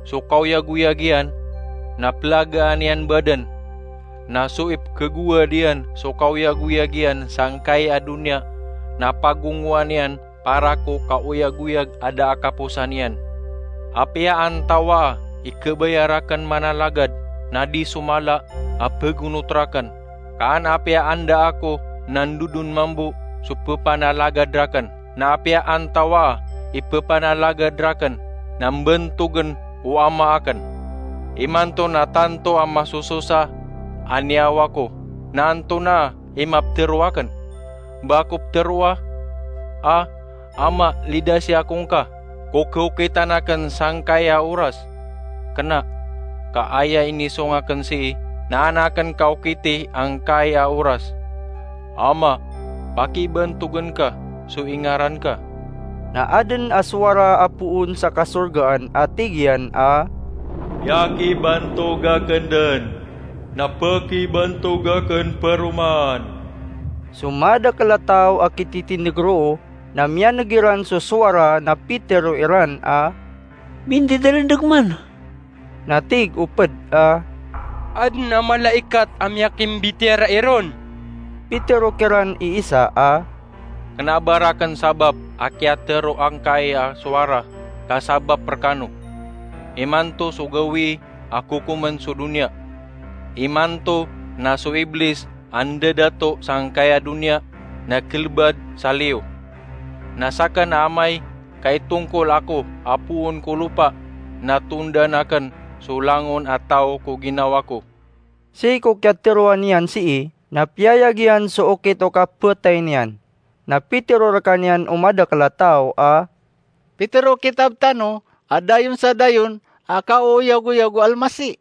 so kaoyagoyag iyan, na pelagaan iyan baden. Na so ipkhagowad iyan so kaoyagoyag iyan sangkai a doniya, na pagongowan iyan para ko kaoyagoyag a da a kaposan iyan. Apiya antawaa i khabaya raken manalagad, na di so mala a pagonot raken, ka an apiya anda ako, na ndodon mambo so pepanalagad raken. Na apiya antawaa i pepanalagad raken, na mbantogen o Ama aken. Imanto na tanto a masososa a niyawa ko, na antonaa i mapetero aken? Ba ako peteroa a, 'Ama, lidasi ako ngka ko khaokitan aken sangkai a oras'? Kena, ka aya inisong aken sii na an aken kaokiti angkai a oras. Ama, pakibantogen ka so ingaran ka." Na aden a sowara a poon sa kasorgaan a tig iyan a, "Piyakibantog aken den, na pakibantog aken paroman." So madakel a taw a kititindeg roo na miyaneg iran so sowara na pitero iran a, "Mindidarendeg man." Na tig o ped a, "Aden a malaikat a miyakimbitiyarai ron." Pitero kiran i Isa a, "Kena a ba raken sabap a kiyatero angkai a sowara ka sabap rekano. Imanto so gawii a kokomen so doniya. Imanto na so Iblis a ndadato sangkai a doniya na kelebad sa liyo. Na saken a Amay, ka itongkol ako a poon ko lopa na tondan aken so langon a taw ko ginawa ko." Sii ko kiyateroa niyan sii, na piyayag iyan so okit o kapatay niyan. Na pitero rekaniyan o madakel a taw a, "Pitero o kitab tano a dayon sa dayon a kaoyagoyag o Almasih.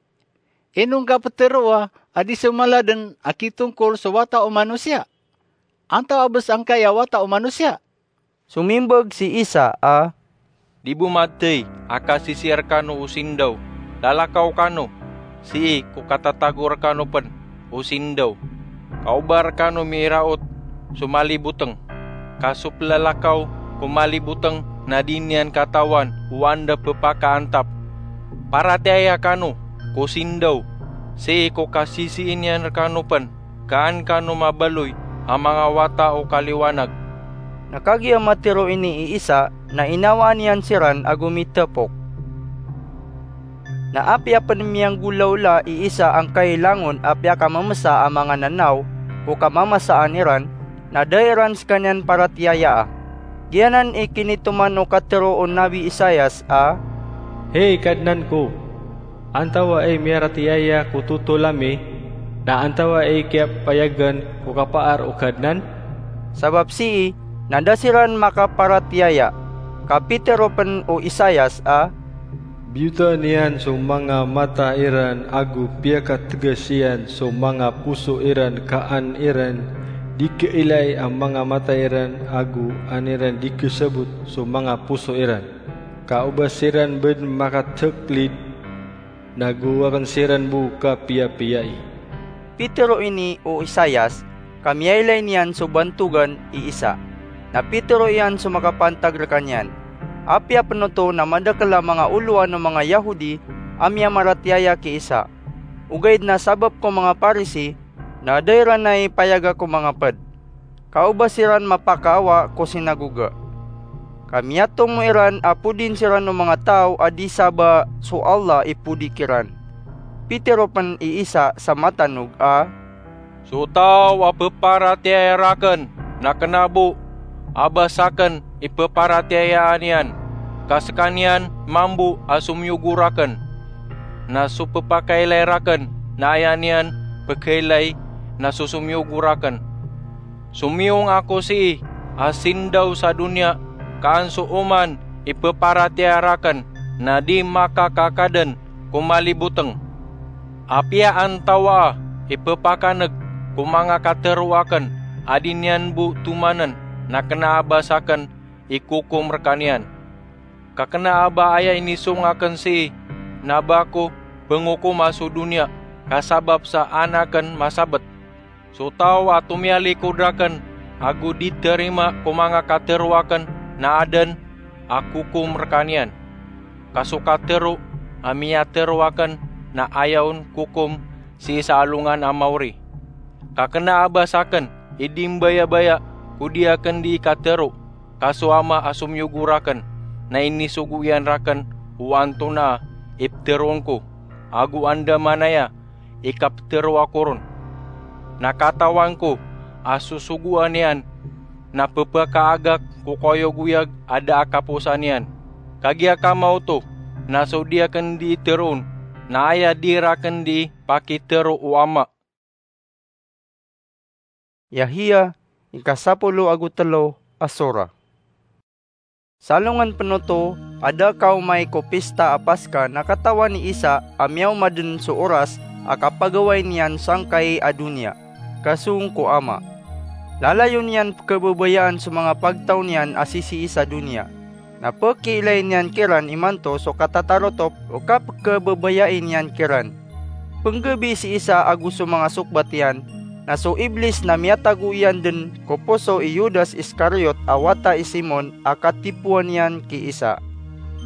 Ino ngka peteroa a di so mala den a kitongkol so Wata o Manosiya? Antaa bes angkai a wata o manosiya? Somimbag si Isa a, Di bo mathay a kasisii rkano o sindaw. Lalakaw kano, sii ko katatago rkano pn o sindaw. Ka o ba rkano miiraot so malibotng, ka so plalakaw ko malibotng na di niyan katawan o anda pphakaantap. Paratiyaya kano ko sindaw, sii ko kasisii niyan rkano pn, ka an kano mabaloy a manga wata o kaliwanag. Na kagiya matharo ini i Isa na inawaan iyan siran ago mitapok. Na apiya pn miyanggolawla i Isa angkai langon a piyakamamsa a manga nanaw ko kamamasaan iran, na da iran skaniyan paratiyayaa. Giyanan i kinitoman o katharo o Nabi Isaias a, Hay Kadnan ko, antawaa i miyaratiyaya ko thotol ami, na antawaa i kiyapayagan ko kapaar o Kadnan? Sabap sii na da siran makaparatiyaya. Ka pitharo pn o Isaias a, Biyotaan iyan so manga mata iran ago piyakatgas iyan so manga poso iran, ka an iran di kailay a manga mata iran ago an iran di kasabot so manga poso iran. Ka o ba siran bn makathaklid, na gowakn siran bo kapiyapiyai. Pitharo ini o Isaias, ka miyailay niyan so bantogan i Isa. Na pitharo iyan so makapantag rkaniyan. Apiya pn oto na madakl a manga olowan o manga Yahodi a miyamaratiyaya ki Isa. Ogaid na sabap ko manga Parisi, na da iran ai payaga ko manga pd. Ka o ba siran mapakaawa ko sinagoga. Ka miyatomo iran a podin siran o manga taw a di sa ba so Allah i podi kiran. Pitharo pn i Isa sa matanog a, So taw a pparatiyaya rakn na kna bo a ba sakn i pparatiyayaan iyan, ka skaniyan mambo a somiyogo rakn. Na so ppakailay rakn na aya niyan pkailay na so somiyogo rakn. Somiyong ako sii a sindaw sa doniya, ka an so oman i pparatiyaya rakn na di makakakadn ko malibotng. Apiya antawaa i ppakan'g ko manga katharo akn a di niyan bo tomann, na kna a ba sakn i kokom rkaniyan. Ka kna a ba aya inisong akn sii na ba ko pngokoma so doniya, ka sabap sa an akn masabt. So taw a tomiyalikod rakn ago di tharima ko manga katharo akn na adn a kokom rkaniyan. Ka so katharo a miyatharo akn na aya on kokom sii sa alongan a mawri. Ka kna a ba sakn i di mbayabaya ko di akn dii katharo, ka so Ama a somiyogo rakn na inisogo iyan rakn o antonaa i ptharoon ko, ago andamanaya i kaptharo ako ron. Na katawan ko a so sogoan iyan na pphakaagak ko kaoyagoyag a da a kaposan iyan. Kagiya kamaoto na so di akn dii tharoon na aya di rakn dii pakitharo o Ama. Yahya, ika sapolo ago telo a sora. Sa alongan pn oto a da kaomay ko pista a Paska na katawan i Isa a miyaoma dn so oras a kapagawai niyan sangkai a doniya, ka song ko Ama. Lalayon iyan pkhababayaan so manga pagtaw niyan a sisii sa doniya. Na pkiilay niyan kiran imanto so katatarotop o kapkhababayai niyan kiran. Pnggabii si Isa ago so manga sokbat iyan, na so Iblis na miyatago iyan dn ko poso i Judas Iscariot a wata i Simon a katipoan iyan ki Isa.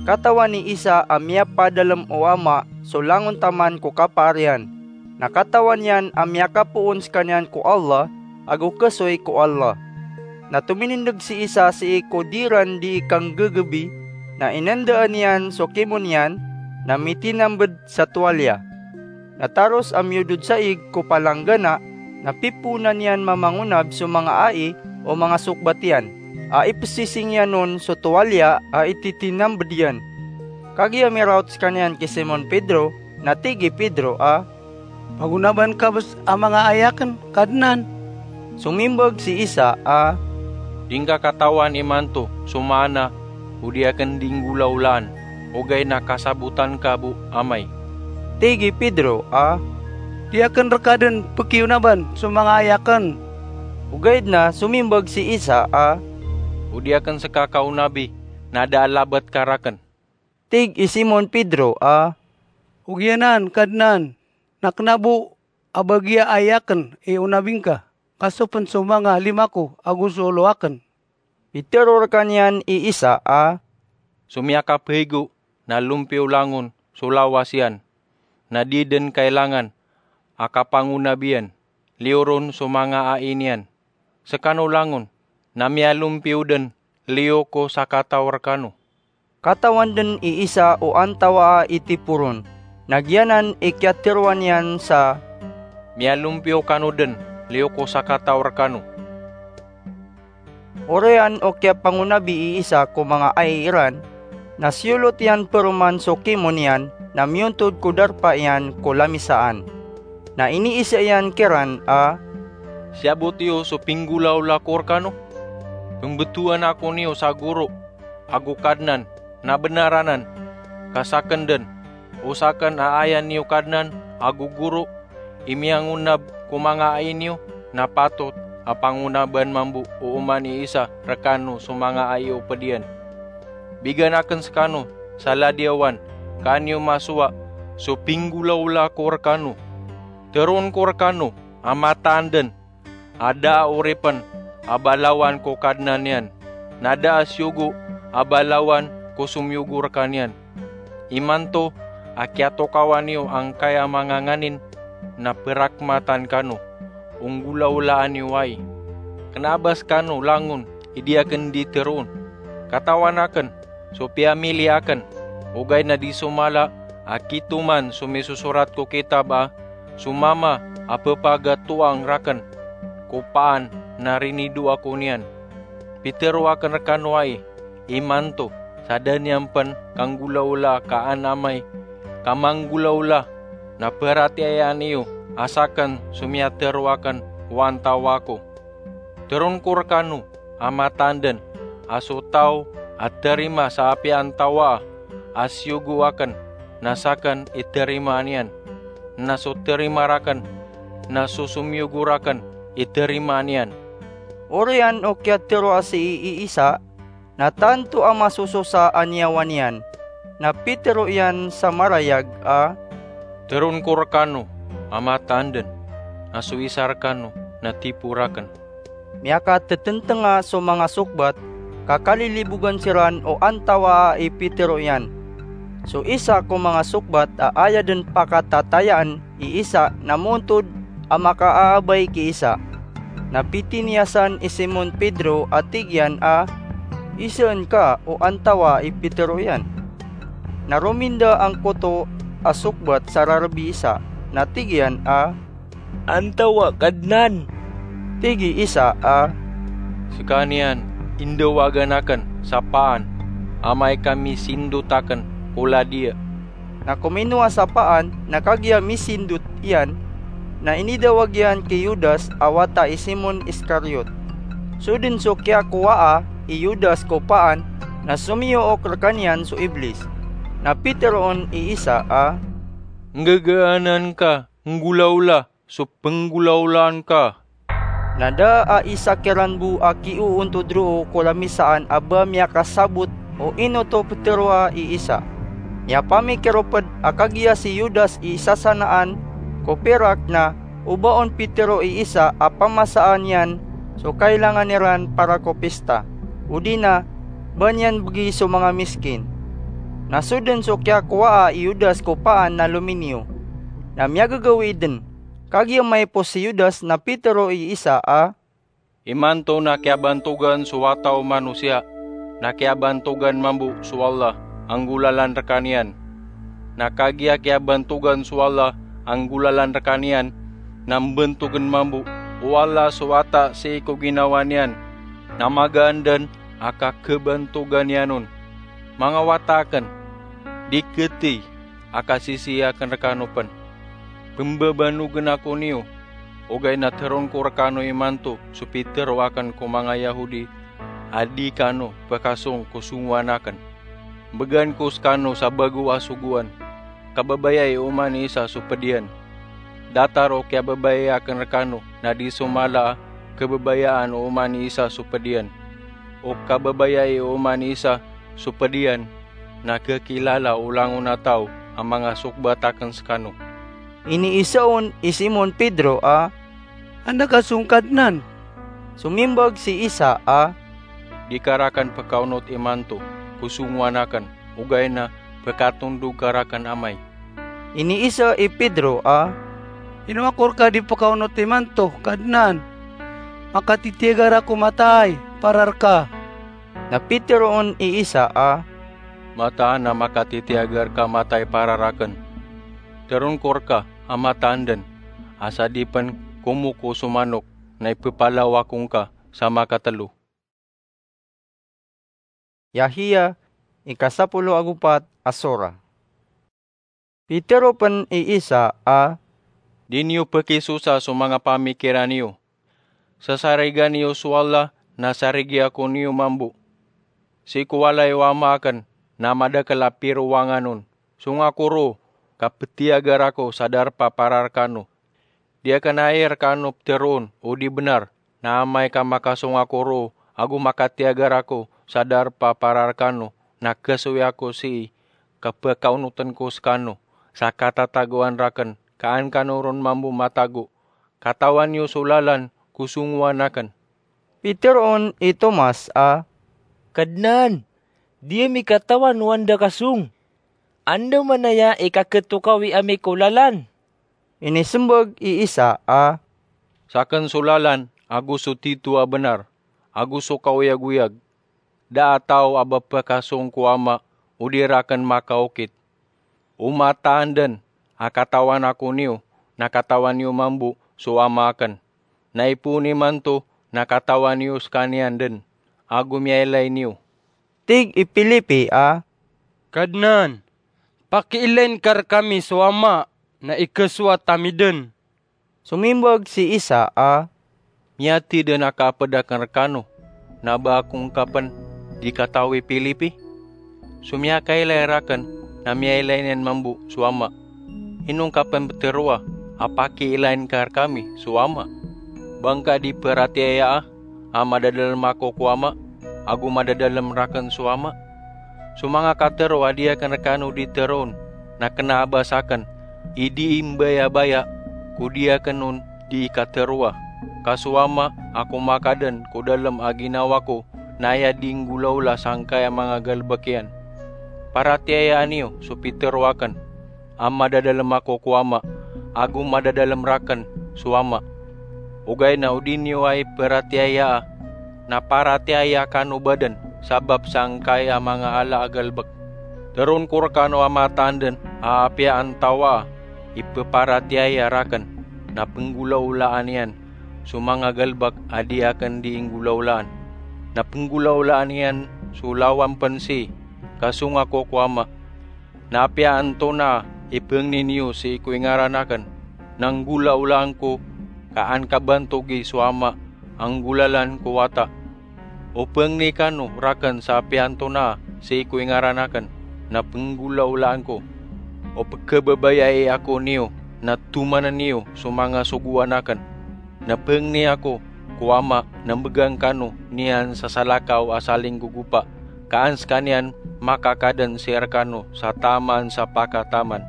Katawan i Isa a miyapadalm o Ama so langon taman ko kapaar iyan. Na katawan iyan a miyakapoon skaniyan ko Allah ago khasoy ko Allah. Na tominindg si Isa sii ko di ran dii kanggegebi, na inandaan iyan so kimo niyan, na mitinambd sa towalya. Na taros a miyodod sa ig ko palanggana, na pipoonan iyan mamangonab so manga ai o manga sokbat iyan, a ipsising iyan on so towalya a ititinambd iyan. Kagiya miraot skaniyan ki Simon Pedro, na tig i Pedro a, Pagonaban ka bs a manga ai akn, Kadnan. Somimbag si Isa a, Di ngka katawan imanto so maana o di akn dii nggolawlaan, ogaid na kasabotan ka bo amay. Tig i Pedro a, Di akn rka dn pkiyonaban so manga ai akn. Ogaid na somimbag si Isa a, "O di akn ska kaonabi, na da a labat ka rakn." Tig i Simon Pedro a, "Ogaid anan, Kadnan, na kna bo a bagiya ai akn i onabi ngka, ka so pn so manga lima ko ago so olo akn." Pitharo rkaniyan i Isa a, "So miyakapaigo na lompiyo langon so lawas iyan, na di dn kailangan a kapangonabi iyan, liyo ron so manga ai niyan. Skano langon na miyalompiyo dn, liyo ko sakataw rkano." Katawan dn i Isa o antawaa i tipo ron, na giyanan i kiyatharo iyan sa, "Miyalompiyo kano dn, liyo ko sakataw rkano." Oriyan o kiyapangonabi i Isa ko manga ai iran, na siyolot iyan paroman so kimo niyan, na miyontod ko darpa iyan ko lamisaan. Na iniisa iyan kiran a, "Siyabot iyo so pinggolawla ko rkano. Pmbtowan ako niyo sa Goro ago Kadnan, na bnar anan, ka sakn dn, o sakn a aya niyo Kadnan ago Goro i miyangonab ko manga ai niyo, na patot a pangonaban mambo o oman i Isa rkano so manga ai o pd iyan. Bigan akn skano sa ladiyawan, ka an iyo masowa so pinggolawla ko rkano. Tharoon ko rkano a mataan dn a da a oripn a ba lawan ko Kadnan iyan, na da a siyogo a ba lawan ko somiyogo rkaniyan. Imanto a kiyatokawan iyo angkaya manga nganin, na prakmatan kano o nggolawlaan iyo ai. Kna a ba skano langon i di akn di tharoon. Katawan akn so piyamili akn, ogaid na di so mala a kitoman so misosorat ko kitab a, 'So Mama a pphagatoang rakn ko paan na rinidoa ko niyan.' Pitharo akn rkano ai, imanto, sa da niyan pn kanggolawlaa ka an Amay ka manggolawla, na paratiyayaan iyo a sakn so miyatharo akn o antawaa ko. Tharoon ko rkano a mataan dn a so taw a tharima sa apiya antawaa a siyogo akn, na sakn i tharimaan iyan, na so tharima rakn, na so somiyogo rakn i tharimaan iyan." Oriyan o kiyatharoa sii i Isa, na tanto a masososa a niyawa niyan, na pitharo iyan sa marayag a, "Tharoon ko rkano a mataan dn a so isa rkano na tipo rakn." Miyakatetentnga so manga sokbat, ka kalilibogan siran o antawaa i pitharo iyan. So isa ko manga sokbat a aya dn pakatatayaan i Isa na moontod a makaaabay ki Isa. Na pitiniyasan i Simon Pedro a tig iyan a, "Isaan ka o antawaa i pitharo iyan?" Na rominda angkoto a sokbat sa rarb i Isa, na tig iyan a, "Antawaa, Kadnan?" Tig i Isa a, "Skaniyan i ndawagan akn sa paan amay ka misindot akn ko ladiya." Na kominowa sa paan, na kagiya misindot iyan, na inidawag iyan ki Judas a wata i Simon Iscariot. So dn so kiyakowaa i Judas ko paan, na somiyook rkaniyan so Iblis. Na pitharoon i Isa a, "Nggagaanan ka nggolawla so pnggolawlaan ka." Na da a isa kiran bo a kiyoontod roo ko lamisaan a ba miyakasabot o ino oto ptharoa i Isa. Miyapamikir o pd a kagiya si Judas i isasanaan ko pirak na o ba on pitharo i Isa a pamasaan iyan so kailangan iran para ko pista, odi na ba niyan bgi so manga miskin. Na so dn so kiyakowaa i Judas ko paan na lominiyo. Na miyagagawii dn. Kagiya maipos si Judas na pitharo i Isa a, "Imanto na kiyabantogan so Wata o Manosiya, na kiyabantogan mambo so Allah a nggolalan rkaniyan. Na kagiya kiyabantogan so Allah a nggolalan rkaniyan, na mbantogn mambo o Allah so Wata sii ko ginawa niyan, na magaan dn a kakhabantogan iyan on. Manga wata akn, di khatiy a kasisii akn rkano pn. Pmbabanogn ako niyo, ogaid na tharoon ko rkano imanto so pitharo akn ko manga Yahodi a di kano pkhasong ko songowan akn. Bgan ko skano sa bago a sogoan. Kababayai oman i Isa so pd iyan. Datar o kiyababayai akn rkano na di so mala a kababayaan o oman i isa so ped iyan. O kababayai o oman i isa so ped iyan na kakilala o langon a taw a mangasokbat aken sekano." Iniisa on i Simon Pedro a, "Anda ka song, Kadnan?" Somimbag si Isa a, "Di ka raken pekaonot imanto ko songowan aken, ogaid na pekatondog ka raken Amay." Iniisa i Pedro a, "Ino ako reka di pekaonot imanto, Kadnan? Makatitiyagar ako mataay para reka." Na piteroon i Isa a, "Mataan a makatitiyagar ka mataay para raken. Teroon ko reka a mataan den, a sa di pen komoko so manok na ipepalaw ako ngka sa makatelo." Yahya, ika sapolo ago pat a sora. Pitero pen i Isa a, "Di niyo pekisosa so manga pamikiran iyo. Sasarigan iyo so Allah na sarigi ako niyo mambo. Sii ko walay o Ama aken na madakel a pirowangan on. Song ako roo ka petiyagar ako sa darpa para rekano. Di aken ai rekano peteroon o di benar, na amay ka makasong ako roo ago makatiyagar ako sa darpa para rekano, na kesowi ako sii ka pekaonoten ko sekano sa katatagoan raken, ka an kano ron mambo matago. Katawan iyo so lalan ko songowan aken." Piteroon i Tomas a, "Kadnan, di ami katawan o anda ka song. Anda manaya i kaketokawi ami ko lalan?" Inisembag i Isa a, "Saken so lalan ago so tito a benar ago so kaoyagoyag. Da a taw a ba pekasong ko Ama o di raken makaokit. O mataan den a katawan ako niyo, na katawan iyo mambo so Ama aken. Na ipoon imanto na katawan iyo sekaniyan den, ago miyailay niyo." Tig i Filipi a, "Kadnan, pakiilayin ka rekami so Ama, na ikesowat ami den." Somimbag si Isa a, "Miyatid den a kaped aken rekano, na ba ako ngka pen di katawi Filipi? So miyakailay raken na miyailay niyan mambo so Ama. Ino ngka pen peteroa a pakiilayin ka rekami so Ama? Ba ngka di peratiyaya a madadalem ako ko Ama, ago madadalem raken so Ama? So manga katero a di aken rekano di teroon na kena a ba saken i di imbayabaya ko di aken on di kateroa, ka so Ama a komakaden ko dalem a ginawa ko na aya di nggolaola sangkai a manga galebek iyan. Paratiyayaan iyo so pitero aken, a madadalem ako ko Ama, ago madadalem raken so Ama. Ogaid na o di niyo ai peratiyayaa, na paratiyaya kano ba den sabap sangkai a manga ala a galebek. Teroon ko rekano a mataan den a apiya antawaa i peparatiyaya raken, na penggolaolaan iyan so manga galebek a di aken di inggolaolaan. Na penggolaolaan iyan so lawan pen sii, ka song ako ko Ama. Na apiya antonaa i pengni niyo sii ko ingaran aken, na nggolaolaan ko, ka an kabantogi so Ama a nggolalan ko Wata. O pengni kano raken sa apiya antonaa sii ko ingaran aken, na penggolaolaan ko. O pekebabayai ako niyo, na tomanen iyo so manga sogoan aken. Na pengni ako ko Ama na mbegan kano niyan sa salakaw a salinggogopa, ka an sekaniyan makakaden sii rekano sa taman sa pakataman.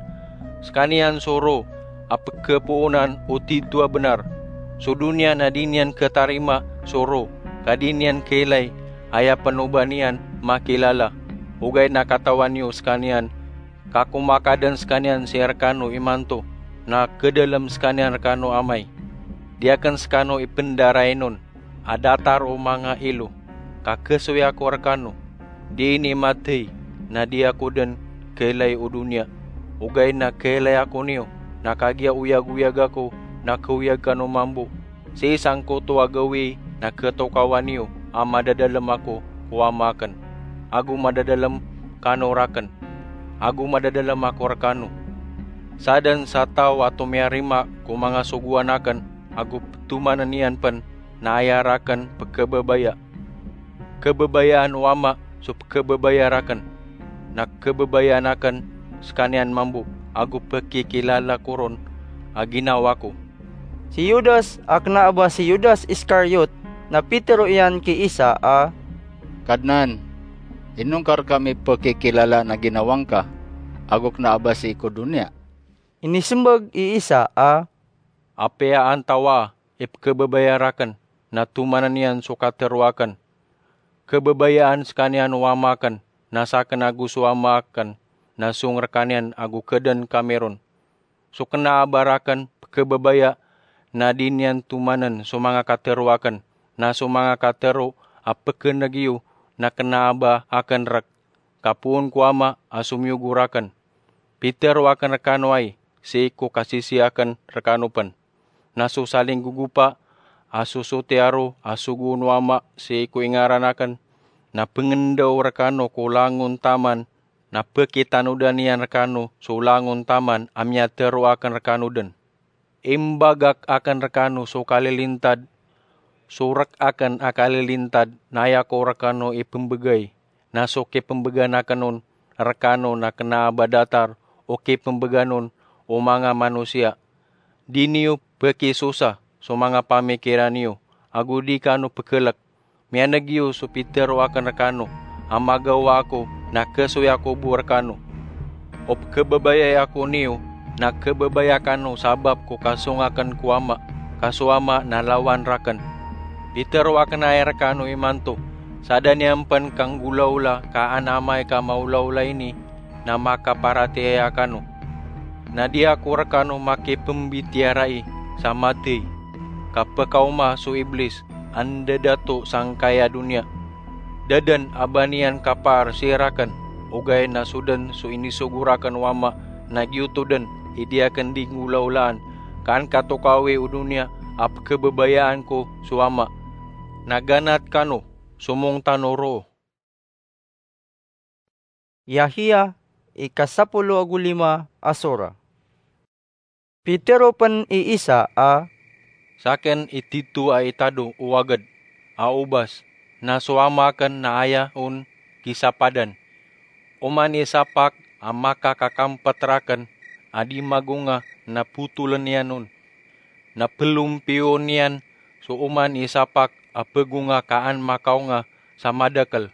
Sekaniyan so roo a pekepoonan o tito a benar. So doniya na di niyan ketarima so roo, ka di niyan keilay, aya pen o ba niyan makilala. Ogaid na katawan iyo sekaniyan, ka komakaden sekaniyan sii rekano imanto, na kedalem sekaniyan rekano Amay. Di aken sekano ipendarain on a datar o manga ilo, ka kesowi ako rekano. Di ini matey, na di ako den keilay o doniya. Ogaid na keilay ako niyo, na kagiya oyagoyag ako na keoyag kano mambo. Sii sangkoto a gawii na ketokawan iyo a madadalem ako ko Ama aken, ago madadalem kano raken, ago madadalem ako rekano. Saden sa taw a tomiyarima ko manga sogoan aken ago petomanen iyan pen, na aya raken pekebabaya. Kebabayaan o Ama so pekebabaya raken, na kebabayaan aken sekaniyan mambo ago pekikilala ko ron a ginawa ko. Si Judas a kna a ba si Judas Iscariot na pitero iyan ki Isa a, "Kadnan, ino ngka rkami pkikilala na ginawa ngka, ago kna a ba sii ko doniya?" Inismbag i Isa a, "Apiya antawa i pkhababaya rakn na tomanan iyan so katero akn, khababayaan skaniyan o Ama akn, na sakn ago so Ama akn na song rkaniyan ago khadn kami ron. So kna a ba rakn pkhababaya na di niyan tomanan so manga katero akn, na so manga katero a pkhan'g iyo na kna a ba akn rk, ka poon ko Ama a somiyogo rakn. Pitero akn rkano ai sii ko kasisii akn rkano pn. Na so salinggogopa a so sotiya ro a sogoon o Ama sii ko ingaran akn, na pngndao rkano ko langon taman, na pkitanodan iyan rkano so langon taman a miyatero akn rkano dn. Imbagak akn rkano so kalilintad, so rk akn a kalilintad na aya ko rkano ipmbgay, na so kipmbgan akn on rkano na kna a ba datar o kipmbgan on o manga manosiya. Di niyo pkisosa so manga pamikiran iyo, ago di kano pkhlk. Miyan'g iyo so pitero akn rkano a magawa ako na khasoy ako bo rkano. O pkhababayai ako niyo na khababaya kano sabap ko kasong akn ko Ama, ka so Ama na lawan rakn. Pitero akn ai rkano imanto, sa da niyan pn kanggolawla ka an amay ka maolaola ini na makaparatiyaya kano. Na di ako rkano makipmbitiyarai sa mathay, ka pkaoma so Iblis a ndadato sangkai a doniya. Da dn a ba niyan kapaar sii rakn, ogaid na so dn so inisogo rakn o Ama na giyoto dn i di akn di nggolawlaan, ka an katokawi o doniya a pkhababayaan ko so Ama. Na ganat kano, somong tano roo." Yahya, ika sapolo ago lima a sora. Pitero pn i Isa a, "Sakn i tito a itado o wagd a obas, na so Ama akn na aya on kisapadan. Oman i sapak a makakakampt rakn a di magonga na potoln iyan on, na plompiyon iyan so oman i sapak a pgonga ka an makaonga sa madakl.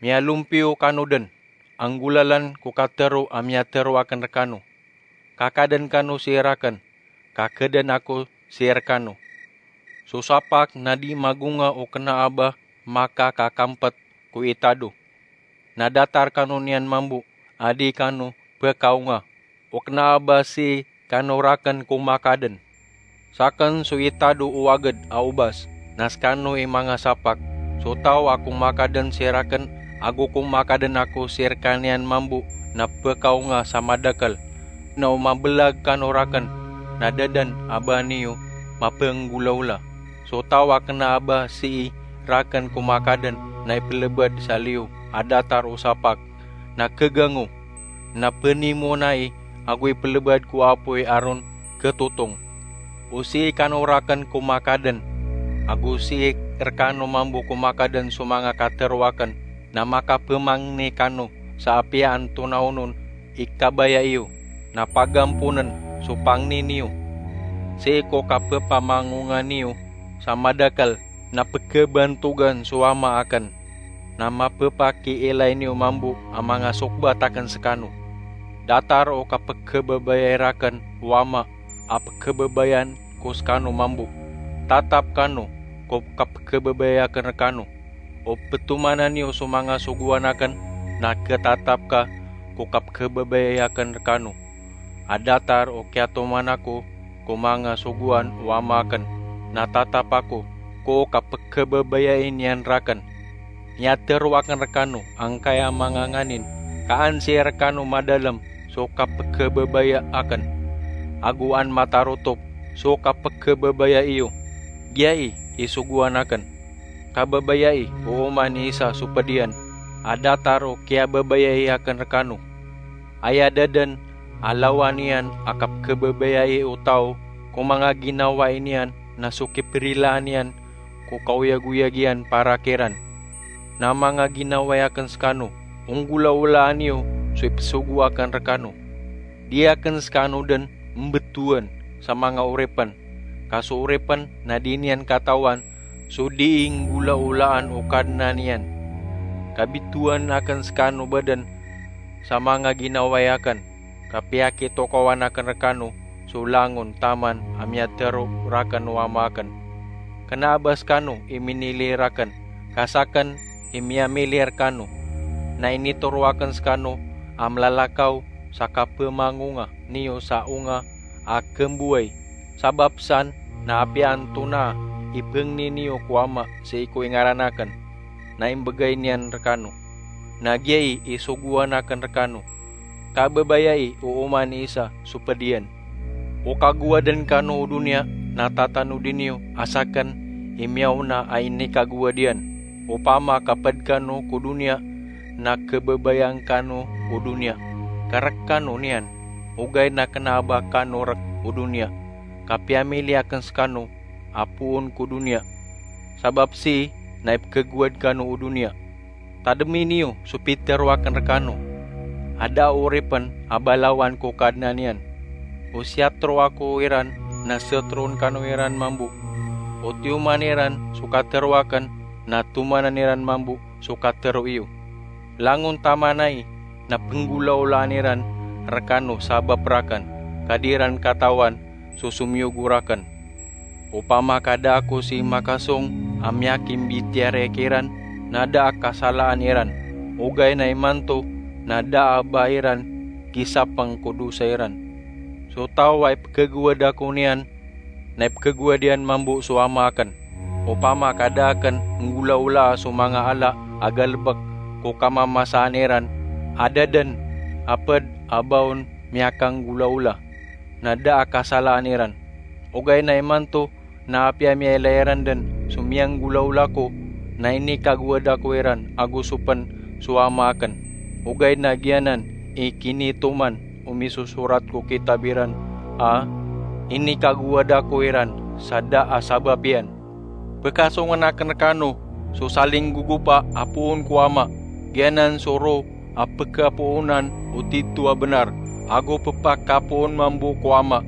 Miyalompiyo kano dn, anggolalan ko katero a miyatero akn rkano. Kakadn kano sii rakn, ka khadn ako sii rkano. So sapak na di magonga o kna a ba makakakampt ko itado. Na datar kano niyan mambo a di kano pkaonga o kna a ba sii kano rakn ko makadn. Sakn so itado o wagd a obas, na skano i manga sapak. So taw a komakadn sii rakn ago komakadn ako sii rkaniyan mambo na pkaonga sa madakl. Na o mablag kano rakn, na da dn a ba niyo mapanggolawla. So taw a kna a ba sii rakn komakadn na iplbad sa liyo a datar o sapak, na khagango, na pnimona i ago iplbad ko apoy a ron khatotong. O sii kano rakn komakadn, ago sii rkano mambo komakadn so manga katero akn, na makapmangni kano sa apiya antonaa onon i kabaya iyo, na pagamponn so pangni niyo. Sii ko kapphamangonga niyo sa madakl na pkhabantogan so Ama akn, na mapphakiilay niyo mambo a manga sokbat akn skano. Datar o kapkhababayai rakn o Ama a pkhababayaan ko skano mambo. Tatap kano ko kapkhababayai akn rkano. O ptomanan iyo so manga sogoan akn, na khatatap ka ko kapkhababayai akn rkano. A datar o kiyatoman ako ko manga sogoan o Ama akn, na tatap ako ko kapkhababayai niyan rakn. Miyatero akn rkano angkaya manga nganin, ka an sii rkano madalm so kapkhababaya akn, ago an matarotop so kapkhababaya iyo. Giyai i sogoan akn. Kababayai o oman i isa so pd iyan a datar o kiyababayai akn rkano. Aya da dn a lawan iyan a kapkhababayai o taw ko manga ginawai niyan na so kiprilaan iyan ko kaoyagoyag iyan para kiran. Na manga ginawai akn skano, onggolawlaan iyo so ipsogo akn rkano. Di akn skano dn mbtowan sa manga oripn, Ka so oripen na di niyan katawan so dii nggolaolaan o Kadnan iyan. Kabitowan aken sekano baden sa manga ginawai aken, ka piyakitokawan aken rekano so langon taman a miyatero raken o Ama aken. Kena a ba sekano i minili raken, ka saken i miyamili rekano. Na initero aken sekano a melalakaw sa kapemangonga niyo sa onga a kembowai. Sabap san na apiya antonaa i pengni niyo ko Ama sii ko ingaran aken, na imbegay niyan rekano. Na giyai i sogoan aken rekano. Kabebayai o oman i isa so ped iyan. O kagowaden kano o doniya na tatanodi niyo a saken i miyaona a inikagowad iyan. Opama ka ped kano ko doniya na kebebayaan kano o doniya, ka rek kano niyan. Ogaid na kena a ba kano rek o doniya, ka piyamili aken sekano a poon ko doniya. Sabap sii na ipekegowad kano o doniya. Tademi niyo so pitero aken rekano. Adaa oripen a balawan ko Kadnan iyan. O siyatero ako iran na seteroon kano iran mambo. O tiyoman iran so katero aken na tomanan iran mambo so katero iyo. Langon taman ai na penggolaolaan iran rekano sabap raken, ka di iran katawan so somiyogo raken. Opama ka da ako sii makasong a miyakimbitiyarai kiran, na da a kasalaan iran. Ogaid na imanto na da a ba iran kisapeng ko dosa iran. So taw a ipekegowad ako niyan, na ipekegowad iyan mambo so Ama aken. Opama ka da aken nggolaolaa so manga ala a galebek ko kamamasaan iran, a da den a ped a ba on miyakanggolaola, na da a kasalaan iran. Ogaid na imanto na apiya miyailay iran den so miyanggolaola ko, na inikagowad ako iran ago so pen so Ama aken. Ogaid na giyanan i kinitoman o misosorat ko kitab iran a inikagowad ako iran sa da a sabap iyan. Pekasongen aken rekano so salinggogopa a poon ko Ama, giyanan so ro a pekapoonan o tito a benar, ago pepakapoon mambo ko Ama.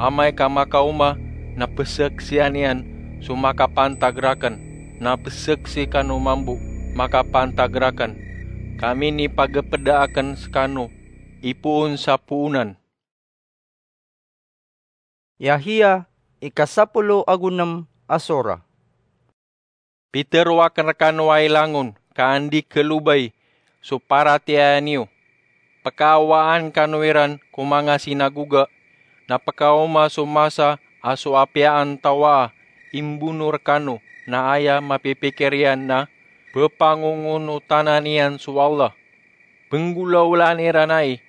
Amay ka makaoma na peseksian iyan so makapantag raken, na peseksi kano mambo makapantag raken. Ka minipagepeda aken sekano i poon sa poonan. Yahya, ikasapolo ago nem a sora. Pitero aken rekano a ilangon ka andi kelobay so paratiyaya niyo. Pekaawaan kano iran ko manga sinagoga, na pekaoma so masa a so apiya antawaa a imbono rekano na aya mapipikir iyan na pepangongonotanan iyan so Allah. Penggolaolaan iran ai,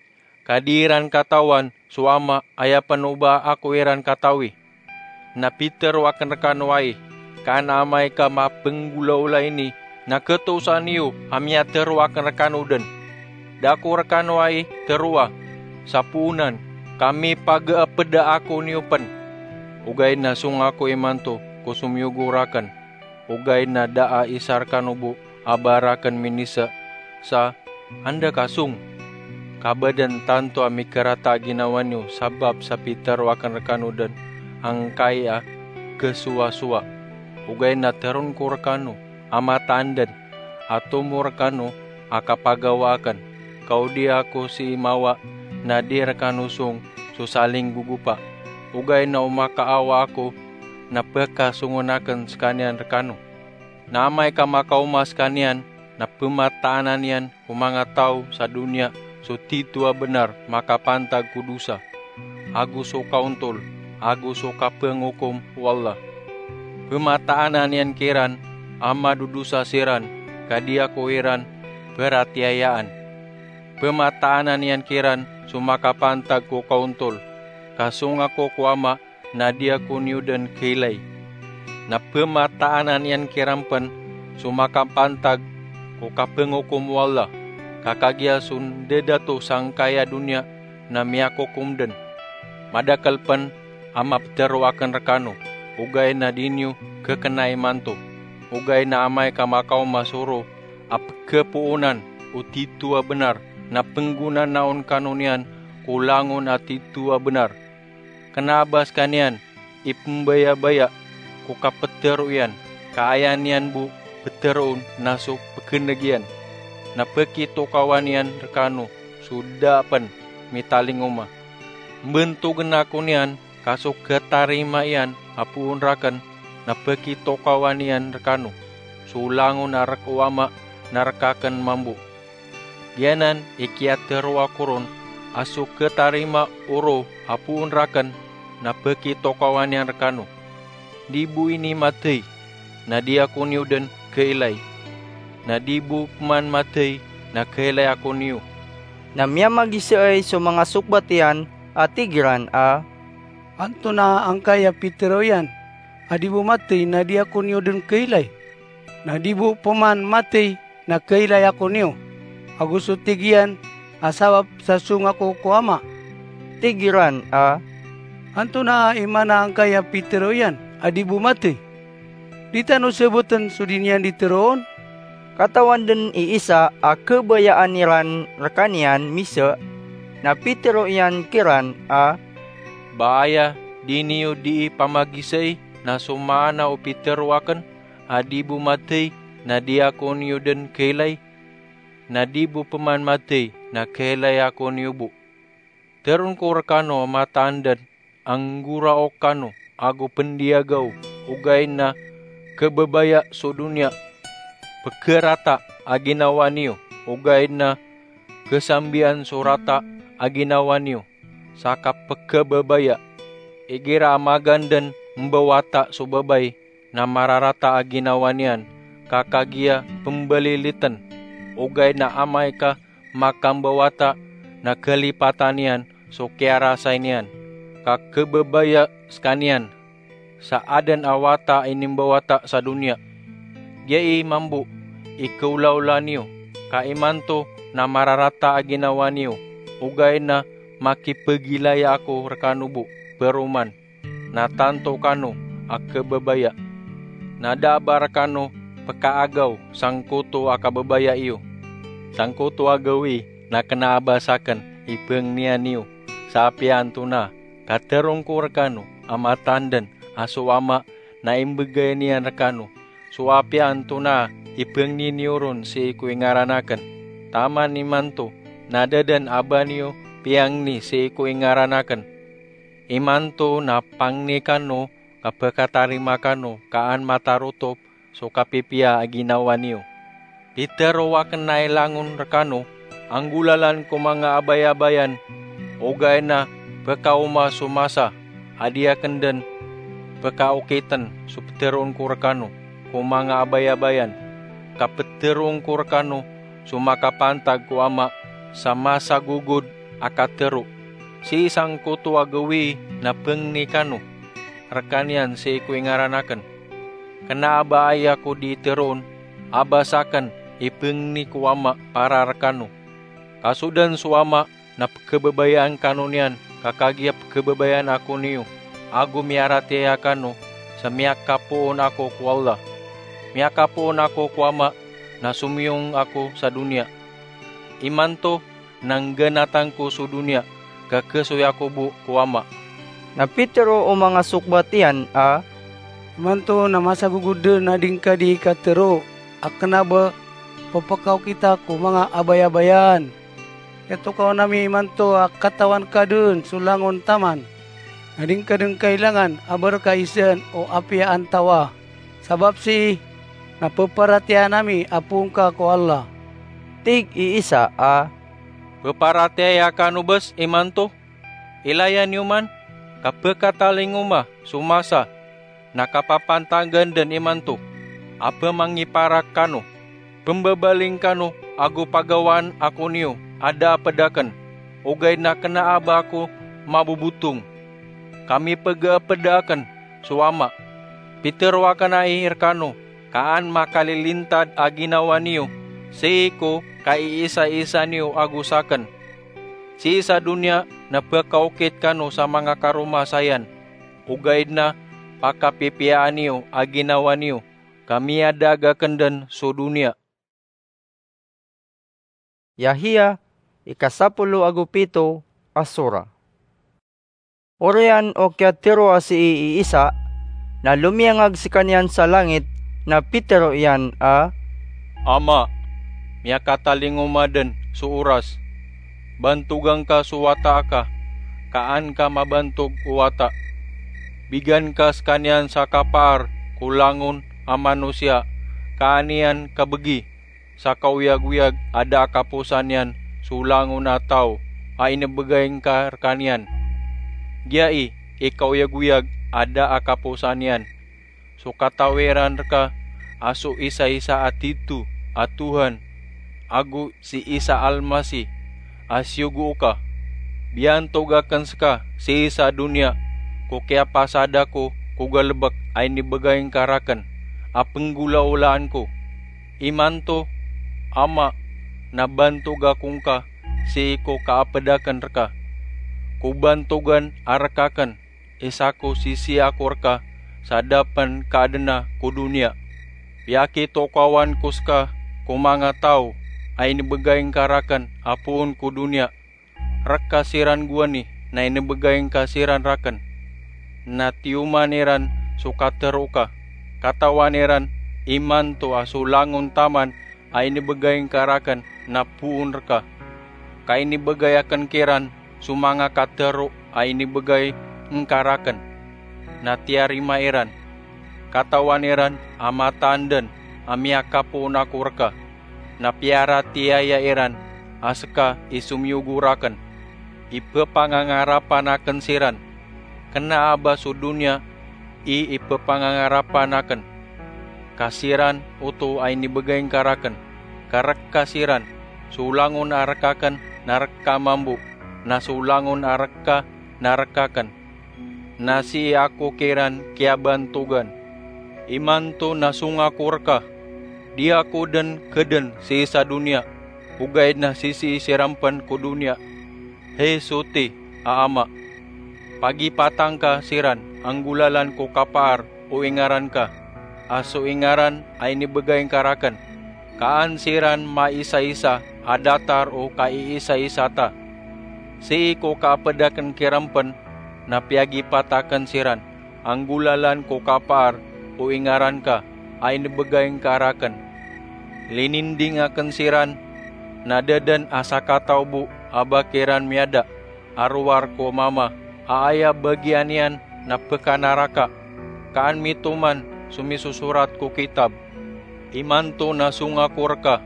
ka di iran katawan so Ama, aya pen o ba ako iran katawi. Na pitero aken rekano ai, ka an amay ka mapenggolaola ini, na ketosan iyo a miyatero aken rekano den. Da ako rekano ai teroa sa poonan, ka mipageepeda ako niyo pen. Ogaid na song ako imanto ko somiyogo raken. Ogaid na da a isa rekano bo a ba raken minisa sa anda ka song. Ka ba den tanto a mikarata a ginawa niyo sabap sa pitero aken rekano den angkai a kesowasowa. Ogaid na teron ko rekano a mataan den a tomo rekano a kapagawa aken. Ka o di ako sii mawa na di rekano song so salinggogopa. Ogaid na o makaawa ako na pekasongen aken sekaniyan rekano. Na amay ka makaoma sekaniyan na pemataanan iyan ko manga taw sa doniya so tito a benar makapantag ko dosa, ago so kaontol, ago so kapengokom o Allah. Pemataanan iyan kiran a madodosa siran ka di ako iran peratiyayaan. Pemataanan iyan kiran so makapantag ko kaontol, ka song ako ko Ama na di ako niyo den keilay. Na pemataanan iyan kiran pen so makapantag ko kapengokom o Allah, ka kagiya so ndadato sangkai a doniya na miyakokom den. Madakel pen a mapetero aken rekano, ogaid na di niyo kekena imanto. Ogaid na amay ka makaoma so ro a pekepoonan o tito a benar, na penggonanaon kano niyan ko langon a tito a benar. Kena a ba sekaniyan ipmbayabaya ko kaptharo iyan, ka aya niyan bo ptharoon na so pkneg iyan, na pkitokawan iyan rkano so da pn mitalingoma. Mbntogn ako niyan, ka so khatarima iyan a poon rakn na pkitokawan iyan rkano so langon a rk o Ama na rk akn mambo. Giyanan i kiyatharo ako ron, a so khatarima o roo a poon rakn na pkitokawan iyan rkano. Di bo ini mathay, na di ako niyo dn khailay. Na di bo pman mathay, na khailay ako niyo. Na miyamagisaay so manga sokbat iyan a tig iran a, "Antonaa angkai a pitharo iyan a di bo mathay na di ako niyo dn khailay? Na di bo pman mathay na khailay ako niyo, ago so tig iyan a sabap sa song ako ko Ama?" Tig iran a, "Antonaa i maana angkai a pitharo iyan a di bo mathay? Di tano sabotn so di niyan di tharoon." Katawan dn i isa a khabayaan iran rkaniyan misa, na pitharo iyan kiran a, "Ba aya di niyo dii pamagisai na so maana o pitharo akn a di bo mathay na di ako niyo dn khailay? Na di bo pman mathay na khailay ako niyo bo. Tharoon ko rkano a mataan dn a nggoraok kano ago pndiyagaw, ogaid na khababaya so doniya. Pkharata a ginawa niyo, ogaid na khasambian so rata a ginawa niyo sa kapkhababaya. Igira a magaan dn mbawata so babay na mararata a ginawa niyan, ka kagiya pmbalilitn, ogaid na amay ka makambawata na khalipatan iyan so kiyarasay niyan, ka khababaya skaniyan sa adn a wata a inimbawata sa doniya. Giyai mambo i khaolaola niyo, ka imanto na mararata a ginawa niyo, ogaid na makipagilaya ako rkano bo paroman, na tanto kano a khababaya. Na da a ba rkano pkaagaw sangkoto a kababaya iyo. Sangkoto a gawii na kna a ba sakn i pangnian iyo sa apiya antonaa, ka tharoon ko rkano a mataan dn a so Ama na imbgay niyan rkano so apiya antonaa i pangni niyo ron sii ko ingaran akn. Taman imanto na da dn a ba niyo piyangni sii ko ingaran akn. Imanto na pangni kano ka pkatarima kano ka an matarotop so kapipiya a ginawa niyo. Pitharo akn a ilangon rkano a nggolalan ko manga abayabayan, ogaid na pkaoma so masa a di akn dn pkaokitn so ptharoon ko rkano ko manga abayabayan, ka ptharoon ko rkano so makapantag ko Ama sa masagogod a katharo. Sii sangkoto a gawii na pangni kano rkaniyan sii ko ingaran akn. Kna a ba aya ko di tharoon a ba sakn i pangni ko Ama para rkano. Ka so dn so Ama na pkhababayaan kano niyan, ka kagiya pkhababayaan ako niyo, ago miyaratiyaya kano sa miyakapoon ako ko Allah. Miyakapoon ako ko Ama na somiyong ako sa doniya. Imanto na ngganatan ko so doniya, ka khasoy ako bo ko Ama. Na pitharo o manga sokbat iyan a, "Imanto na masagogod dn a di ngka di katharo a kna a ba pphakaokita ko manga abayabayan. Kiyatokawan ami imanto a katawan ka dn so langon taman, na di ngka dn kailangan a ba rka isaan o apiya antawa. Sabap sii na pparatiyayaan ami a poon ka ko Allah." Tig i Isa a, "Pparatiyaya kano bs imanto? Ilaya niyo man, ka pkatalingoma so masa na kapapantagan dn imanto a pmangiparak kano. Pmbabaling kano ago pagawaan ako niyo a da a pd akn, ogaid na kna a ba ako mabobotong, ka mipgaapd akn so Ama. Pitharo akn ai rkano ka an makalilintad a ginawa niyo sii ko kaiisaisa niyo ago sakn. Sii sa doniya na pkaokit kano sa manga karoma sayan, ogaid na pakapipiyaan iyo a ginawa niyo, ka miyadaag akn dn so doniya." Yahya, ikasapolo ago pito a sora. Oriyan o kiyatharo a sii i Isa, na lomiyangag sekaniyan sa langit, na pitharo iyan a, "Ama, miyakatalingoma den so oras. Bantogan ka so wata aka, ka an ka mabantog o wata. Bigan ka sekaniyan sa kapaar ko langon a manosiya, ka an iyan kabegi sa kaoyagoyag a da a kaposan iyan so langon a taw a inebegay ngka rekaniyan. Giyai i kaoyagoyag a da a kaposan iyan: so katawiran reka a so isaisa a titho a Tohan, ago si Isa Almasih a siyogo oka. Biyantog aken seka sii sa doniya ko kiyapasad ako ko galebek a inebegay ngka raken a penggolaolaan ko. Imanto, Ama, na bantog ako ngka sii ko kaaped aken reka. Ko bantogan a rek aken, isa ko sisii ako reka sa da pen kaadena ko doniya. Piyakitokawan ko seka ko manga taw a inebegay ngka raken a poon ko doniya. Rek ka siran gowani na inebegay ngka siran raken. Na tiyoman iran so katharo oka. Katawan iran imanto a so langon taman a inebegay ngka raken na poon reka. Ka inebegay aken kiran so manga katharo a inebegay ngka raken, na tiyarima iran. Katawan iran a mataan den a miyakapoon ako reka, na piyaratiyaya iran a seka i somiyogo raken. Ipepangangarapan aken siran. Kena a ba so doniya i ipepangangarapan aken. Ka siran oto a inebegay ngka raken. Ka rek ka siran. So langon a rek aken na rek ka mambo, na so langon a rek ka na rek aken. Na sii ako kiran kiyabantogan. Imanto na songa ako reka. Di ako den keden sii sa doniya, ogaid na sisii siran pen ko doniya. Hay soti a Ama, pagipata ngka siran a nggolalan ko kapaar o ingaran ka, a so ingaran a inebegay ngka raken, ka an siran maisaisa a datar o kaiisaisa ta. Sii ko kaaped aken kiran pen na piyagipata aken siran a nggolalan ko kapaar o ingaran ka a inebegay ngka raken. Lininding aken siran, na da den a sakataw bo a ba kiran miyada a rowar ko Mama a aya bagian iyan na pekanaraka, ka an mitoman so misosorat ko kitab. Imanto na songa ako reka,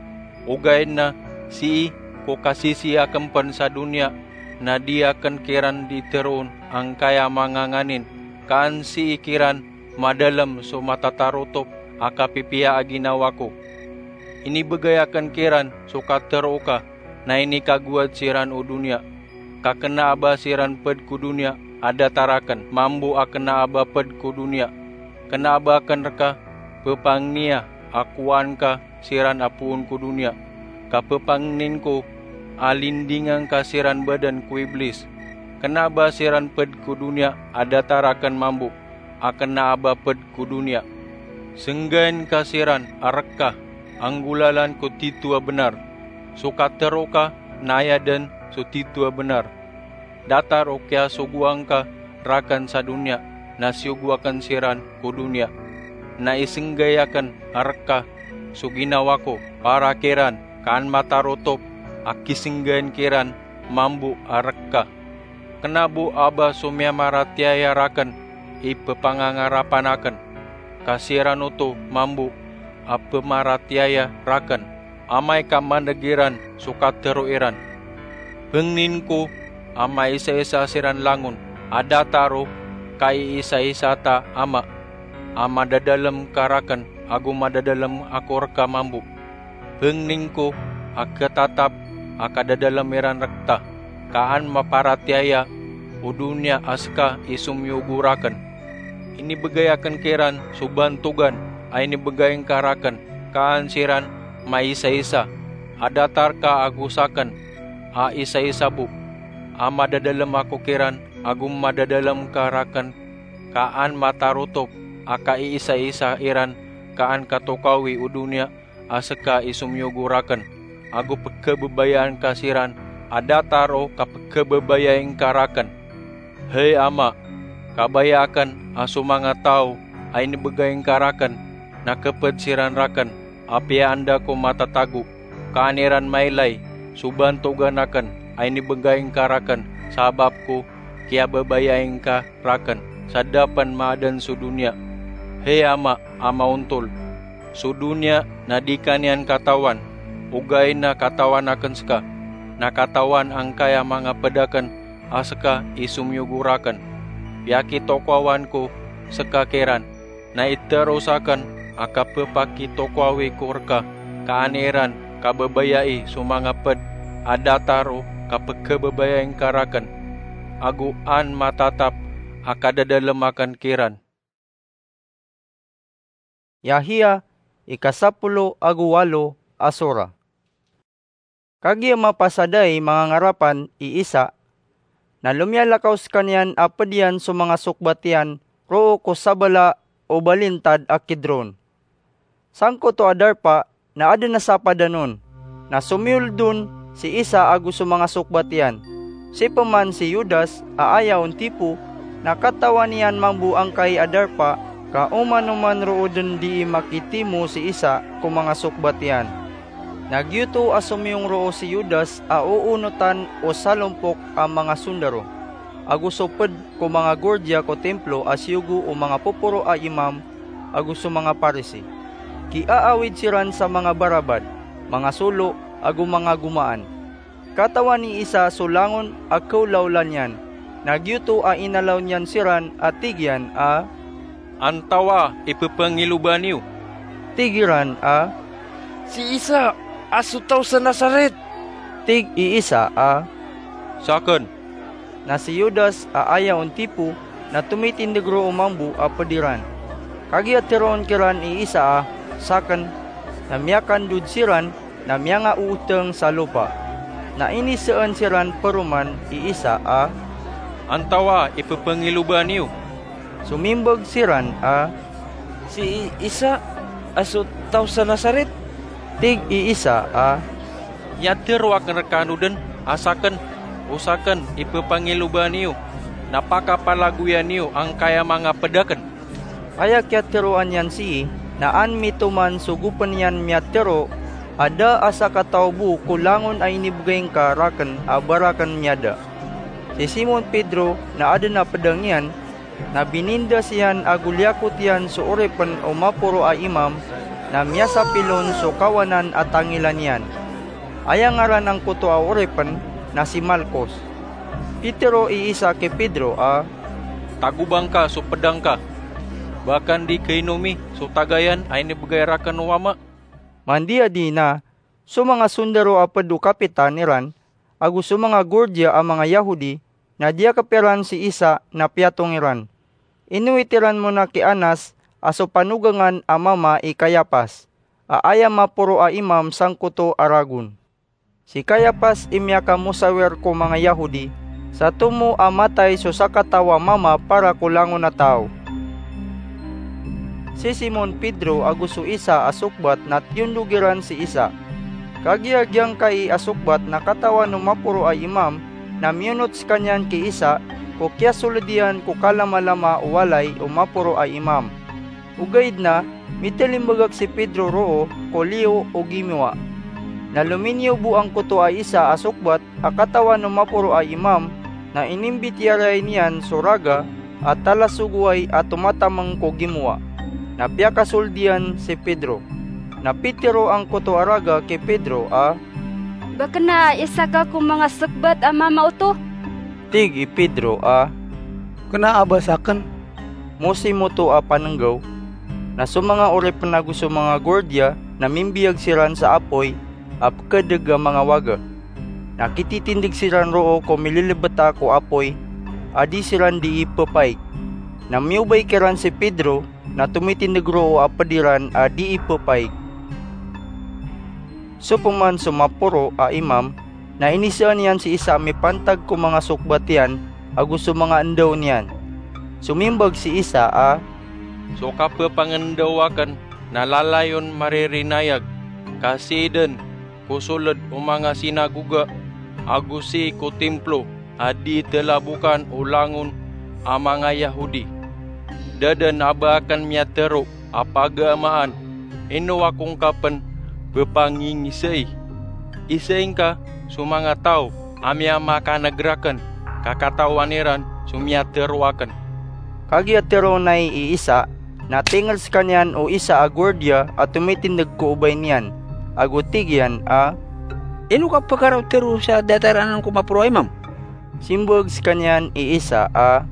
ogaid na sii ko kasisii aken pen sa doniya na di aken kiran di teroon angkaya manganganin, ka an sii kiran madalem so matatarotop a kapipiya a ginawa ko. Inibegay aken kiran so katharo oka, na inikagowad siran o doniya. Ka kena a ba siran ped ko doniya a datar aken mambo a kena a ba ped ko doniya. Kena a ba aken reka pepangnia a kowaan ka siran a poon ko doniya. Ka pepangnin ko a lindinga ngka siran baden ko Iblis. Kena a ba siran ped ko doniya a datar aken mambo a kena a ba ped ko doniya. Senggaen ka siran a rek ka a nggolalan ko titho a benar. So katharo oka na aya den so titho a benar. Datar o kiyasogoa ngka raken sa doniya na siyogoa aken siran ko doniya. Na isenggay aken a rek ka so ginawa ko para kiran, ka an matarotop a kisenggaen kiran mambo a rek ka. Kena bo a ba so miyamaratiyaya raken i pepangangarapan aken, ka siran oto mambo a pemaratiyaya raken. Amay ka maneg iran so katharo iran. Pengnin ko a maisaisa siran langon a datar o kaiisaisa ta Ama, a madadalem ka raken ago madadalem ako reka mambo. Pengnin ko a ketatap a kadadalem iran rek ta, ka an maparatiyaya o doniya a seka i somiyogo raken. Inibegay aken kiran so bantogan a inibegay ngka raken, ka an siran maisaisa a datar ka ago saken a isaisa bo. A madadalem ako kiran ago madadalem ka raken, ka an matarotop a kaiisaisa iran, ka an katokawi o doniya a seka i somiyogo raken, ago pekhababayaan ka siran a datar o kapekhababayai ngka raken. Hay Ama, kabaya akn a so manga taw a inibgay ngka rakn na khpd siran rakn, apiya anda ko matatago, ka an iran mailay so bantogan akn a inibgay ngka rakn sabap ko kiyababayai ngka rakn sa da pn maadn so doniya. Hay Ama a maontol, so doniya na di ka niyan katawan, ogaid na katawan akn ska, na katawan angkaya manga pd akn a ska i somiyogo rakn. Piyakitokowan ko ska kiran, na itharo sakn a kapphakitokowi ko rka, ka an iran kababayai so manga pd a datar o kapkhababayai ngka rakn, ago an matatap a kadadalm akn kiran. Yahya, ika sapolo ago walo a sora. Kagiya mapasad a i mangangarapan i Isa, na lomiyalakaw skaniyan a pd iyan so manga sokbat iyan roo ko sabala o balintad a Kidron. Sangkoto a darpa na adn a sapadan on, na somiyoled on si Isa ago so manga sokbat iyan. Si pman si Judas a aya on tipo, na katawan iyan mambo angkai a darpa, ka oman-oman roo dn dii makitimo si Isa ko manga sokbat iyan. Na giyoto a somiyong roo si Judas a oonotan o salompok a manga sondaro, ago so pd ko manga gordiya ko Timplo a siyogo o manga poporo a imam ago so manga Parisi. Kiaawid siran sa manga barabad, manga solo, ago manga gomaan. Katawan i Isa so langon a khaolaola niyan, na giyoto a inalaw niyan siran a tig iyan a, "Antawaa i ppangiloba niyo?" Tig iran a, "Si Isa a so taw sa Nazaret." Tig i Isa a, "Sakn." Na si Judas a aya on tipo na tomitindg roo mambo a pd iran. Kagiya tharoon kiran i Isa a, "Sakn," na miyakandod siran na miyangaootng sa lopa. Na inisaan siran paroman i Isa a, "Antawaa i ppangiloba niyo?" Somimbag siran a, "Si Isa a so taw sa Nazaret." Tig i Isa a, "Iyatharo akn rkano dn a sakn o sakn i ppangiloba niyo, na pakapalagoyan iyo angkaya manga pd akn." Aya kiyatharoa niyan sii na an mitoman so gopn iyan miyatharo a da a sakataw bo ko langon a inibgay ngka rakn a ba rakn miyada. Si Simon Pedro na adn a pd a ngiyan, na binindas iyan ago liyakot iyan so oripn o maporo a imam, na miyasapil on so kawanan a tangila niyan. Aya ngaran angkoto a oripn na si Malkos. Pitharo i Isa ki Pedro a, "Tagobang ka so pd angka. Ba ka ndi khainomi so tagayan a inibgay rakn o Ama?" Mandiyadi na, so manga sondaro a pd o kapitan iran ago so manga gordiya a manga Yahudi na diyakp iran si Isa na piyatong iran. Inowit iran mon a ki Anas a so panogangan a mama i Kayapas, a aya maporo a imam sangkoto a ragon. Si Kayapas i miyakamosawir ko manga Yahudi, sa tomo a matay so sakataw a mama para ko langon a taw. Si Simon Pedro ago so isa a sokbat na tiyondog iran si Isa. Kagiya giyangkai a sokbat na katawan o maporo a imam, na miyonot skaniyan ki Isa ko kiyasold iyan ko kalamalama o walay o maporo a imam. Ogaid na mitalimbagak si Pedro roo ko liyo o gimowa. Na lominiyo bo angkoto a isa a sokbat a katawan o maporo a imam, na inimbitiyarai niyan so raga a talasogoway a tomatamng ko gimowa, na piyakasold iyan si Pedro. Na pitharo angkoto a raga ki Pedro a, "Ba kna a isa ka ko manga sokbat a mama oto?" Tig i Pedro a, "Kna a ba sakn." Mosimo oto a pannggaw, na so manga oripn ago so manga gordiya na mimbiyag siran sa apoy a pkadg a manga waga. Na kititindg siran roo ko mililbta ko apoy a di siran dii ppaig. Na miyobay kiran si Pedro na tomitindg roo a pd iran a dii ppaig. So pman so maporo a imam na inisaan iyan si Isa a mipantag ko manga sokbat iyan ago so manga ndaw niyan. Somimbag si Isa a, "So kapphangndaw akn na lalayon maririnayag, ka sii dn ko sold o manga sinagoga ago sii ko timplo a di telabokan o langon a manga Yahudi. Da dn a ba akn miyatero a pagamaan, ino ako ngka pn ppangingisai? Isai ngka so manga taw a miyamakaneg rakn, ka katawan iran so miyatero akn. Kagiya tero nay i Isa, na tingr skaniyan o isa a guwardiya a tomitindeg ko obay niyan, ago tig iyan a, "Ino ka pkaraotero sa datar anan ko maporo a imam?" Simbag skaniyan i Isa a,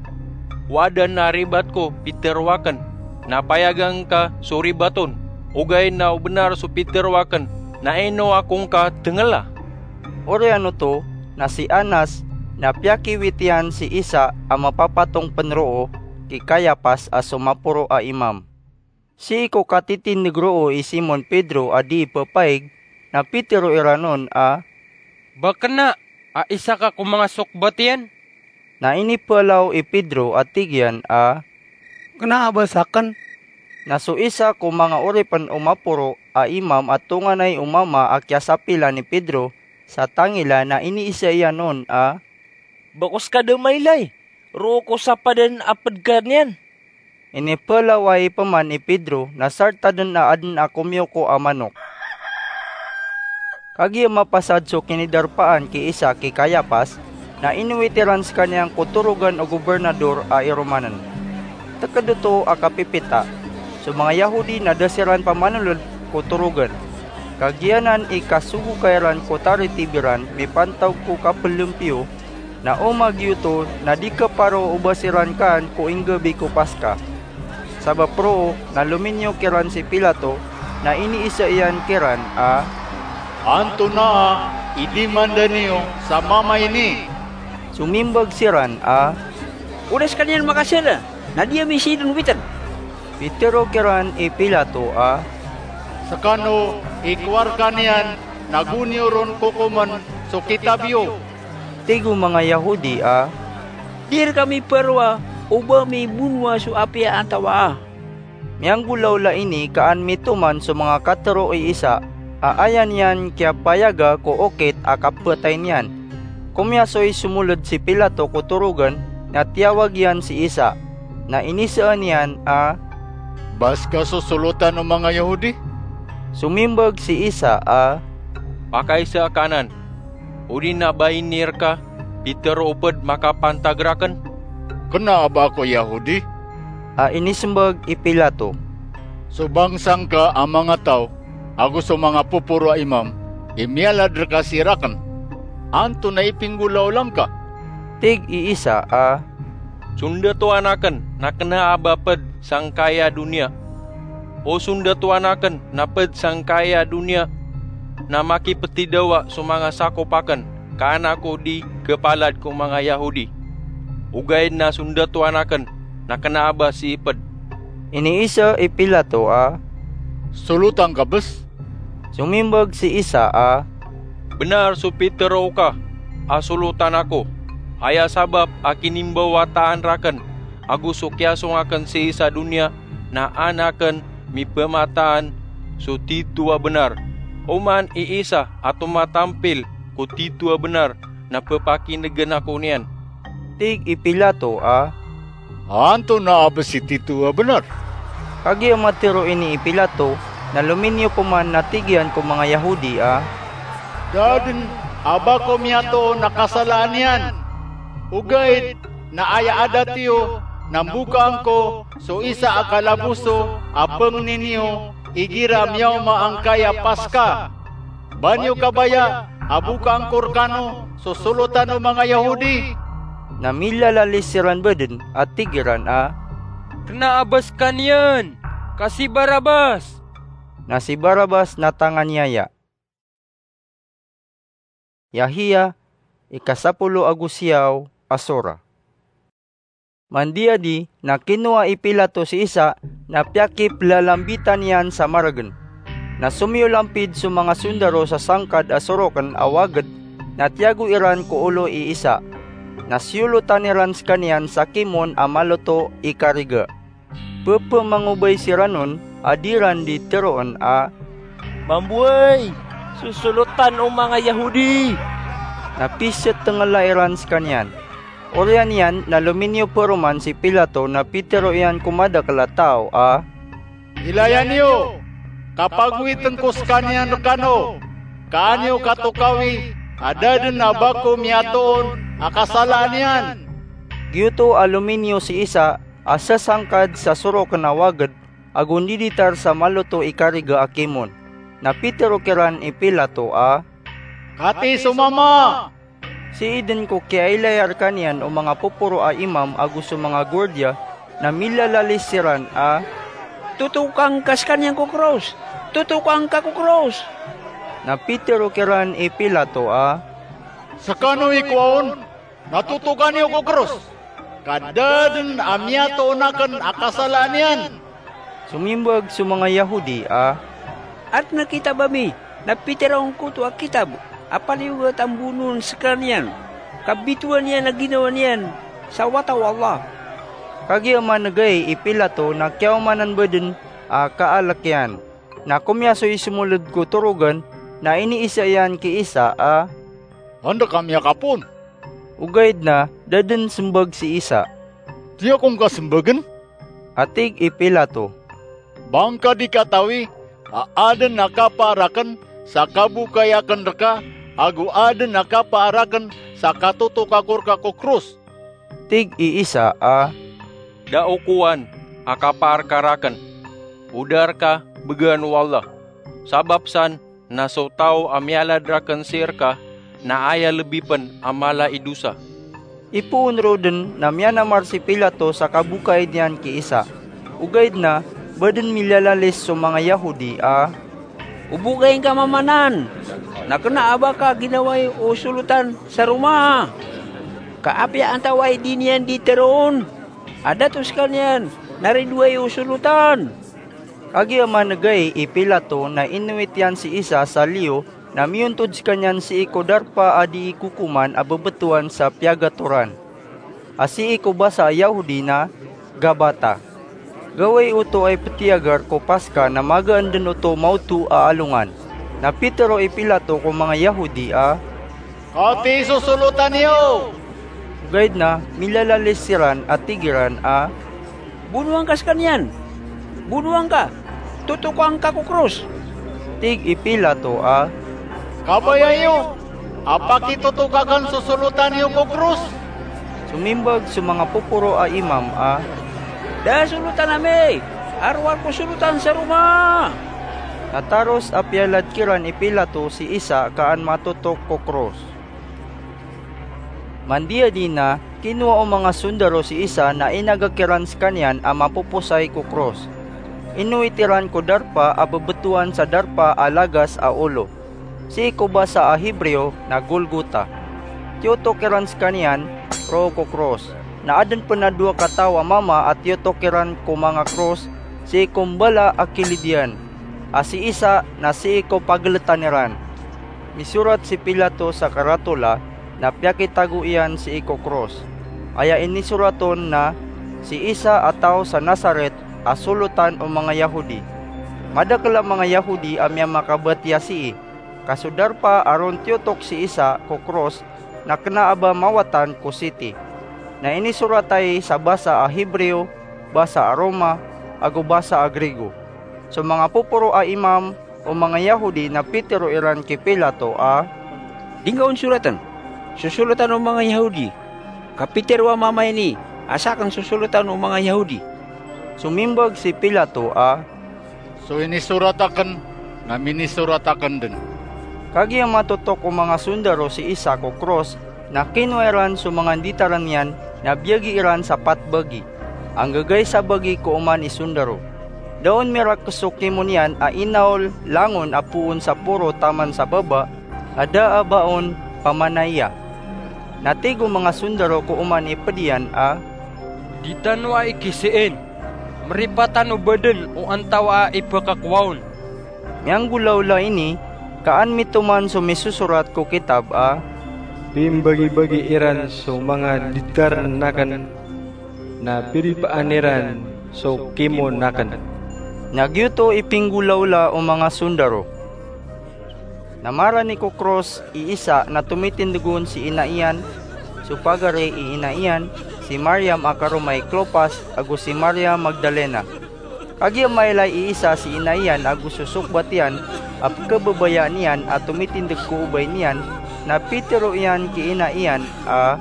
"O aden a ribat ko pitero akn, na payagan ka so ribat on, ogaid na o bnar so pitero akn, na ino ako ngka tngla?" Oriyan oto na si Anas na piyakiwit iyan si Isa a mapapatong pn roo ki Kayapas a so maporo a imam. Sii ko katitindeg roo i Simon Pedro a di pepaig, na pitero iran on a, "Ba kna a isa ka ko manga sokbat iyan?" Na inipelaw i Pedro a tig iyan a, "Kna a ba sakn." Na so isa ko manga oripn o maporo a imam a tonganay o mama a kiyasapilan i Pedro sa tangila na iniisa iyan on a, "Ba ko ska da mailay roo ko sapadan a pd ka niyan?" Inipelaw ai pman i Pedro na sarta dn a adn a komiyoko a manok. Kagiya mapasad so kinidarpaan ki Isa ki Kayapas, na inowit iran skaniyan ko torogan o gobernador a iromanen. Teked oto a kapipita, so manga Yahudi na da siran pamanoled ko torogan. Kagiya nan i kasogoka iran ko taritib iran mipantaog ko kapellempiyo, na o magiyoto na di kaparo o ba siran kaan ko inggabi ko Paska. Sabap roo na lominiyo kiran si Pilato, na iniisa iyan kiran a, "Antonaa i dimanda niyo sa mama ini?" Somimbag siran a, "O da skaniyan makasala, na di ami sii den owiten." Pitero kiran i Pilato a, "Sekano i kowarka niyan, na go niyo ron kokomen so kitab iyo." Tig o manga Yahudi a, "Di rka miparowa o ba mibonowa so apiya antawaa." Miyanggolawla ini ka an mitoman so manga katero i Isa a aya niyan kiyapayaga ko okit a kapatay niyan. Komiyasoy somoled si Pilato ko torogan na tiyawag iyan si Isa, na inisaan iyan a, "Ba ska so solotan o manga Yahudi?" Somimbag si Isa a, "Pakaisa ka anan, odi na ba ini rka pitero o ped makapantag raken?" "Kena a ba ako Yahudi?" a inisembag i Pilato. "So bangsa ngka a manga taw ago so manga poporo a imam i miyalad rka sii raken. Antonaa i pinggolawla ngka?" Tig i Isa a, "Sondatoan aken na kena a ba ped sangkaya doniya. O sondatoan aken na ped sangkaya doniya na makipetidawa so manga sakop aken, ka an ako di kepalad ko manga Yahudi. Ogaid na sondatoan aken na kena a ba sii ped." Iniisa i Pilato a, "Solotan ka bes?" Somimbag si Isa a, "Benar so pitero ka a solotan ako. Aya sabap a kinimbawataan raken ago so kiyasong aken sii sa doniya na an aken mipemataan so tito a benar. Oman i Isa a tomatampil ko tito a benar na pepakinegen ako niyan." Tig i Pilato a, "Antonaa a bes i tito a benar?" Kagiya matero ini i Pilato, na lominiyo peman na tig iyan ko manga Yahudi a, "Da den a ba ko miyatoon a kasalaan iyan. Ogaid na aya adat iyo na mbokaan ko so isa a kalaboso a pengni niyo igira miyaoma angkaya Paska. Ba niyo kabaya a bokaan ko rekano so solotan o manga Yahudi?" Na milalalis siran baden a tig iran a, "Kena a ba sekaniyan, ka si Barabas!" Na si Barabas na tanganiyaya. Yahia, ikasapolo ago siyaw a sora. Mandiyadi na kinowa i Pilato si Isa na piyakipelalambitan iyan sa maregen. Na somiyolampid so manga sondaro sa sangkad a soroken a waged na tiyago iran ko olo i Isa. Na siyolotan iran sekaniyan sa kimon a maloto i kariga. Pepemangobay siran on a di ran di teroon a, "Mambo ay so solotan o manga Yahudi!" na pisetengela iran sekaniyan. Oriyan iyan na lominiyo peroman si Pilato na pitero iyan ko madakel a taw a, "Ilaya niyo, ka pagowiten ko sekaniyan rekano, ka an iyo katokawi a da den a ba ko miyatoon a kasalaan iyan." Giyoto a lominiyo si Isa a sasangkad sa soroken a waged ago ndiditar sa maloto i kariga a kimon. Na pitero kiran i Pilato a, "Kati so mama?" Sii den ko kiyailaya rekaniyan o manga poporo a imam ago so manga gordiya, na milalalis siran a, "Totoka ngka sekaniyan ko kros! Totoka ngka ko kros!" Na pitero kiran i Pilato a, "Sekano i kowa on, na totoka niyo ko kros, ka da den a miyatoon aken a kasalaan iyan." Somimbag so manga Yahudi a, "Aden a kitab ami, na pitero ngka oto a kitab a paliyogat a mbonoon sekaniyan, ka bitowan iyan a ginawa niyan sa wata o Allah." Kagiya manegay i Pilato na kiyaomanan bo den a kaalek iyan. Na komiyasoy semoled ko torogan, na iniisa iyan ki Isa a, "Anda ka miyakapoon?" Ogaid na da den sembag si Isa. "Di ako ngka sembagen," a tig i Pilato, "ba ngka di katawi a aden a kapaar aken sa kabokay aken reka, ago aden a kapaar aken sa katotoka ko reka ko kros?" Tig i Isa a, "Da o kowan a kapaar ka raken. O da reka began o Allah. Sabap san na so taw a miyalad raken sii reka na aya lebi pen a mala i dosa." Ipoon roo den na miyanamar si Pilato sa kabokay niyan ki Isa. Ogaid na ba den milalalis so manga Yahudi a, "O bokay ngka mama nan, na kena a ba ka ginawai o solotan sa Roma? Ka apiya antawaa i di niyan di teroon a dato sekaniyan na ridoay o solotan?" Kagiya manegay i Pilato na inowit iyan si Isa sa liyo na miyontod sekaniyan sii ko darpa a dii kokoman a bebetowan sa Piyagatoran, a sii ko basa a Yahudi na Gabata. Gawii oto a ipetiyagar ko Paska na magaan den oto maoto a alongan. Na pitero i Pilato ko manga Yahudi a, "Kati so solotan iyo?" Ogaid na milalalis siran a tig iran a, "Bonoa ngka sekaniyan! Bonoa ngka! Totoka ngka ko kros!" Tig i Pilato a, "Kabaya iyo a pakitotoka ken so solotan iyo ko kros?" Somimbag so manga poporo a imam a, "Da solotan ami a rowar ko solotan sa Roma!" Na taros a piyalad kiran i Pilato si Isa ka an matotok ko kros. Mandiyadi na, kinowa o manga sondaro si Isa na inagak iran sekaniyan a mapoposay ko kros. Inowit iran ko darpa a bebetowan sa darpa a lagas a olo, sii ko basa a Hebreo na Golgota. Tiyotok iran sekaniyan roo ko kros. Na aden pen a dowa kataw a mama a tiyotok iran ko manga kros sii ko mbala a kilid iyan, a si Isa na sii ko pageletan iran. Misorat si Pilato sa karatola na piyakitago iyan sii ko kros. Aya inisorat on na, "Si Isa a taw sa Nazaret a solotan o manga Yahudi." Madakel a manga Yahudi a miyamakabatiya sii, ka so darpa a ron tiyotok si Isa ko kros na kena a ba mawatan ko siti. Na inisorat ai sa basa a Hebreo, basa a Roma, ago basa a Grigo. So manga poporo a imam o manga Yahudi na pitero iran ki Pilato a, "Di ngka on soraten so solotan o manga Yahudi, ka pitero a mama ini a saken so solotan o manga Yahudi." Somimbag si Pilato a, "So inisorat aken na minisorat aken den." Kagiya matotok o manga sondaro si Isa ko kros, na kinowa iran so manga nditaren iyan na biyagi iran sa pat bagi. Anggagay sa bagi ko oman i sondaro. Da on mirakes so kimon iyan a inaol langon a poon sa poro taman sa baba, a da a ba on pamanaya. Na tig o manga sondaro ko oman i ped iyan a, "Di tano a ikiseen. Meripat tano baden o antawaa i pekakowa on." Miyanggolawla ini, ka an mitoman so misosorat ko kitab a, "Pimbagibagi iran so manga nditaren aken, na piripaan iran so kimon aken." Na giyoto i pinggolawla o manga sondaro. Na marani ko kros i isa na tomitindeg on si ina iyan, so pagari i ina iyan, si Mariam a karoma i Clopas, ago si Mariam Magdalena. Kagiya mailay i isa si ina iyan ago so sokbat iyan a pkhababayaan iyan a tomitindeg ko obay niyan, na pitero iyan ki ina iyan a,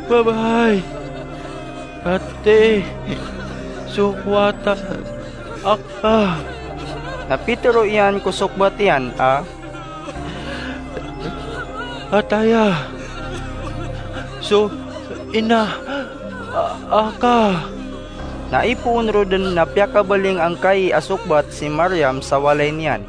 "Babay, pati so kowatan aka." Na pitero iyan ko sokbat iyan a, "Ataya so ina a-, aka." Na ipoon ro den na piyakabaling angkai a sokbat si Mariam sa walay niyan.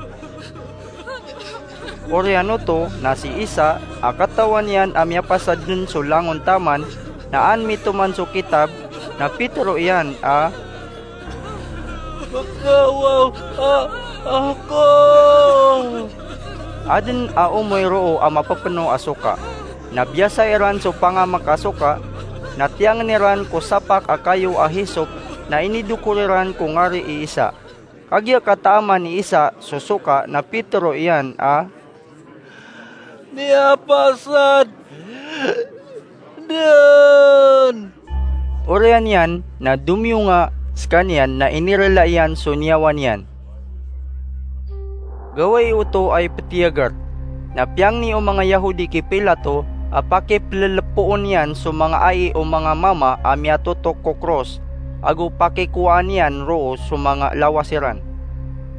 Oriyan oto na si isa a katawan iyan a miyapasad den so langon taman, na an mitoman so kitab, na pitero iyan a, "Kawaw a-, ako." Aden a omoy roo a mapepeno a soka. Na biyasa iran so pangamek a soka, na tiyangen iran ko sapak a kayo a hisop, na inidokor iran ko ngari i isa. Kagiya kataaman i isa so soka na pitero iyan a, "Miyapasad den." Oriyan iyan na domiyonga sekaniyan na inirela iyan so niyawa niyan. Gawii oto a ipetiyagar. Na piyangni o manga Yahudi ki Pilato a pakipelelepoon iyan so manga ai o manga mama a miyatotok ko kros, ago pakikowaan iyan roo so manga lawas iran.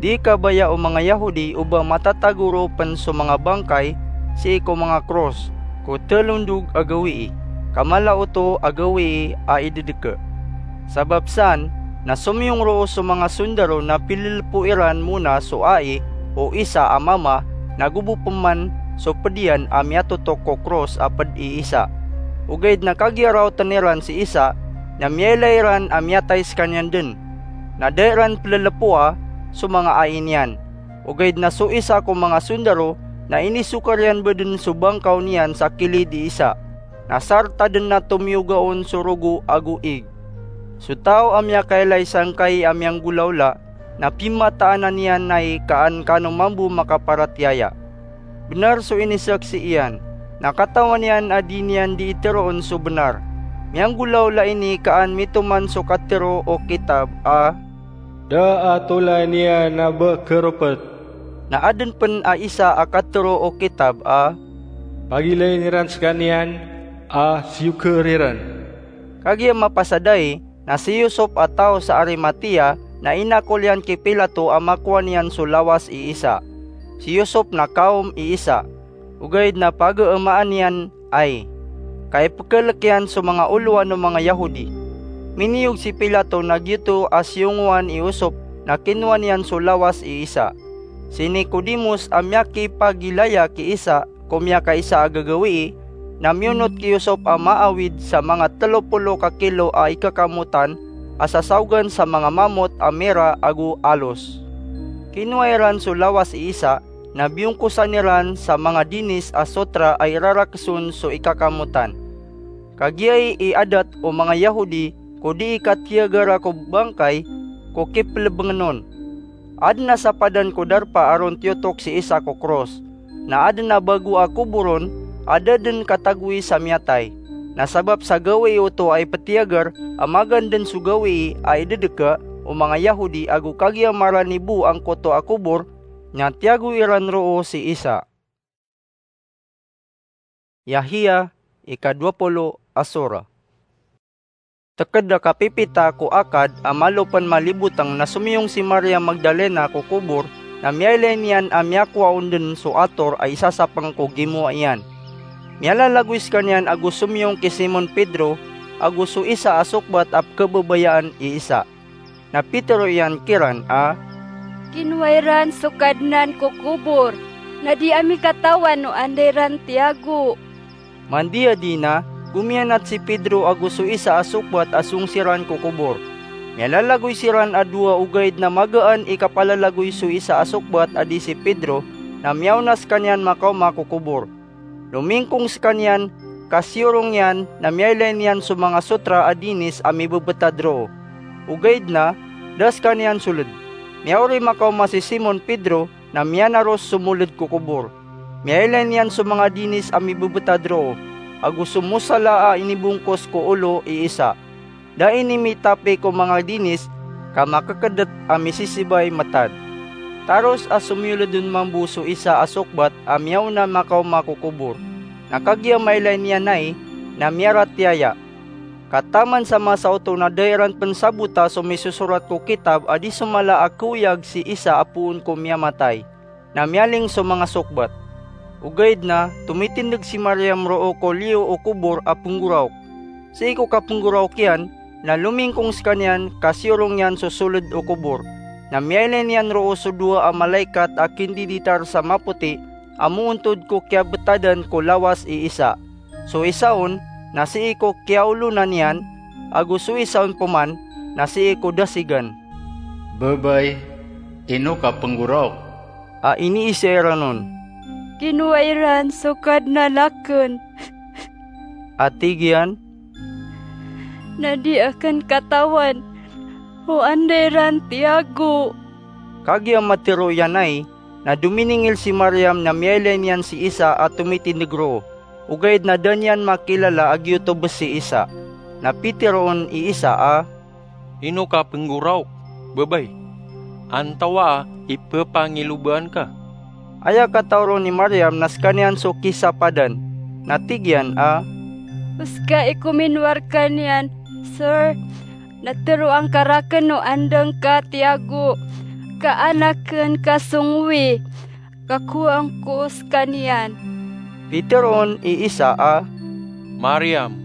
Di kabaya o manga Yahudi o ba matatago roo pen so manga bangkay sii ko manga kros ko telondog a gawii, ka mala oto a gawii a idedeke. Sabap san, na somiyong roo so manga sondaro na pilelepo iran mona so ai o isa a mama, na go bo peman so ped iyan a miyatotok ko kros a ped i isa. Ogaid na kagiya raoten iran si isa, na miyailay iran a miyatay sekaniyan den. Na da iran pelelepoa so manga ai niyan. Ogaid na so isa ko manga sondaro na inisokar iyan bo den so bangkaw niyan sa kilid i isa. Na sarta den na tomiyoga on so rogo ago ig. So taw a miyakailay sangkai a miyanggolawla, na pimataanan iyan ai ka an kano mambo makaparatiyaya. Benar so inisaksi iyan, na katawan iyan a di niyan dii teroon so benar. Miyanggolawla ini ka an mitoman so katero o kitab a, "Da a tolai niyan a ba keropet." Na aden pen a isa a katero o kitab a, "Pagilayin iran sekaniyan a siyoker iran." Kagiya mapasad ai, na si Yusop a taw sa Arimatea, na inakol iyan ki Pilato a makowa niyan so lawas i isa. Si Yusop na kawm i isa. Ogaid na pageemaan iyan ai, ka ipekelek iyan so manga olowan o manga Yahudi. Miniyog si Pilato na giyoto a siyongowan i Yusop na kinowa niyan so lawas i isa. Si Nicodemos a miyakipagilaya ki isa ko miyakaisa a gagawii, na miyonot ki Yusop a maawid sa manga telo polo ka kilo a ikakamotan a sasaogan sa manga mamot a mira ago alos. Kinowa iran so lawas i isa, na biyongkosan iran sa manga dinis a sotra a irarakeson so ikakamotan. Kagiya i adat o manga Yahudi ko dii katiyagara ko bangkay ko kipelebengen on. Aden a sapadan ko darpa a ron tiyotok si isa ko kros, na aden a bago a kobor on a da den katagoi sa miyatay. Na sabap sa gawii oto a ipetiyagar a magaan den so gawii a idedeke o manga Yahudi ago kagiya marani bo angkoto a kobor, na tiyago iran roo si isa. Yahya, ika dowa polo a sora. Teked a kapipita ko akad a malo pen maliboteng na somiyong si Maria Magdalena ko kobor, na miyailay niyan a miyakowa on den so ator a isasapeng ko gimowa iyan. Miyalalagoy sekaniyan ago somiyong ki Simon Pedro ago so isa a sokbat a pekhababayaan i isa. Na pitero iyan kiran a, "Kinowa iran so Kadnan ko kobor, na di ami katawan o anda iran tiyago." Mandiyadi na, gomiyanat si Pedro ago so isa a sokbat a song siran ko kobor. Miyalalagoy siran a dowa, ogaid na magaan i kapalalagoy so isa a sokbat a di si Pedro, na miyaona sekaniyan makaoma ko kobor. Lomingkong sekaniyan, ka siyorong iyan na miyailay niyan so manga sotra a dinis a mibebetad roo. Ogaid na, da sekaniyan soled. Miyaori makaoma si Simon Pedro, na miyanaros so moled ko kobor. Miyailay niyan so manga dinis a mibebetad roo, ago so mosala a inibongkos ko olo i isa. Da ini mitapi ko manga dinis ka makekedet a misisibay matad. Taros a somiyoled on mambo so isa a sokbat a miyaona makaoma ko kobor. Na kagiya mailay niyan ai, na miyaratiyaya. Ka taman sa masa oto na da iran pen sabota so misosorat ko kitab a di so mala a keoyag si isa a poon ko miyamatay. Na miyaling so manga sokbat. Ogaid na tomitindeg si Mariam roo ko liyo o kobor a penggoraok. Sii ko kapenggoraok iyan, na lomingkong sekaniyan ka siyorong iyan so soled o kobor. Na miyailay niyan roo so dowa a malaikat a kindiditar sa mapoti a moontod ko kiyabetadan ko lawas i isa. So isa on na sii ko kiyaolonan iyan, ago so isa on peman na sii ko dasigan. "Babay, ino ka penggoraok?" a iniiza iran on. "Kinowa iran so Kadnan aken," a tig iyan, "na di aken katawan o anda iran tiyago." Kagiya matero iyan ai, na dominingil si Mariam na miyailay niyan si Isa a tomitindeg roo, ogaid na da niyan makilala a giyoto bes si Isa. Na piteroon i Isa a, "Ino ka penggoraok, babay? Antawaa i pepangiloba angka?" Aya kataw ron i Mariam na sekaniyan so kisapadan, na tig iyan a, "O seka i kominowa rekaniyan, Sir, na teroa ngka raken o anda ngka tiyago, ka anaken ka songowi, ka kowaan ko sekaniyan." Piteroon i Isa a, "Mariam."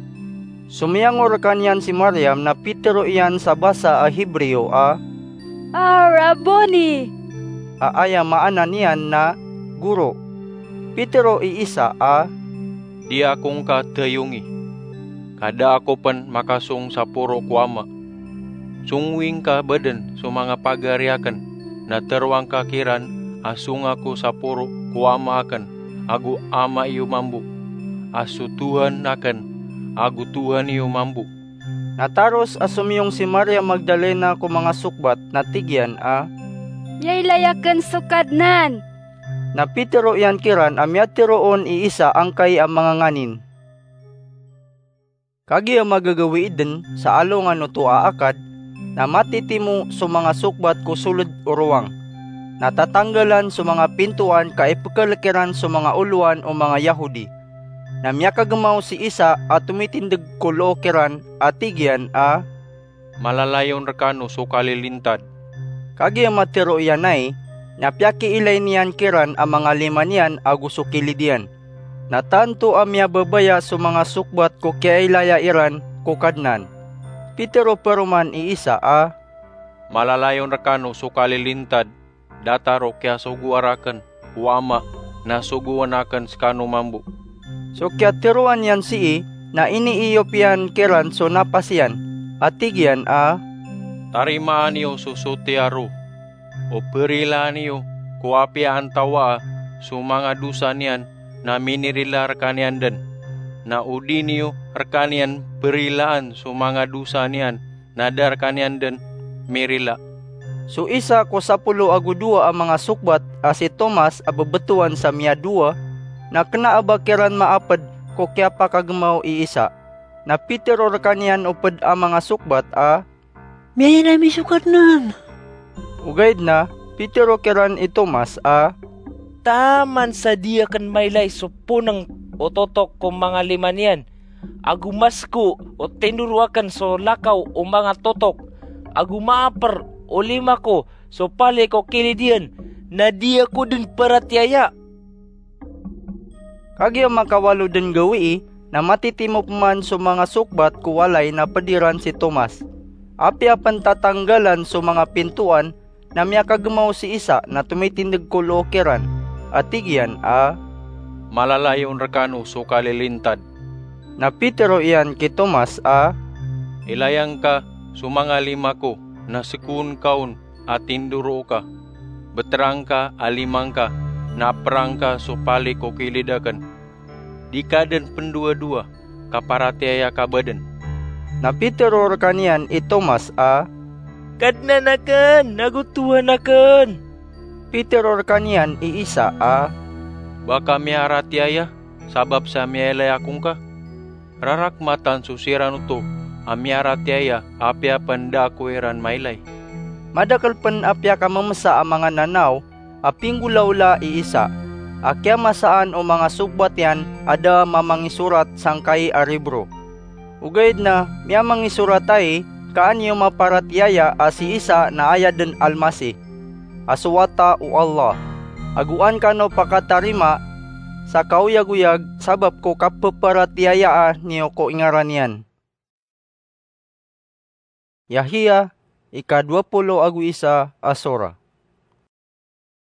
Somiyangor rekaniyan si Mariam na pitero iyan sa basa a Hebreo a, "A Rabboni!" a aya maana niyan na Goro. Pitero i Isa a, "Di ako ngka tayongi, ka da ako pen makasong saporo ko Ama. Songowi ngka baden so manga pagari aken, na teroa ngka kiran a songa ko saporo ko Ama aken, ago Ama iyo mambo, a so Tuhan aken ago Tuhan iyo mambo." Na taros a somiyong si Maria Magdalena ko manga sokbat na tig iyan a, "Miyailay aken so Kadnan!" Na pitero iyan kiran a miyateroon i Isa angkai a manga nganin. Kagiya magagawii den sa alongan oto a akad, na matitimo so manga sokbat ko soled o rowang. Na tatanggalan so manga pintoan ka ipekelek iran so manga olowan o manga Yahudi. Na miyakagemaw si Isa a tomitindeg ko loo kiran a tig iyan a, "Malalayon rekano so kalilintad." Kagiya matero iyan ai, na piyakiilay niyan kiran a manga lima niyan ago so kilid iyan. Na tanto a miyababaya so manga sokbat ko kiyailaya iran ko Kadnan. Pitero paroman i Isa a, "Malalayon rekano so kalilintad, datar o kiyasogoa raken o Ama na sogoan aken sekano mambo." So kiyateroan iyan sii na iniiyop iyan kiran so napas iyan, a tig iyan a, "Tarimaan iyo so sotiya ro, o perilaan iyo ko apiya antawaa so manga dosa niyan na minirila rekaniyan den, na o di niyo rekaniyan perilaan so manga dosa niyan na da rekaniyan den mirila." So isa ko sapolo ago dowa a manga sokbat a si Tomas a bebetowan sa miyadowa, na kena a ba kiran maaped ko kiyapakagemaw i Isa. Na pitero rekaniyan o ped a manga sokbat a, "Miyailay mi so Kadnan!" Ogaid na pitero kiran i Tomas a, "Taman sa di aken mailay so poneng o totok ko manga lima niyan, ago masko o tindoro aken so lakaw o manga totok, ago maaper o lima ko so pali ko kilid iyan, na di ako den paratiyaya." Kagiya makawalo den gawii, na matitimo peman so manga sokbat ko walay na ped iran si Tomas. Apiya pen tatanggalan so manga pintoan, na miyakagemaw si Isa na tomitindeg ko loo kiran, a tig iyan a, "Malalayon rekano so kalilintad." Na pitero iyan ki Tomas a, "Ilaya ngka so manga lima ko na sekoon ka on a tindoroo ka. Betera ngka a lima ngka, na apera ngka so pali ko kilid aken. Di ka den pendowadowa ka paratiyaya ka baden." Na pitero rekaniyan i Tomas a, "Kadnan aken ago Tuhan aken!" Pitero rkaniyan i Isa a, "Ba ka miyaratiyaya sabap sa miyailay ako ngka? Rarakmatan so siran oto a miyaratiyaya apiya pn da ako iran mailay." Madakl pn a piyakamamsa a manga nanaw a pinggolaola i Isa a kiyamasaan o manga sokbat iyan a da a mamangisorat sangkai a Ribro. Ogaid na miyamangisorat ai ka an iyo maparatiyaya a si Isa na aya dn Almasih, a so Wata o Allah, ago an kano pakatarima sa kaoyagoyag sabap ko kapparatiyayaa niyo ko ingaran iyan. Yahya, ika dowa polo ago isa a sora.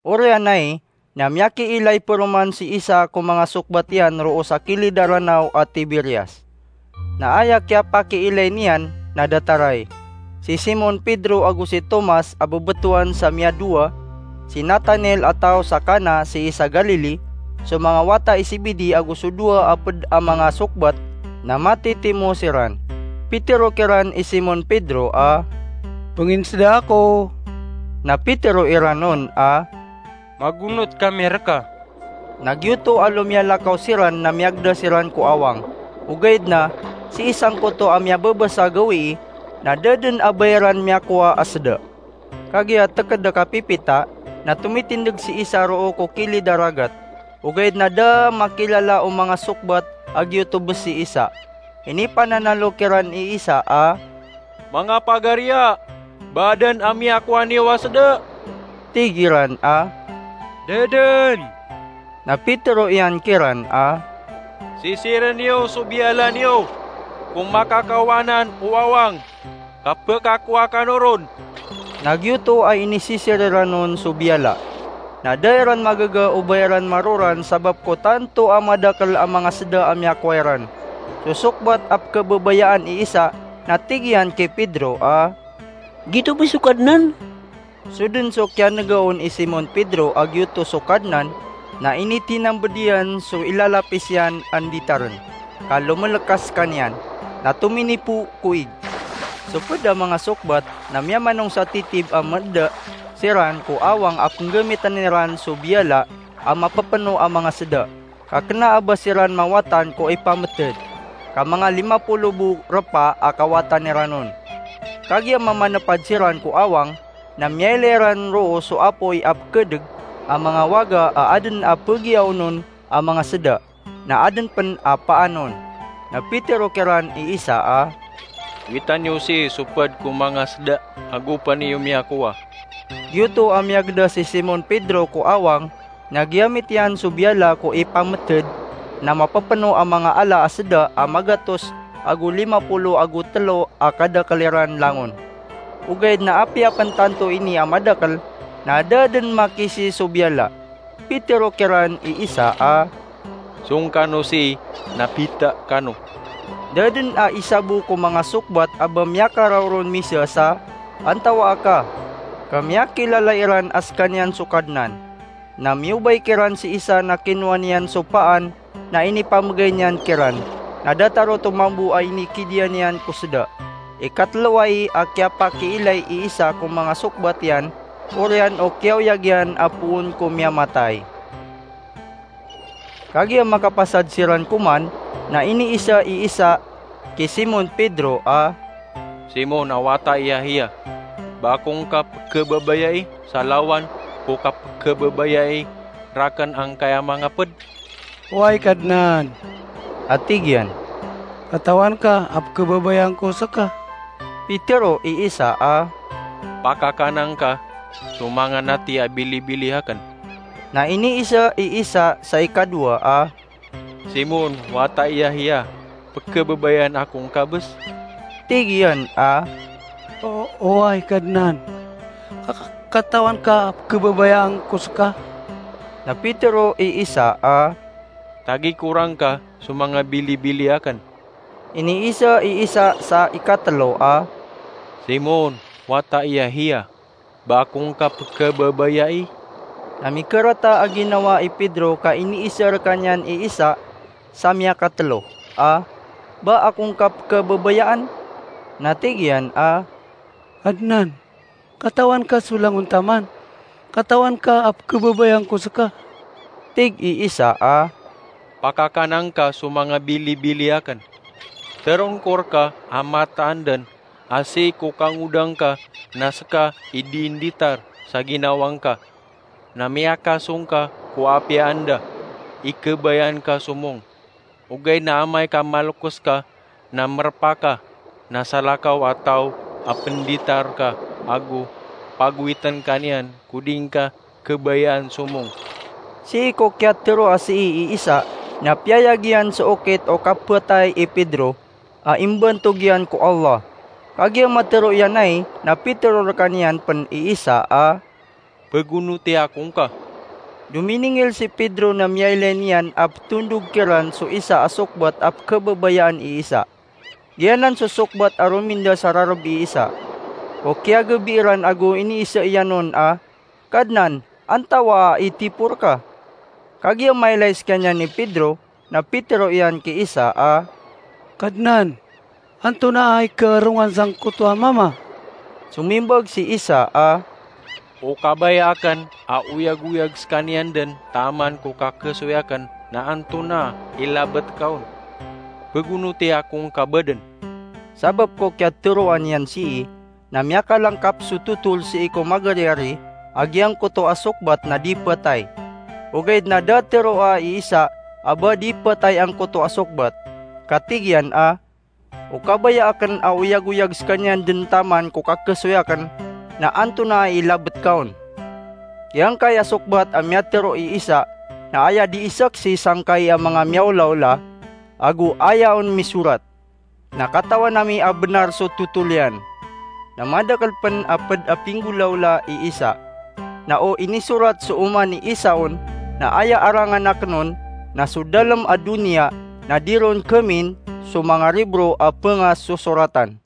Oriyan ai, na miyakiilay paroman si Isa ko manga sokbat iyan roo sa kilid a Ranaw a Tiberias. Na aya kiyapakiilay niyan na datar ai: si Simon Pedro ago si Tomas a bbtowan sa Miyadowa, si Natanael a taw sa Cana sii sa Galili, so manga wata i Zebedee ago so dowa a pd a manga sokbat, na matitimo siran. Pitero kiran i Simon Pedro a, "Pnginsda ako." Na pitero iran on a, "Magonot kami rka." Na giyoto a lomiyalakaw siran na miyagda siran ko awang. Ogaid na, sii sangkoto a miyababasa a gawii, na da dn a ba iran miyakowa a sda. Kagiya tkd a kapipita, na tomitindg si Isa roo ko kilid a ragat. Ogaid na da a makilala o manga sokbat a giyoto bs si Isa. Inipananalo kiran i Isa a, "Manga pagariya, ba adn a miyakowa niyo a sda?" Tig iran a, "Da dn." Na pitero iyan kiran a, "Sisirn iyo so biyala niyo ko makakaowa anan o awang, ka pkakowa kano ron." Na giyoto a inisisir iran on so biyala. Na da iran magaga o ba iran maroran sabap ko tanto a madakl a manga sda a miyakowa iran. So sokbat a pkhababayaan i Isa na tig iyan ki Pedro a, "Giyoto bs so Kadnan?" So dn so kiyanega on i Simon Pedro a giyoto so Kadnan, na initinambd iyan so ilalapis iyan a nditarn, ka lomlk a skaniyan, na tominipo ko ig. So pd a manga sokbat na miyamanong sa titib a mda siran ko awang a pnggamitn iran so biyala a mapapno a manga sda, ka kna a ba siran mawatan ko ipamtd, ka manga lima polo bo rpa a kawatan iran on. Kagiya mamanpad siran ko awang, na miyailay ran roo so apoy a pkhadg a manga waga a adn a pgiyaon on a manga sda, na adn pn a paan on. Na pitero kiran i Isa a, "Wita niyo sii so pd ko manga sda ago pn iyo miyakowa." Giyoto a miyagda si Simon Pedro ko awang, na giyamit iyan so biyala ko ipamtd, na mapapno a manga ala a sda a magatos ago lima polo ago tlo a kadakl iran langon. Ogaid na apiya pn tanto ini a madakl, na da dn makisii so biyala. Pitero kiran i Isa a, "Song kano sii, na bita kano." Da dn a isa bo ko manga sokbat a ba miyakaraoron misa sa, "Antawaa ka?" ka miyakilala iran a skaniyan so Kadnan. Na miyobay kiran si Isa na kinowa niyan so paan na inipamgay niyan kiran, na datar oto mambo a inikidiya niyan ko sda. Ikatlo ai a kiyapakiilay i Isa ko manga sokbat iyan, oriyan o kiyaoyag iyan a poon ko miyamatay. Kagiya makapasad siran koman, na iniisa i Isa ki Simon Pedro a, "Simon a wata i Yahiya, ba ako ngka pkhababayai sa lawan ko kapkhababayai rakn angkaya manga pd?" "Oway, Kadnan," a tig iyan, "katawan ka a pkhababayaan ko ska." Pitero i Isa a, "Pakakana ngka so manga nati a bilibili akn." Na iniisa i Isa sa ikadowa a, "Simon, wata i Yahiya, pkhababayaan ako ngka bs?" Tig iyan a, "O, oway, Kadnan, ka, ka, katawan ka a pkhababayaan ko ska." Na pitero i Isa a, "Tagi ko rangka so manga bilibili akn." Iniisa i Isa sa ikatlo a, "Simon, wata i Yahiya, ba ako ngka pkhababayai?" Na mikarata a ginawa i Pedro ka iniisa rkaniyan i Isa sa miyakatlo a, "Ba ako ngka pkhababayaan?" Na tig iyan a, "Kadnan, katawan ka so langon taman, Katawan ka a pkhababayaan ko ska." Tig i Isa a, "Pakakanan ka so manga bilibili akn. Tharoon ko rka a mataan dn a sii ko kangodaan ka na ska i dii nditar sa ginawa ngka, na miyakasong ka ko apiya anda i khabayaan ka somong. Ogaid na amay ka malokes ka na mrpa ka, na salakaw a taw a pnditar ka ago pagowitn ka niyan ko dii ngka khabayaan somong." Sii ko kiyatharo a sii i Isa, na piyayag iyan so okit o kaphatay i Pedro a imbantog iyan ko Allah. Kagiya matharo iyan ai, na pitharo rkaniyan pn i Isa a, "Pagonoti ako ngka." Dominingil si Pedro na miyailay niyan a ptondog kiran so isa a sokbat a pkhababayaan i Isa. Giyanan so sokbat a rominda sa rarb i Isa. O kiyagabi iran ago iniisa iyan on a, "Kadnan, antawaa i tipor ka?" Kagiya mailay skaniyan i Pedro, na pitharo iyan ki Isa a, "Kadnan, antonaa i kaarongan sangkoto a mama?" Somimbag si Isa a, "O kabaya akn a oyagoyag skaniyan dn taman ko kakhasoy akn na antonaa i labt ka on. Pagonoti ako ngka ba dn." Sabap ko kiyathoroa niyan sii, na miyakalangkap so totol sii ko magariyari a giyangkoto a sokbat na di phatay. Ogaid na da tharoa i Isa a ba di phatay angkoto a sokbat. Ka tig iyan a, "O kabaya akn a oyagoyag skaniyan dn taman ko kakhasoy akn, na antonaa i labt ka on?" Giyangkai a sokbat a miyatharo i Isa na aya dii saksi sangkai a manga miyaolaola, ago aya on misorat. Na katawan ami a bnar so totol iyan. Na madakl pn a pd a pinggolaola i Isa. Na o inisorat so oman i Isa on, na aya arangan akn on na so dalm a doniya, na di ron khamin so manga ribro a pngasosoratan.